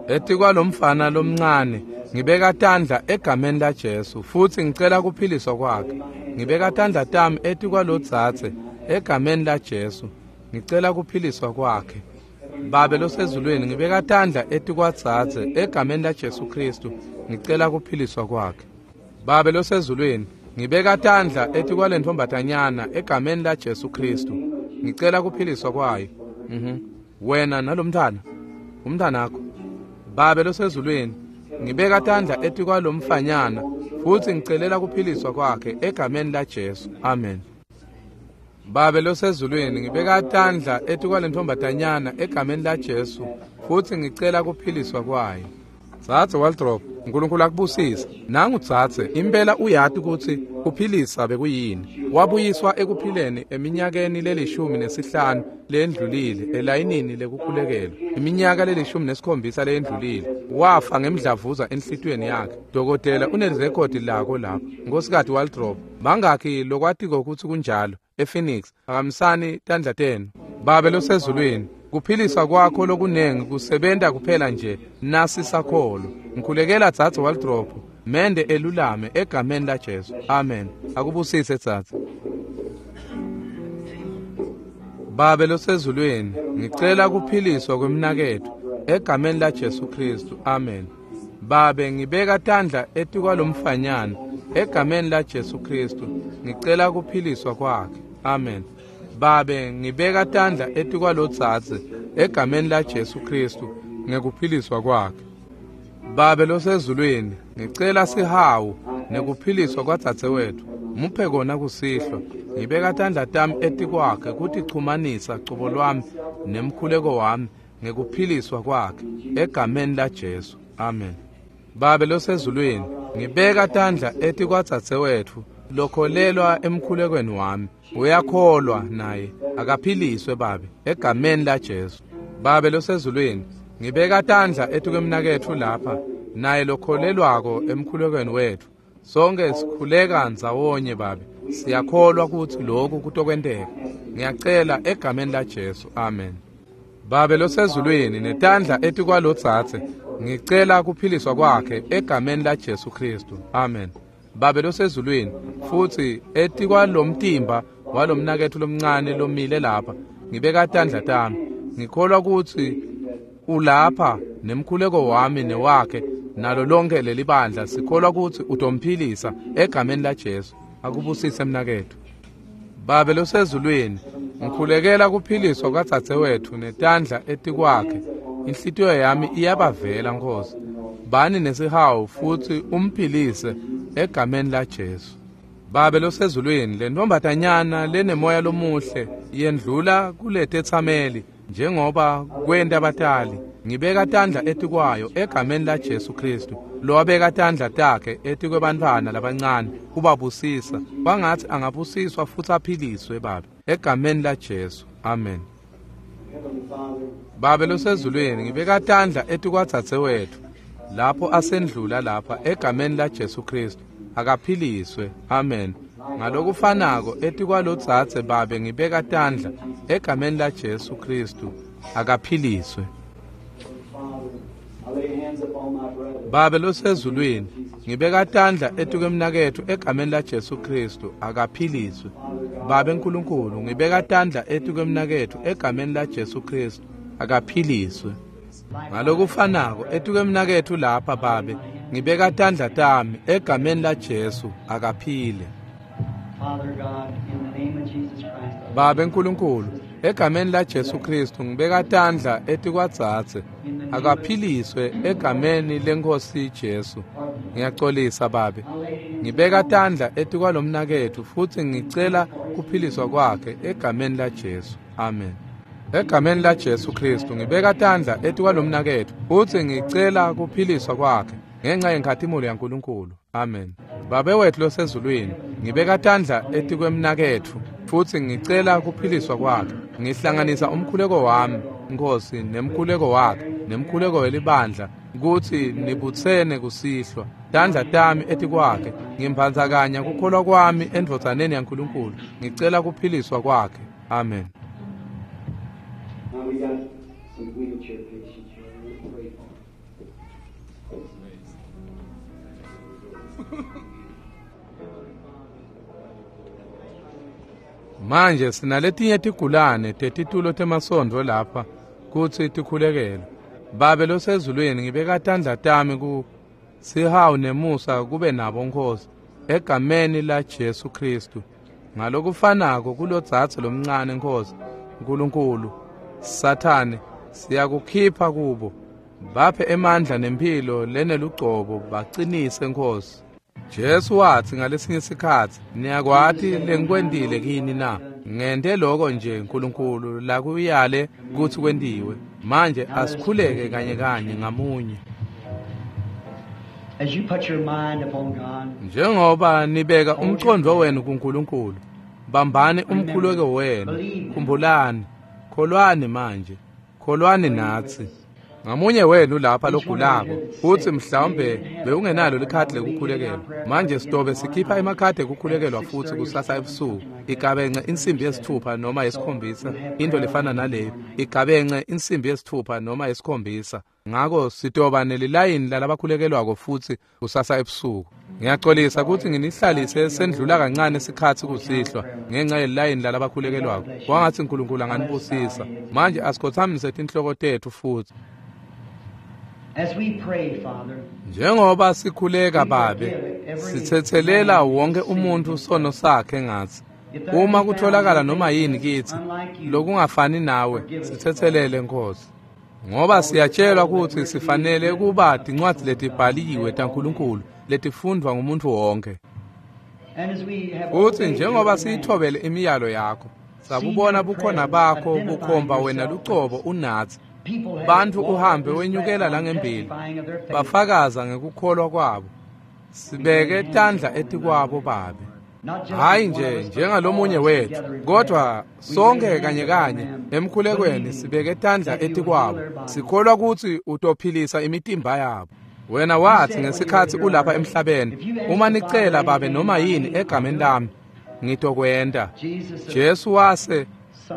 Etikwalomfana lomncane ngibeka tandla egameni laJesu futsi ngicela kuphiliswa kwakhe. Ngibeka tandla tami etikwalodzadze egameni laJesu, ngicela kuphiliswa kwakhe. Babe losezulwini, ngibeka tandla etikwadzadze egameni laJesu Khristu, ngicela kuphiliswa kwakhe. Babe losezulwini, ngibeka tandla etikwalentfombatanyana egameni laJesu Khristu, ngicela kuphiliswa kwayo. Wena nalomntfwana, umntfwanakho. Babe losezulwini, ngibeka tandla etikwalomfanyana futsi ngicelela kuphiliswa kwakhe egameni laJesu. Amen. Babe losezulwini, ngibeka tandla etikwalentfombatanyana egameni laJesu futsi ngicela kuphiliswa kwayo. Dzadze Waldrop, uNkulunkulu akubusise. Nangu dzadze, impela uyati kutsi kuphilisa bekuyini. Wabuyiswa ekuphileni eminyakeni le-15 leyendlulile elayinini lekukhulekelwa. Iminyaka le-17 leyendlulile wafa ngemdlavuza enhlitiyweni yakhe. Dokotela unelirekhodi lako lapho. Nkosikazi Waldrop, bangakhi lokwatiko kutsi kunjalo? ePhoenix, phakamisani tandla tenu. Babe losezulwini, kuphiliswa kwakho lokunengi kusebenta kuphela nje nasisakholwa. Ngikhulekela dzadze Waldrop, mende elulame egameni laJesu. Amen. Akubusise dzadze. Babe losezulwini, ngicela kuphiliswa kwemnaketfu egameni laJesu Khristu. Amen. Babe, ngibeka tandla etikwalomfanyana egameni laJesu Khristu, ngicela kuphiliswa kwakhe. Amen. Babe, ngibeka tandla etikwalodzadze egameni laJesu Khristu ngekuphiliswa kwakhe. Babe losezulwini, ngicela sihawu nekuphiliswa kwadzadzewetfu. Muphe kona kusihlwa. Ngibeka tandla tami etikwakhe kutichumanisa cobo lwami nemkhuleko wami ngekuphiliswa kwakhe egameni laJesu. Amen. Babe losezulwini, ngibeka tandla etikwadzadzewetfu lokholelwa emkhulekweni wami. Uyakholwa naye, akaphiliswe Babe egameni laJesu. Babe losezulwini, ngibeka tandla etikwemnaketfu lapha naye lokholelwako emkhulekweni wetfu. Sonke sikhuleka ndzawonye Babe, siyakholwa kutsi lokhu kutokwenteka. Ngiyacela egameni laJesu. Amen. Babe losezulwini, netandla etikwalodzadze, ngicela kuphiliswa kwakhe egameni laJesu Kristu. Amen. Babe losezulwini, futsi etikwalomtimba walomnaketfu lomncane lomile lapha, ngibeka tandla tami. Ngikholwa kutsi ulapha nemkhuleko wami newakhe nalo lonke leli bandla. Sikholwa kutsi utomphilisa egameni laJesu. Akubusise mnaketfu. Babe losezulwini, ngikhulekela kuphiliswa kwadzadzewetfu netandla etikwakhe. Inhlitiyo yami iyabavela Nkosi. Bani nesihawu futsi umphilise egameni laJesu. Babe losezulwini, le ntombatanyana lenemoya lomuhle yendlula kuletetsameli njengoba kwenta batali. Ngibeka tandla etikwayo egameni laJesu Kristu, lowabeka tandla takhe etikwebantfwana labancane kubabusisa. Kwangatsi angabusiswa futsi aphiliswe Babe egameni laJesu. Amen. Babe losezulwini, ngibeka tandla etikwadzadzewetfu lapho asendlula lapha egameni laJesu Kristu, akaphiliswe. Amen. Ngalokufanako etikwalodzadze Babe ngibeka tandla egameni laJesu Kristu, akaphiliswe. Babe losezulwini, ngibeka tandla etikwemnaketfu egameni laJesu Kristu, akaphiliswe. Babe Nkulunkulu, ngibeka tandla etikwemnaketfu egameni laJesu Kristu, akaphiliswe. Ngalokufanako etikwemnaketfu lapha Babe, ngibeka tandla tami egameni laJesu, akaphile. Babe Nkulunkulu, egameni laJesu Kristu ngibeka tandla etikwadzadze, akaphiliswe egameni leNkosi Jesu. Ngiyacolisa Babe. Ngibeka tandla etikwalomnaketfu futsi ngicela kuphiliswa kwakhe egameni laJesu. Amen. Egameni laJesu Kristu ngibeka tandla etikwalomnaketfu futsi ngicela kuphiliswa kwakhe ngenxa yenkhatimulo yaNkulunkulu. Amen. Babe wetfu losezulwini, ngibeka tandla etikwemnaketfu futsi ngicela kuphiliswa kwakhe. Ngihlanganisa umkhuleko wami, Nkosi, nemkhuleko wakhe, nemkhuleko welibandla, kutsi nibutsene kusihlwa. Tandla tami etikwakhe, ngimphandzakanya kukholwa kwami endvodzaneni yaNkulunkulu. Ngicela kuphiliswa kwakhe. Amen. Now we got some wheelchair patients here. We'll pray for them. Manje sinaletinye tigulane tetitulo temasondvo lapha kutsi tikhulekelwe. Babe losezulwini, ngibeka tandla tami ku sihawu nemusa kube nabo Nkosi, egameni laJesu Kristu. Ngalokufanako kulodzadze lomncane Nkosi, Nkulunkulu, Sathane siyakukhipha kubo. Baphe emandla nemphilo lenelugcobo, bacinise Nkosi. Jesu watsi ngalesinye sikhatsi, niyakwati lengikwentile kini na? Ngente lokho nje Nkulunkulu lakuyale kutsi kwentiwe. Manje asikhuleke kanye kanye ngamunye. As you put your mind upon God, Njengoba nibeka umqondo wenu kuNkulunkulu, bambani umkhuleko wenu, khumbulani, kholwani manje, kholwani natsi. Ngamunye wenu lapha logulako, futsi mhlawumbe bewungenalo likhadi lekukhulekelwa. Manje sitobe sikhipha emakhadi ekukhulekelwa futsi kusasa ebusuku. Igabence insimbi yesithupha noma yesikhombisa, into lefana naleyo. Igabence insimbi yesithupha noma yesikhombisa. Ngako sitoba nelilayini lalabakhulekelwako futsi kusasa ebusuku. Ngiyacolisa kutsi nginihlalise sendlula kancane sikhatsi kusihlwa ngenxa yelilayini lalabakhulekelwako. Kwangatsi Nkulunkulu anganibusisa. Manje asikhotsamise tinhloko tetfu futsi. as we pray, Father, Njengoba sikhuleka Babe, sithethelela wonke umuntu sono sakhe ngatsi. Uma kutholakala noma yini kitsi lokungafani nawe, sithethelele Nkosi. Ngoba siyatshelwa kutsi sifanele kuba tincwadzi letibhaliwe taNkulunkulu letifundvwa ngumuntu wonke. Futsi njengoba siyithobele imiyalo yakho, sabubona bukhona bakho bukhomba wena lucobo unatsi. Bantfu uhambe wenyukela langembili, bafakaza ngekukholwa kwabo. Sibeke tandla etikwabo Babe. Hayi nje njengalomunye wethu, kodwa sonke kanye kanye emkhulekweni sibeke tandla etikwabo, sikholwa kutsi utophilisa imitimba yabo. Wena wathi ngesikhatsi ulapha emhlabeni, uma nicela Babe noma yini egameni lami, ngitokwenta. Jesu wase,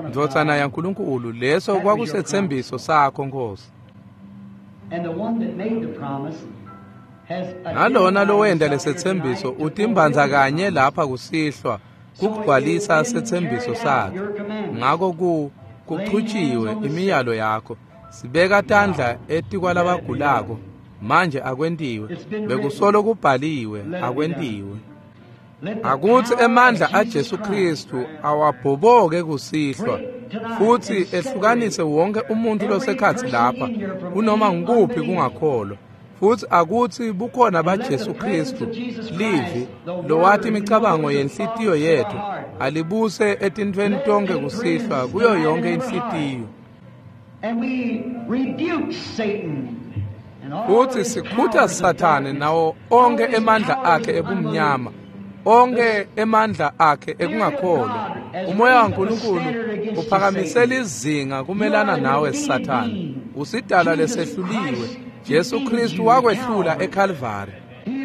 Ndvodzana yaNkulunkulu, leso kwakusetsembiso sakho Nkosi. Nalona lowenta lesetsembiso utimbanza kanye lapha kusihlwa kugcwalisa setsembiso sakhe. Ngako kuchutshiwe imiyalo yakho. Sibeka tandla etikwalabagulako. Manje akwentiwe. Bekusolo kubhaliwe, akwentiwe. Akutsi emandla aJesu Kristu awabhoboke kusihlwa futsi ehlukanise wonke umuntu losekhatsi lapha kunoma ngukuphi kungakholwa. Futsi akutsi bukhona baJesu Kristu, livi lowati imicabango yenhlitiyo yethu, alibuse etintfweni tonke kusihlwa kuyo yonke inhlitiyo. Futsi sikhutha Sathane nawo onke emandla akhe ebumnyama, onke emandla akhe ekungakholwa. Umoya waNkulunkulu uphakamisela izinga kumelana nawe Sathane. Usidalwa lesehluliwe. Jesu Kristu wakwehlula eKalvari.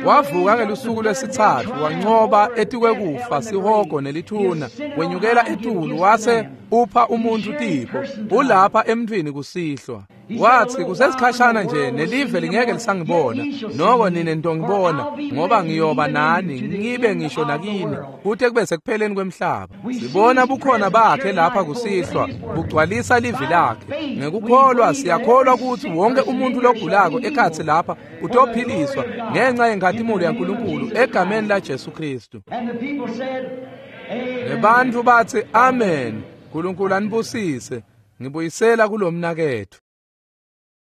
Wavuka ngelusuku lwesitsatfu, wancoba etikwekufa, sihogo nelithuna, wenyukela etulu wase upha umuntfu tipho. Ulapha emntfwini kusihlwa. Wathi kusesikhashana nje nelive lingeke lisangibona, noko nine nitongibona, ngoba ngiyoba nani, ngibe ngisho nakini, kute kube sekupheleni kwemhlaba. Sibona bukhona bakhe lapha kusihlwa bugcwalisa livi lakhe. Ngekukholwa siyakholwa kutsi wonke umuntu logulako ekhatsi lapha utophiliswa ngenxa yenkhatimulo yaNkulunkulu egameni laJesu Kristu. Nebantfu batsi amen. Nkulunkulu anibusise. Ngibuyisela kulomnaketfu.